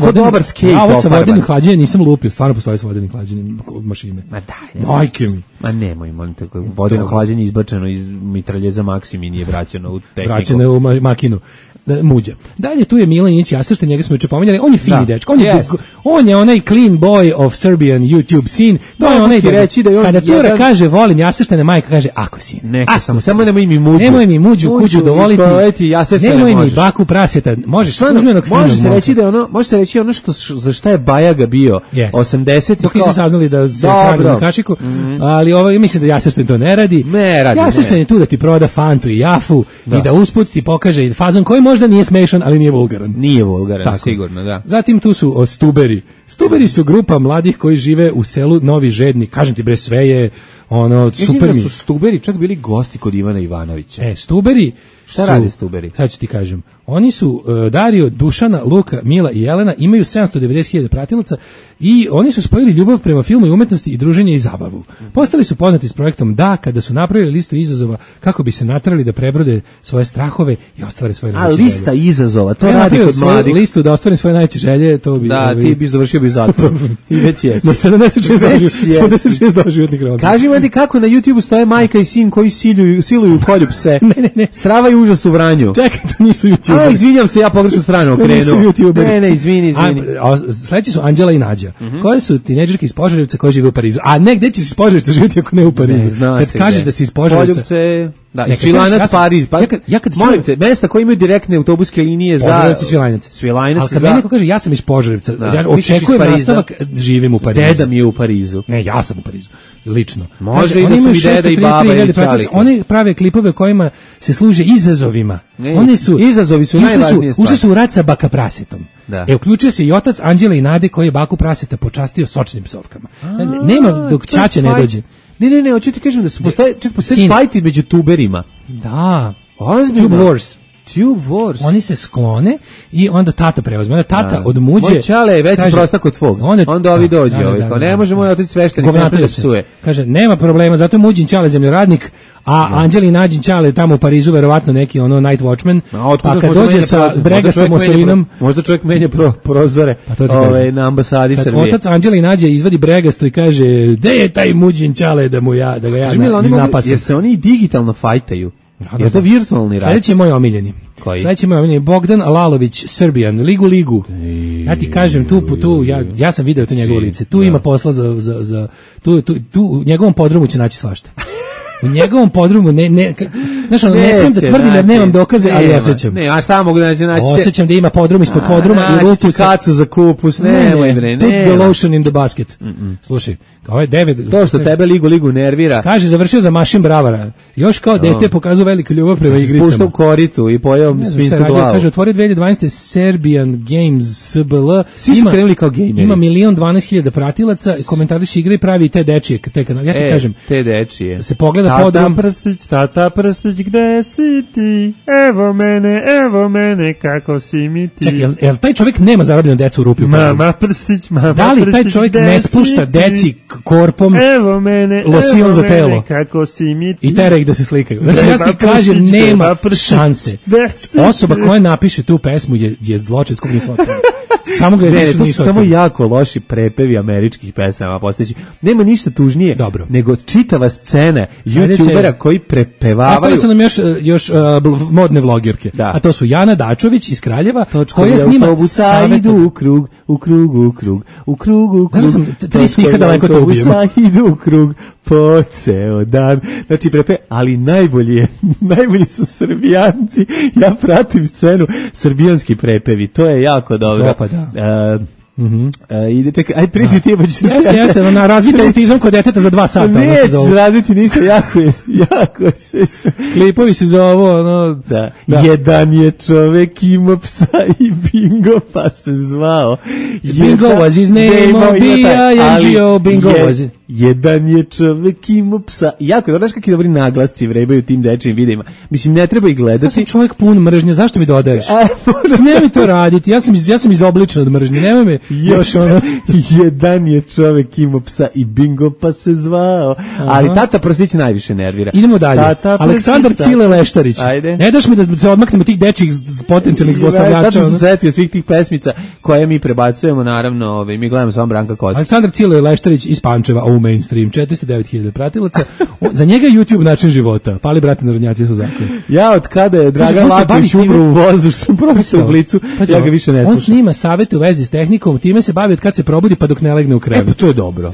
ko dobar skate. Ovo sa vodenim hlađenjem nisam lupio, stvarno postoji sa vodenim hlađenjem mašine. Ma daj. Majke mi. Ma nemoj, molim te, vodeno hlađenje izbačeno iz mitraljeza Maksimi nije vraćeno u tehniku. Vraćeno je u makinu. Muđa. Dalje tu je Milan Inić Jasršta, njega smo juče pominjali, on je fini dečko, on je onaj clean boy of Serbian YouTube scene, to je onaj kada cura kaže volim Jasrštane, majka kaže ako sine. Neka samo nemoj mi muđu. Nemoj mi muđu kuću dovoliti. Nemoj mi baku praseta. Možeš službenog fina. Može se reći ono što za šta je Bajaga bio 80. Dok nisu saznali da se hrani na kašiku, ali mislim da Jasrštan to ne radi. Jasrštan je tu da ti proda Fantu i Jafu i da usput ti pokaže fazon koji možda nije smešan, ali nije vulgaran. Nije vulgaran, sigurno, da. Zatim tu su Stuberi. Stuberi su grupa mladih koji žive u selu Novi Žedni. Kažem ti bre, sve je super mi. Su Stuberi čak bili gosti kod Ivana Ivanovića. Stuberi Šta radi Stuberi? Sad ću ti kažem. Oni su Dario, Dušana, Luka, Mila i Jelena, imaju 790.000 pratilaca i oni su spojili ljubav prema filmu i umetnosti i druženje i zabavu. Postali su poznati s projektom Da, kada su napravili listu izazova kako bi se naterali da prebrode svoje strahove i ostvare svoje najveće želje. A lista izazova, to radi kod mladih. Listu da ostvarim svoje najveće želje, to bi... Da, ti bi završio bi zatvor. I već jesi. Na 76 životnih roda. Kaži mi ti kako na YouTube stoje majka i sin koji siluju kolju pse. Ne. Strava i užas u Vranju. Čekaj, to nisu YouTube. Izvinjam se, ja pogrešnu stranu okrenuo. Ne, izvini. Sledeći su Anđela i Nađa, koje su tinejdžerke iz Požarevca koje žive u Parizu. A ne, gde ćeš iz Požarevca živjeti ako ne u Parizu? Kad kažeš da si iz Požarevca... Da, i Svilajnac, Pariz. Molim te, mesta koje imaju direktne autobuske linije za... Požarevci, Svilajnac. Ali kad mi neko kaže ja sam iz Požarevca, ja očekujem nastavak, živim u Parizu. Deda mi je u Parizu. Ne, ja sam u Parizu. Lično. Može i da su i deda i baba i čali. Oni prave klipove kojima se služe izazovima. Izazovi su najvažnije stvari. Ušli su u rat sa baka prasetom. Uključio se i otac Anđele i Nade koji je baku praseta počastio sočnim psovkama. Nema dok ćaća ne dođe. Ne, hoću ti kažem da su postoje fajti među tuberima. Da. Ozbiljno. Tube Wars. Oni se sklone i onda tata preuzme. Onda tata od muđe... Moj čale je veći prostak od tvog. Onda ovi dođe. Ne može moj otac sveštenik da psuje. Kaže, nema problema, zato je muđin čale zemljoradnik, a Anđeli i Nađin čale tamo u Parizu, verovatno neki night watchman, pa kad dođe sa bregastom osolinom... Možda čovjek menja prozore na ambasadi Srbije. Kad otac Anđeli i Nađe izvadi bregasto i kaže, gde je taj muđin čale da ga ja iznapasam. Jer se oni digitalno fajtaju. Je to virtualni rad? Sljedeći je moj omiljeni. Koji? Sljedeći je moj omiljeni. Bogdan Lalović, Serbian, Ligu. Ja ti kažem, tu ja sam video to njegovo lice. Tu ima posla za tu u njegovom podrumu će naći svašta. U njegovom podrumu ne smijem da tvrdim jer nemam dokaze, ali osjećam. Ne, a šta mogu da naći? Osjećam da ima podrum ispod podruma i ruku kacu za kupus, nemoj bre, put the lotion in the basket. Slušaj, kao je 9. To što tebe ligu nervira. Kaže, završio za mašin bravara. Još kao dete pokazao veliku ljubav prema igricama. Spuštao koritu i pojeo svinsku glavu. Kaže, otvorio 2012. Serbian Games SBL. Svi su krenuli kao gejmeri. Ima 1.012.000 pratilaca, komentariši igre i pravi i te dečije. Ja ti kažem, te dečije. Se pogleda podrum. Tata prstić, gde si ti? Evo mene, kako si mi ti? Čekaj, jel taj čovjek nema zarobljenu decu u rupi? Mama prstić, da li taj čovjek ne spušta deci korpom losion za telo? Kako si mi ti? I tera ih da se slikaju. Znači, ja ti kažem, nema šanse. Osoba koja napiše tu pesmu je zločinac kog nismo otvorili. Samo ga je to su samo jako loši prepevi američkih pesama postojeći. Nema ništa tužnije nego čitava scena youtubera koji prepevavaju. Ostali su nam još modne vloggerke. A to su Jana Dačović iz Kraljeva koja snima idu u krug. Znači sam 3 stiha daleko to ubijem. Idu u krug po ceo dan. Znači ali najbolji su Srbijanci. Ja pratim scenu, srbijanski prepevi. To je jako dobro. Ide, čekaj, aj priči ti, pa ću se... Jeste, razvite autizam kod deteta za 2 sata. Neće razviti ništa, jako se... Klipovi se za ovo, Da. Jedan je čovek imao psa i Bingo, pa se zvao. Bingo was his name, B-I-N-G-O, Bingo was it. Jedan je čovek imao psa. Jako, znaš kakvi dobri naglasci vrebaju tim dečijim videima. Mislim, ne treba ih gledati. Ja sam čovjek pun mržnje, zašto mi dodaješ? Nemoj mi to raditi, ja sam izobličen od mržnje, nemoj me još ono... Jedan je čovek imao psa i Bingo, pa se zvao. Ali tata Prstić najviše nervira. Idemo dalje. Aleksandar Cile Leštarić. Ajde. Ne daš mi da se odmaknemo tih dečjih potencijalnih zlostavljača. Sad sam se setio svih tih pesmica koje mi prebacujemo, naravno, mi gledamo samo Branka Kocić. Aleksandar Cile Leštarić iz Pančeva, u mainstream, 409.000 pratilaca. Za njega je YouTube način života. Pali brati narodnjaci su zakon. Ja od kada je Dragan Lapić umro u vozu, što sam pročitao u Blicu, ja ga više ne slušam. On snima savete u vezi s tehnikom, time se bavi od kad se probudi pa dok ne legne u krevet. Pa to je dobro.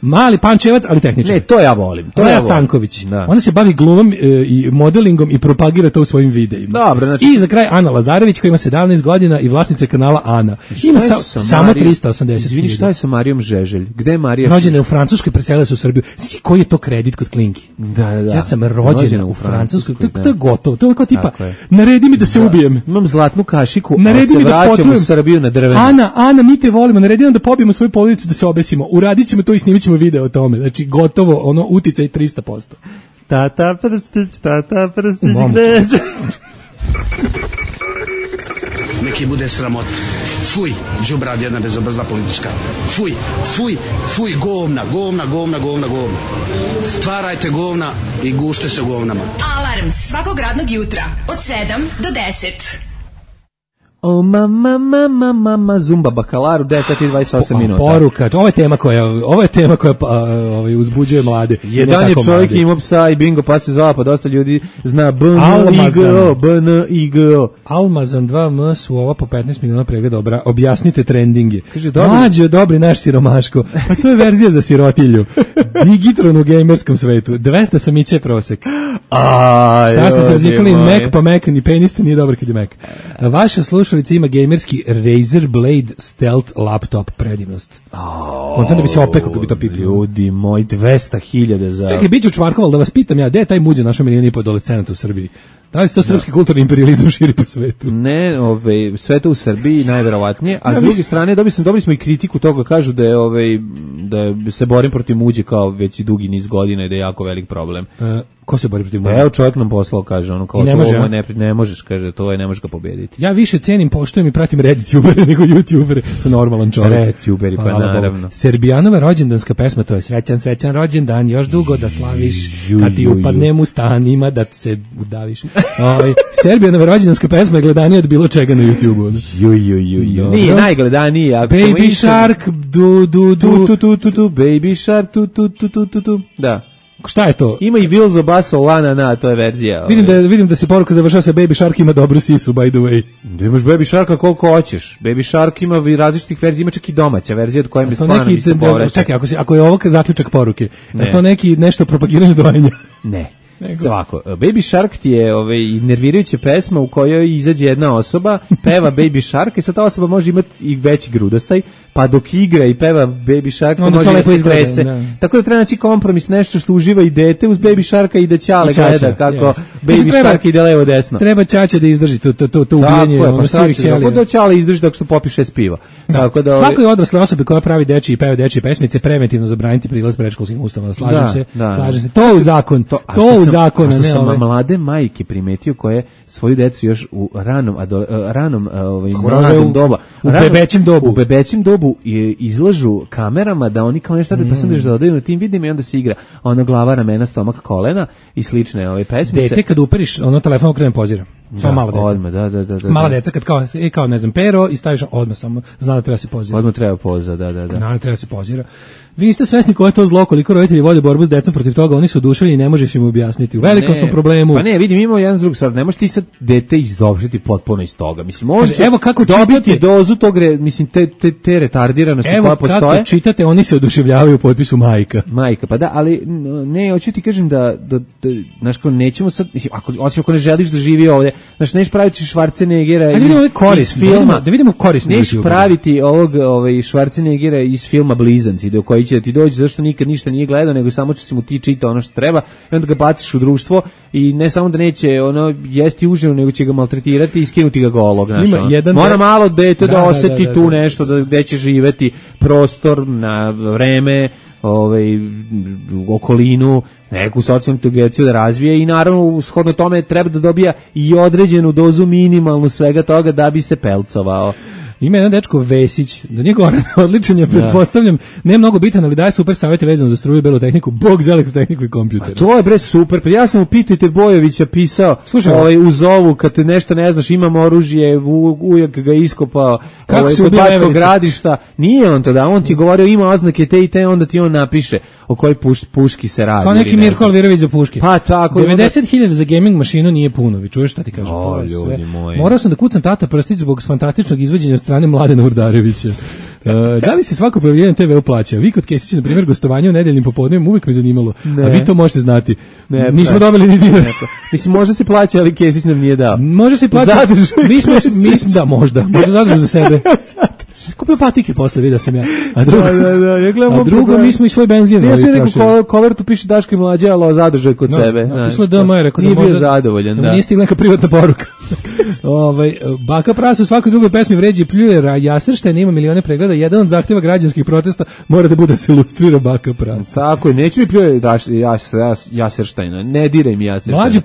Mali Pančevac, ali tehničar. Ne, to ja volim. Maja Stanković. Ona se bavi glumom i modelingom i propagira to u svojim videima. Dobro, znači... I za kraj Ana Lazarević koja ima 17 godina i vlasnica kanala Ana. Ima samo 380. Izvini, šta je sa Marijom Žeželj? Gde je Marija? Rođena je u Francuskoj, preselila se u Srbiju. Koji je to kredit kod Klinki? Da. Ja sam rođena u Francuskoj. To je gotovo. To je kao tipa, naredi mi da se ubijem. Imam zlatnu kašiku, naredi mi da vraćam u Srbiju na drvenu. Ana, mi te volimo, naredi nam da pobijemo svoju porodicu, da se obesimo. Uradit ćemo to i snimit ćemo video o tome. Znači, gotovo, ono, uticaj 300%. Tata prstić, gde se... Neki bude sramota. Fuj, đubrad jedna bezobrazna politička. Fuj, govna. Stvarajte govna i gušte se govnama. Alarm svakog radnog jutra od 7 do 10. O mama, Zumba Bakalaru, 10:28 minuta. Poruka, ovo je tema koja uzbuđuje mlade. Jedan je čovjek imao psa i bingo, pa se zvao, pa dosta ljudi zna BNIGO. Almazan 2M su ova po 15 miliona pregleda, dobra. Objasnite trendinge. Mlađe, dobri naš siromaško. Pa to je verzija za sirotilju. Digitron u gamerskom svetu. 200 samiće prosek. Šta ste se razlikali? Mac pa Mac, ni penis nije dobar kad je Mac. Vaša slušalica ima gamerski Razer Blade Stealth laptop, predivnost. Kontent da bi se opekao kad bi to pipio. Ljudi moj, 200.000 za... Čekaj, bit ću čvarkoval da vas pitam ja, gde je taj muđe našo milijon i po adolescenata u Srbiji? Da li se to srpski kulturni imperializam širi po svetu? Ne, sve to u Srbiji najverovatnije, a s druge strane dobili smo i kritiku toga, kažu da je da se borim protiv muđe kao već dugi niz godina i da je jako velik problem. Ko se bori protiv muđe? Evo čovjek nam poslao, kaže, ono kao ne možeš, kaže, to ne možeš ga pobediti. Ja više cenim, poštujem i pratim Reddit-ubere nego YouTube-ere, to normalan čovjek. Reddit-uberi, pa naravno. Serbijanova rođendanska pesma, to je srećan rođendan, još dugo da slaviš, kad ti upadnem u stan, ima da se udaviš. Serbijanova rođendanska pesma je gledanija od bilo čega na YouTube-u. Nije najgledaniji, ako Baby Shark, Baby Shark, da. Šta je to? Ima i Vilzo Basso Lana, to je verzija. Vidim da se poruka završava sa Baby Shark ima dobru sisu, by the way. Da imaš Baby Sharka koliko hoćeš. Baby Shark ima različitih verzija, ima čak i domaća verzija od koje mi stvarno bi se povraćao. Čekaj, ako je ovo zaključak poruke, je to nešto propagiranje dojenja? Ne. Ovako, Baby Shark ti je nervirajuća pesma u kojoj izađe jedna osoba, peva Baby Shark i sad ta osoba može imati i veći grudostaj, pa dok igra i peva Baby Shark to može da se trese. Tako da treba naći kompromis, nešto što uživa i dete uz Baby Sharka i da ćale gleda kako Baby Shark ide levo desno. Treba ćaća da izdrži to ubijanje sivih ćelija. Tako da ćale izdrži dok što popi 6 piva. Svakoj odrasle osobe koja pravi dečije i peva dečije pesmice preventivno zabraniti prilaz predškolskim ustanovama. Slažem se. To u zakon. Što sam mlade majke primetio koje svoju decu još u ranom doba u bebećem dobu izlažu kamerama da oni kao nešto pa sam da odaju na tim vidima i onda se igra ona glava, ramena, stomak, kolena i slične ove pesmice. Dete kad uperiš telefon okrene pozira. Samo mala deca. Odmah, da. Mala deca kad kao ne znam pero i staviš odmah samo zna da treba se pozira. Odmah treba poza, da. Da treba se pozira. Vi niste svesni koje je to zlo, koliko roditelji vode borbu s decom protiv toga, oni su oduševljeni i ne možeš im objasniti. U velikom smo problemu. Pa ne, vidim, imamo jedan drug stvar, ne možeš ti sad dete izopštiti potpuno iz toga. Mislim, može evo kako dobiti dozu tog, mislim, te retardiranosti koja postoje. Evo kako čitate, oni se oduševljavaju u potpisu majka. Majka, pa da, ali ne, hoću ti kažem da znaš, kao nećemo sad, mislim, osim ako ne želiš da živi ovdje, znaš, neš praviti Schwarzeneggera iz filma. Da vidimo korist. Neš praviti ovog Schwarzeneggera iz filma Blizanci, do koji će da ti dođe zašto nikad ništa nije gledao, nego samo će se mu ti čita ono što treba i onda ga baciš u društvo i ne samo da neće jesti užinu, nego će ga maltretirati i skinuti ga golog. Mora malo dete da oseti tu nešto, gde će živeti, prostor, na vreme, okolinu, neku socijalnu inteligenciju da razvije i naravno shodno tome treba da dobija i određenu dozu minimalnu svega toga da bi se pelcovao. Ima jedan dečko Vesić, da nije Goran odličan je, pretpostavljam, ne mnogo bitan, ali daje super savjete vezano za struju i belu tehniku, bog za elektrotehniku i kompjuter. A to je bre super, pa ja sam u Pitajte Bojovića pisao, u zovu, kad te nešto ne znaš, imam oružje, ujak ga iskopao, kod Bačkog Gradišta, nije on to da, on ti je govorio ima oznake te i te, onda ti on napiše o kojoj puški se radi. Kao neki Mirko Alvirović za puške. Pa tako. 90.000 za gaming mašinu nije puno, vi čuješ šta ti kažem? Morao sam da kucam Tata Prstić zbog fantastičnog izvođenja od strane Mladena Urdarevića. Da li se svako pojavljivanje TV plaća? Vi kod Kesića, na primjer, gostovanje u nedeljnim popodnevima uvijek me zanimalo. A vi to možete znati. Nismo dobili ni dinar. Mislim, možda se plaća, ali Kesić nam nije dao. Može se plaća. Da, možda zadržu za sebe. Kupio patike posle, vidio sam ja. A drugo mi smo i svoj benzin. Ja sam neku kovertu piše Daško i Mlađa, ali zadržaj kod sebe. Napisalo DM, rekao da možda... Nije bio zadovoljan, da. Nije stigla neka privatna poruka. Baka Prasa u svakoj drugoj pesmi vređi i pljuje Jaserštajn, ima milione pregleda. Jedan od zahtjeva građanskih protesta mora da bude se ilustrira Baka Prasa. Tako je, neću mi pljuje Jaserštajna, ne diraj mi Jaserštajna.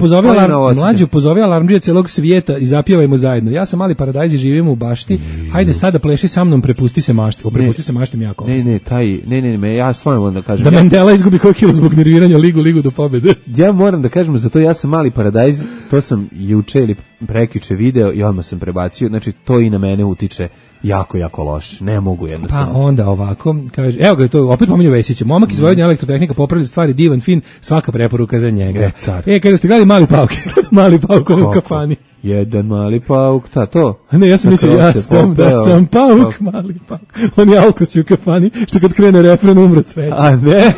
Mlađu pozovi alarmđije celog svijeta i zapjevajmo zajedno. Ja sam Mali Paradajz i živimo u bašti. Hajde sada pleši sa mnom, prepusti se mašti. Prepusti se mašti mi jako. Ne, ja stvarno moram da kažem. Da Mandela izgubi koji kilo zbog nerviranja ligu do pobjede. Ja moram da kažem za to, ja sam Mali Paradajz, to sam juče ili prekjuče video i odmah sam prebacio, znači to i na mene utiče jako loše. Ne mogu jednostavno. Pa onda ovako, kaže, evo ga to, opet pominju Vesića. Momak iz Vojvodine elektrotehnika popravlja stvari, divan, fin, svaka preporuka za njega. Kaže, ste gledali Mali Pauk? Mali Pauk u kafani. Jedan mali pauk, to? Ne, ja sam mislio, da sam pauk, mali pauk. On je Alkos u kafani, što kad krene refren umro cveće. A ne,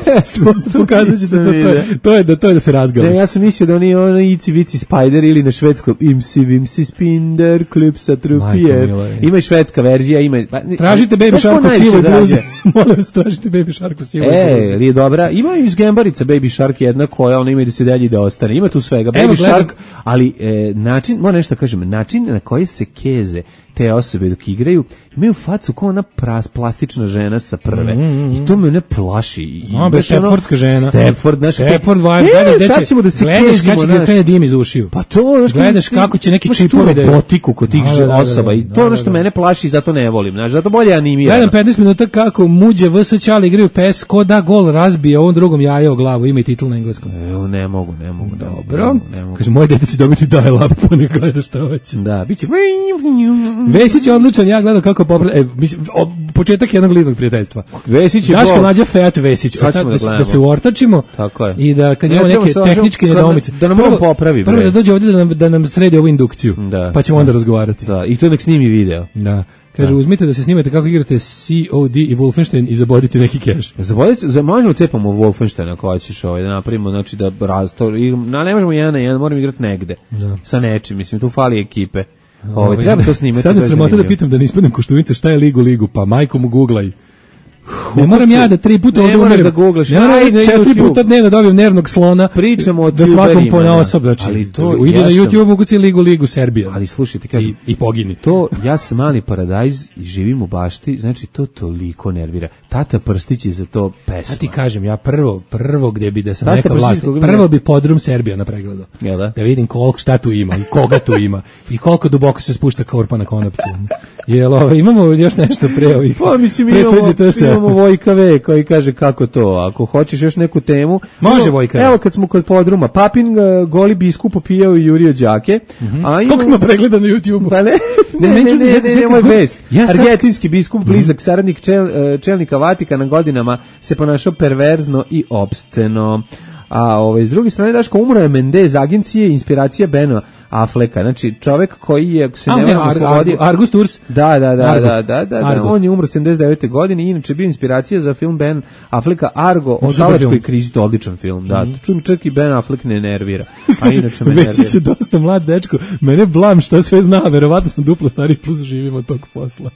pokazat ćete to je da se razgalaš. Ne, ja sam mislio da on je ono Ici Vici Spider ili na švedskom Imsi Spinder, Klipsa Trupijer. Ima i švedska verzija, ima... Tražite Baby Shark u sivoj bluzi. Molim vas, tražite Baby Shark u sivoj bluzi. Li je dobra? Ima iz Gembarica Baby Shark jedna koja, ona ima i da se dalje da ostane. Ima tu svega. Baby Shark, ali način, nešto kažem, način na koji se keze te osobe dok igraju, imaju facu kao ona plastična žena sa prve. I to me ne plaši. Stepfordska žena. Stepford vibe. Sad ćemo da se gledaš kako će krene dim iz ušiju. Pa to, gledaš kako će neki čipovi da robotiku kod tih osoba. I to ono što mene plaši i zato ne volim. Zato bolje animirano. Gledam 15 minuta kako Muđe vs Ćale igraju PES, ko da gol razbije ovom drugom jaje o glavu. Ima i titl na engleskom. Ne mogu. Dobro. Kaže, moje dete će dobiti dial-up, pa ne gledaš šta hoće. Da, bit će... Vesić je odličan, ja gledam kako početak jednog lidnog prijateljstva. Vesić je Daško Mlađa Fejat Vesić. Da se uortačimo i da kad imamo neke tehničke nedoumice. Da nam on popravi. Prvo da dođe ovdje da nam sredi ovu indukciju, pa ćemo onda razgovarati. Da, i to nek snimi video. Da. Kaže, uzmite da se snimate kako igrate COD i Wolfenstein i zabodite neki keš. Možemo cepamo Wolfenstein ako hoćeš da napravimo, znači da ne možemo 1 na 1, moramo igrati negde. Sa nečim, mislim, tu fali ekipe. Treba to snimati. Sad je sramota da pitam da ne ispadnem Koštunica šta je ligu, pa majko mu googlaj. Ne moram ja da 3 puta ovdje umerim. Ne moram 4 puta dnevno dobijem nervnog slona. Pričamo o da svakom ponaosob. Znači, ide na YouTube, ukuci ligu Serbija. Ali slušajte, kažem. I pogini. To, ja sam Mali Paradajz i živim u bašti, znači to toliko nervira. Tata Prstić je za to pesma. Ja ti kažem, ja prvo gdje bi da sam neka vlast, prvo bi podrum Serbija na pregledu. Da vidim šta tu ima i koga tu ima i koliko duboko se spušta korpa na konopcu. Jel, imamo još nešto pre ovih? Pa mislim, imamo Vojka V koji kaže kako to, ako hoćeš još neku temu. Može Vojka V. Evo kad smo kod podruma, Papin goli biskup popijao i jurio đake. Koliko ima pregleda na YouTube-u? Pa ne, moj vest. Argentinski biskup, blizak saradnik čelnika Vatikana godinama se ponašao perverzno i opsceno. A s druge strane, Daško, umro je Mendez, agencije inspiracija Bena Afflecka, znači čovjek koji je se ne slobodi. Argus Tours. Da. On je umro 79. godine i inače bio inspiracija za film Ben Afflecka Argo o talačkoj krizi, to odličan film. Da, čujem, čak i Ben Affleck ne nervira. A inače me nervira. Već se dosta mlad dečko, mene blam što sve zna, verovatno sam duplo stariji plus živim od tog posla.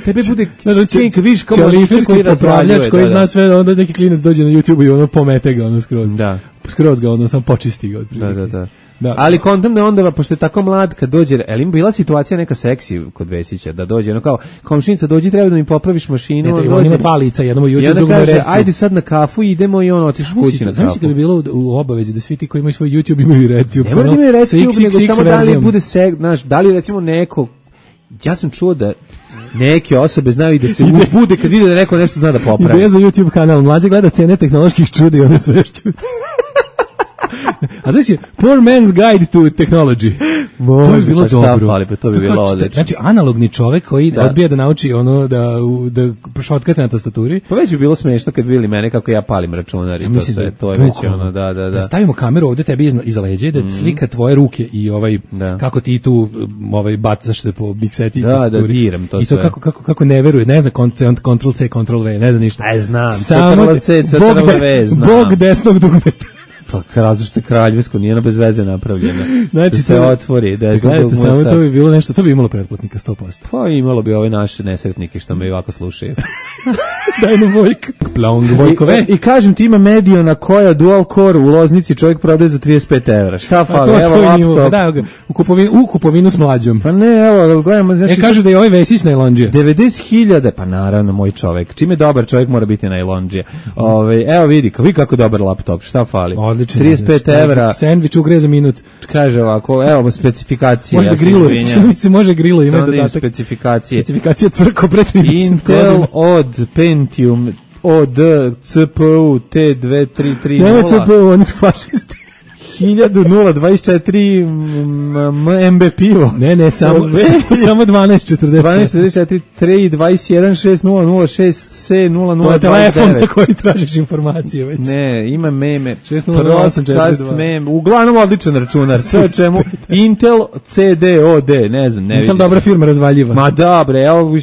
Tebe bude čink, viš kao koji popravljač koji zna sve, onda neki klinac dođe na YouTube i ono pomete ga ono skroz. Da. Skroz ga ono sam počisti ga otprilike. Da. Ali kontam da onda, pošto je tako mlad, kad dođe, im bila situacija neka seksi kod Vesića, da dođe, ono kao, komšinica, dođi, treba da mi popraviš mašinu. On ima 2 lica, jedno mu juče, drugo mu kaže, ajde sad na kafu, idemo i on otiš kući na kafu. Znači kad bi bilo u obavezi da svi ti koji imaju svoj YouTube imaju RedTube. Ne mora da imaju RedTube, nego samo da li bude da li recimo neko ja sam čuo da neke osobe znaju i da se uzbude kad vide da neko nešto zna da popravi. Ideja za YouTube kanal, mlađe gleda cene tehnoloških čuda i one svešću. A znači, Poor Man's Guide to Technology. Može, to je bilo dobro. Fali, pa to bi bilo odlično. Znači, analogni čovek koji odbija da nauči ono da šotkate na tastaturi. Pa već bi bilo smešno kad vidjeli mene kako ja palim računar i to sve. To je već ono, da. Stavimo kameru ovde tebi iza leđa, da slika tvoje ruke i kako ti tu bacaš se po mikseti i tastaturi. Da, diram to sve. I to kako ne veruje, ne zna Ctrl C, Ctrl V, ne zna ništa. Aj, znam, Ctrl C, Ctrl V, znam. Bog desnog dugmeta. Pa različno što je kraljevsko, nije ono bez veze napravljeno. Znači, da se otvori. Gledajte, samo to bi bilo nešto, to bi imalo pretplatnika 100%. Pa imalo bi ove naše nesretnike što me ovako slušaju. Daj nam Vojka. Plong Vojkove. I kažem ti ima Mediona koja dual core u Loznici čovjek prodaje za 35 evra. Šta fali? Evo laptop. Da, u kupovinu s mlađom. Pa ne, evo, gledamo. Znači, kažu da je ovaj Vesić najlondžija. 90.000, pa naravno, moj čovjek. Čime dobar čovjek mora biti najlondžija. Evo vidi kako dobar laptop, šta fali? 35 evra. Sandvič ugreje za minut. Kaže ovako, evo specifikacije. Može da griluje, mi se može griluje, ima dodatak. Specifikacije. Specifikacija crko pre 30 Intel od Pentium od CPU T233. Nema CPU, oni su fašisti. 1024 MB pivo. Ne, samo 1244. 1244 3 21 6006 C 0029. To je telefon na koji tražiš informacije već. Ne, ima meme. 60842. Meme. Uglavnom odličan računar. Sve o čemu Intel CDOD, ne znam, ne vidim. Intel dobra firma razvaljiva. Ma dobre, evo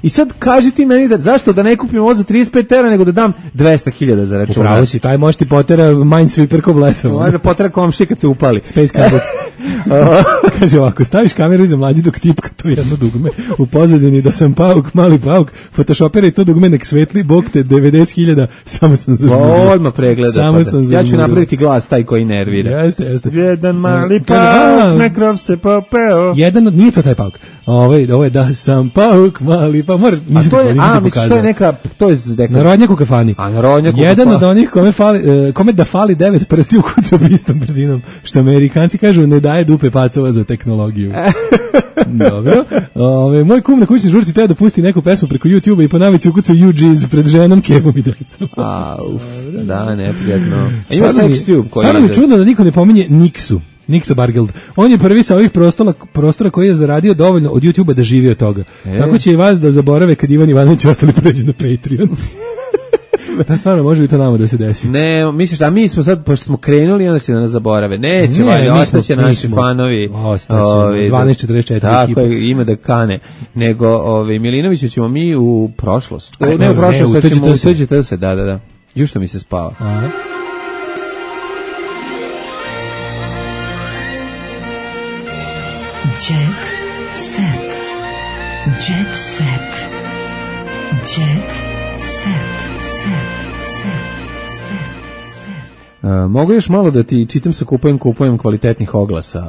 i sad kaži ti meni zašto da ne kupim ovo za 35 evra nego da dam 200.000 za računar. Upravo si, taj može ti potera Minesweeper ko blesava. Može potera komši kad se upali. Space Cadet. Kaže ovako, staviš kameru iza mlađi dok tipka to jedno dugme u pozadini da sam pauk, mali pauk, photoshopera i to dugme nek svetli, bog te 90.000, samo sam zažmurio. Odmah pregleda. Ja ću napraviti glas taj koji nervira. Jeste. Jedan mali pauk, na krov se popeo. Nije to taj pauk. Ovo je da sam pauk, mali pauk. To je neka, to je narodnjak u kafani. Jedan od onih kome da fali 9 prsti u kucu istom brzinom, što Amerikanci kažu ne daje dupe pacova za tehnologiju. Dobro. Moj kum na kućnoj žurci teo da pusti neku pesmu preko YouTube-a i po navici ukucao UG's pred ženom, kebom i decom. Da, neprijatno. Ima Sextube koji stvarno mi je čudno da niko ne pominje Niksa Bargeld. On je prvi sa ovih prostora koji je zaradio dovoljno od YouTube-a da živi od toga. Tako će i vas da zaborave kad Ivan Ivanović ostali pređu na Patreon. Da stvarno može li to nama da se desi? Ne, misliš da mi smo sad, pošto smo krenuli, onda će da nas zaborave. Neće, ostaće naši fanovi. Ostaće, 1244 tako je, ima da kane. Nego, Milinoviću ćemo mi u prošlost. Ne u prošlost, već ćemo utuđite se, da. Još što mi se spava. Jet set. Jet set. Jet set. Mogu još malo da ti čitam sa kupujem kvalitetnih oglasa.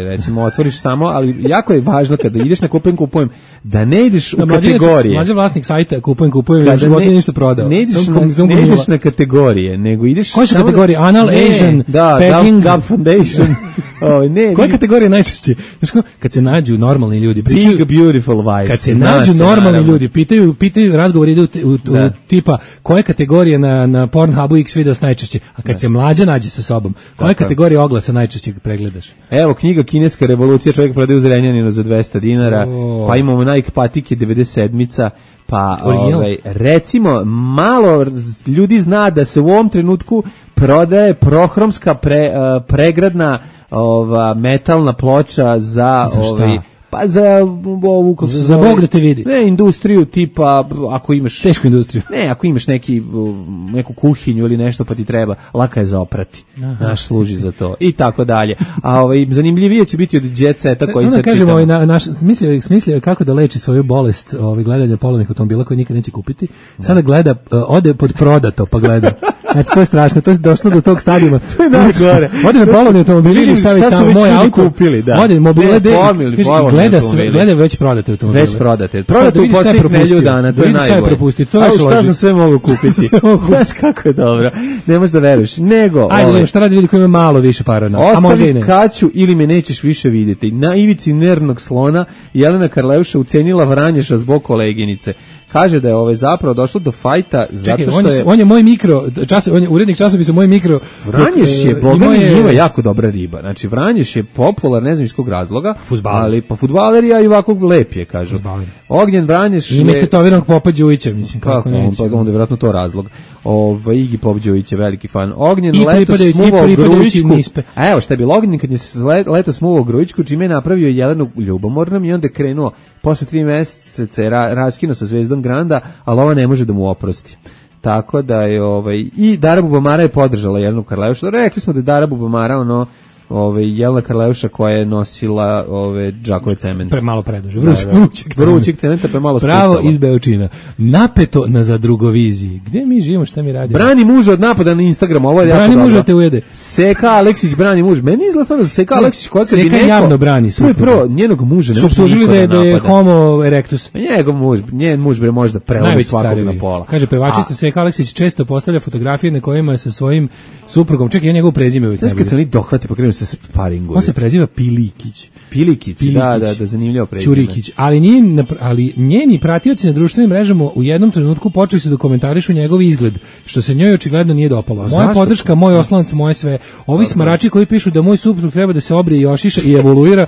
Recimo, otvoriš samo, ali jako je važno kada ideš na kupujem, da ne ideš u kategorije. Mlađe vlasnik sajta kupujem, život je ništa prodao. Ne ideš na kategorije, nego ideš... Koje su kategorije? Anal, Asian, Pegging... Gab Foundation... Koje kategorije najčešće? Kad se nađu normalni ljudi, pričaju... Big beautiful wives. Kad se nađu normalni ljudi, pitaju razgovori idu u tipa koje kategorije na Pornhubu X videos najčešće, a kad se mlađa nađe sa sobom, koje kategorije oglasa najčešće pregledaš? Evo, knjiga Kineska revolucija, čovjek prodaje u Zrenjaninu za 200 dinara, pa imamo Nike patike 97-ica, pa recimo malo ljudi zna da se u ovom trenutku prodaje prohromska pregradna metalna ploča za pa za ovu za Bog da te vidi. Ne, industriju tipa ako imaš tešku industriju. Ne, ako imaš neku kuhinju ili nešto pa ti treba, laka je za oprati. Naš služi za to i tako dalje. A zanimljivije će biti od Jet Seta koji se kažemo naš smislio kako da leči svoju bolest, gledanja polovnih automobila koje nikad neće kupiti. Sada gleda ode pod prodato pa gleda. Znači, to je strašno, to je došlo do tog stadijuma. To je najgore. Ode na polovni automobili ili stavi tamo moj auto. Kupili, da. Ode mobile, gleda već prodate automobile. Već prodate. Prodate u posljednjih nedelju dana, to je najbolje. A šta sam sve mogu kupiti? Znaš kako je dobro. Ne možeš da veruješ. Nego, ajde, šta radi ljudi koji imaju malo više para? A može i ne. Kaću ili me nećeš više vidjeti. Na ivici nervnog slona Jelena Karleuša ucenila Vranješa zbog koleginice. Kaže da je zapravo došlo do fajta zato što je... On je moj mikro, urednik časopisa Moj mikro... Vranješ je, boga mi njima jako dobra riba. Znači, Vranješ je popular, ne znam iz kog razloga, ali pa fudbalerija i ovako lep je, kažu. Ognjen Vranješ je... I miste toviranog Popa Đujića, mislim, kako neće. Pa onda je vjerojatno to razlog. Igi Pop Đujić je veliki fan. Ognjen leto smuvao Grujičku. A evo šta je bilo, Ognjen kad je leto smuvao Grujičku, čime je napravio Jelenu ljubomornom i onda je krenuo posle 3 meseca je raskinuo sa Zvezdom Granda, ali ova ne može da mu oprosti. Tako da je i Dara Bubamara je podržala Jelenu Karleušu. Rekli smo da je Dara Bubamara Jelena Karleuša koja je nosila džakove cementa. Premalo preduže. Vrućeg cementa premalo spucala. Pravo iz Beočina. Napeto na zadrugoviziji. Gde mi živimo, šta mi radimo? Brani muža od napada na Instagramu. Ovo je brani muža te ujede. Seka Aleksić brani muž. Meni izgleda stvarno da Seka Aleksić koja kad bi neko... Seka javno brani supruga. Prvo, njenog muža ne može suptužili da je homo erectus. Njen muž bre može da prelomi svakog na pola. Kaže pevačica Seka Aleksić često postavlja fotografije na kojima je sa svojim suprugom. Čekaj, njegov prezime uvijek najbolje. Kad se oni dohvate, pa krenu se sparingu. On se preziva Pilikić. Pilikić, da, zanimljivo prezime. Čurikić, ali njeni pratioci na društvenim mrežama u jednom trenutku počeli su da komentarišu njegov izgled, što se njoj očigledno nije dopalo. Moja podrška, moj oslonac, moje sve. Ovi smarači koji pišu da moj suprug treba da se obrije i ošiša i evoluira.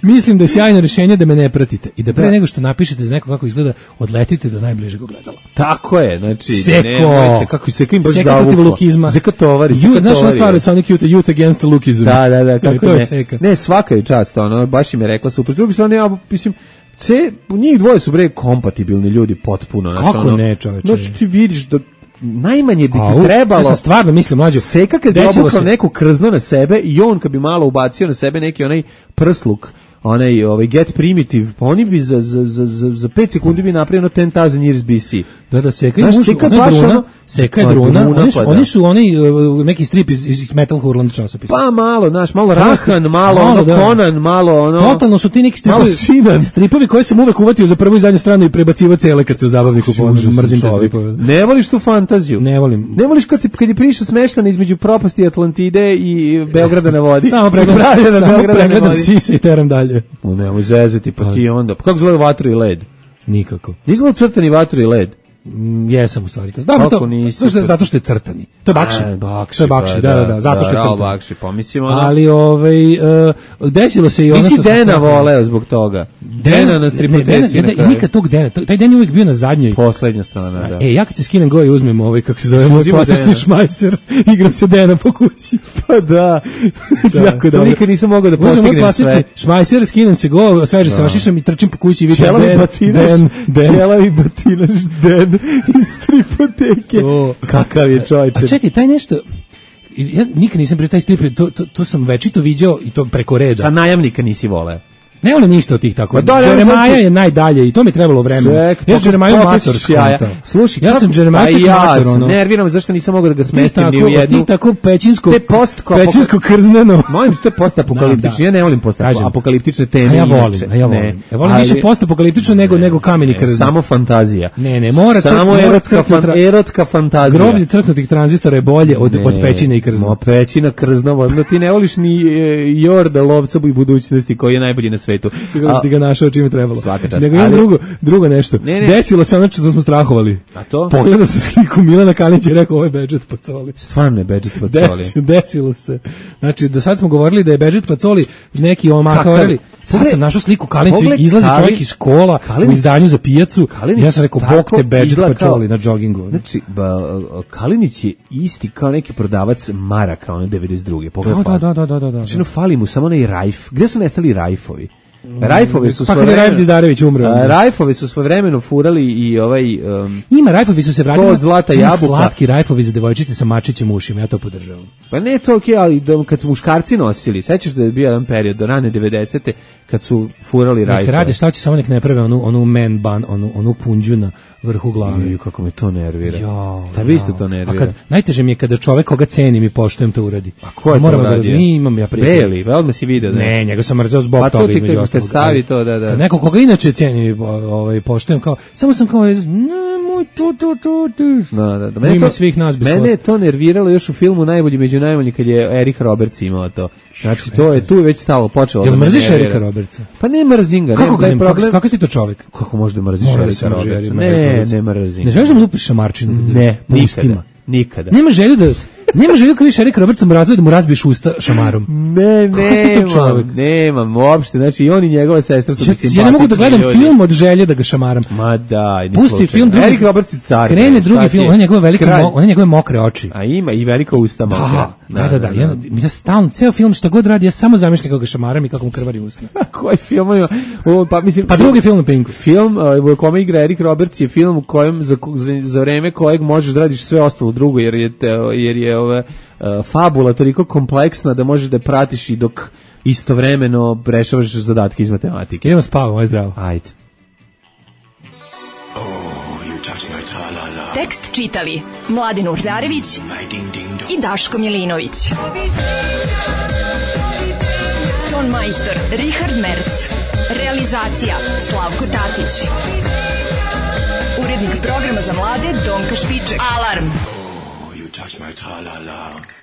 Mislim da je sjajno rješenje da me ne pratite i da pre nego što napišete za neko kako izgleda, odletite do najbližeg ogledala. Tako je, znači Seko, kako Seko im baš Seka protiv lukizma. Seka tovari. Znaš na stvari sa onih Youth Against Lookism. Da, kako to ne. Je Seka. Ne, svaka je čast, baš im je rekla super. S druge strane, ja mislim, njih dvoje su bre kompatibilni ljudi potpuno. Kako ne, čoveče? Znači ti vidiš da najmanje bi ti trebalo. Ja sam stvarno mislim, mlađo. Seka kad bi obukao neku krzno na sebe i on kad bi malo ubacio na sebe neki onaj prsluk, Get Primitive, oni bi za 5 sekundi bi napravio 10,000 years BC. Da, Seka je druna, oni su neki strip iz Metal Hurland časopisa. Pa malo, malo Rahan, malo Conan, malo totalno su ti neki stripovi koje sam uvek uvatio za prvu i zadnju stranu i prebacivo cele kad se u zabavniku mrzim te stripove. Ne voliš tu fantaziju? Ne volim. Ne voliš kad je priča smeštana između propasti Atlantide i Beograda na vodi? Samo pregledam sise i teram dalje. Nemoj zezati, pa ti onda. Pa kako izgleda Vatru i led? Nikako. Izgleda crtani Vatru i led? Jesam u stvari to. Dobro, zato što je crtani. To je bakši. To je bakši, da, zato što je crtani. Bakši, pomislimo. Ali desilo se i ono što... Nisi Dena voleo zbog toga. Dena na stripoteci na kraju. Nikad tog Dena. Taj Den je uvijek bio na zadnjoj. Poslednja strana, da. Ja kad se skinem go i uzmem kako se zove, moj klasični šmajser, igram se Dena po kući. Pa da. Sam nikad nisam mogao da postignem sve. Šmajser, skinem se go, sveže se vašišam i trčim po kući i vidim Čelavi batinaš Den iz stripoteke. Kakav je čovječe. A čekaj, taj nešto... Ja nikad nisam pre taj strip, to sam večito viđao i to preko reda. Sa Najamnika nisi voleo. Ne volim ništa od tih tako. Jeremaja je najdalje i to mi trebalo vremena. Ja sam Jeremaju mator skontao. Slušaj, ja sam Jeremaju mator. Nerviram zašto nisam mogao da ga smestim ni u jednu. Ti tako pećinsko krzneno. Mojim to je postapokaliptično. Ja ne volim postapokaliptične teme. Ja volim više postapokaliptično nego kameni krzno. Samo fantazija. Ne, mora samo erotska fantazija. Groblje crknutih tranzistora je bolje od pećine i krzna. Pećina krzno, ti ne voliš ni Jorda lovca i budućnosti koji je najbolji na svetu. Sigurno ti ga našao čime trebalo. Nego imam drugo nešto. Desilo se ono što smo strahovali. A to? Pogledao sam sliku Milana Kalinića i rekao ovo je Bedžet Pacoli. Stvarno je Bedžet Pacoli. Desilo se. Znači, do sad smo govorili da je Bedžet Pacoli neki omakaorili. Sad sam našao sliku Kalinića, izlazi čovjek iz kola u izdanju za pijacu. Ja sam rekao, bok te Bedžet Pacoli na džogingu. Znači, Kalinić je isti kao neki prodavac maraka, ono 92. Da. Znači, fali mu samo onaj rajf. Gde su nestali rajfovi? Rajfovi su svojevremeno Rajf Dizdarević umro. Rajfovi su svojevremeno furali i Ima Rajfovi su se vratili. Kod Zlata jabuka. Slatki Rajfovi za devojčice sa mačićem ušima, ja to podržavam. Pa ne to okej, ali kad su muškarci nosili, sećaš da je bio jedan period do rane 90-te kad su furali Rajfove. Nek radi šta će, samo nek ne prave onu man bun, onu punđu na vrhu glave. Kako me to nervira. Da vi ste to nervira. A najteže mi je kada čovek koga cenim i poštujem to uradi. A ko je to uradio? Imam ja prijatelja. Beli, odmah si vidio. Ne, njega sam mrzeo zbog toga između ostalog. Stavi to, da. Neko koga inače cenim i poštujem, kao, samo sam kao, nemoj to. Da. Mene je to nerviralo još u filmu Najbolji među najbolji kad je Eric Roberts imao to. Znači, to je tu već stalo počelo. Jel mrziš Erika Robertsa? Pa ne mrzim ga. Kako si ti to čovjek? Kako možeš da mrziš Erika Robertsa? Ne mrzim. Ne želiš da mu lupiš šamarčinu? Ne, nikada. Nema želju kad viš Erika Robertsa mu razvoje da mu razbiješ usta šamarom. Nemam uopšte. Znači, i on i njegova sestra su mi simpatični. Ja ne mogu da gledam film od želje da ga šamaram. Ma daj, pusti film drugi. Erik Roberts je car. Krene drugi film, one njegove mokre oči. A ima i velika usta mokra. Da. Ja stalno, ceo film što god radi, ja samo zamišljam kako ga šamaram i kako mu krvari usna. Koji film ima? Pa drugi film na Pinku. Film u kome igra Erik Roberts je film u kojem za vreme kojeg možeš da radiš sve ostalo drugo, jer je fabula toliko kompleksna da možeš da pratiš i dok istovremeno rešavaš zadatke iz matematike. Idemo spavamo, aj zdravo. Ajde. Tekst čitali Mladin Urdarević i Daško Milinović. Ton majstor Richard Merc. Realizacija Slavko Tatić. Urednik programa za mlade Donka Špiček. Alarm! You touch my tra-la-la.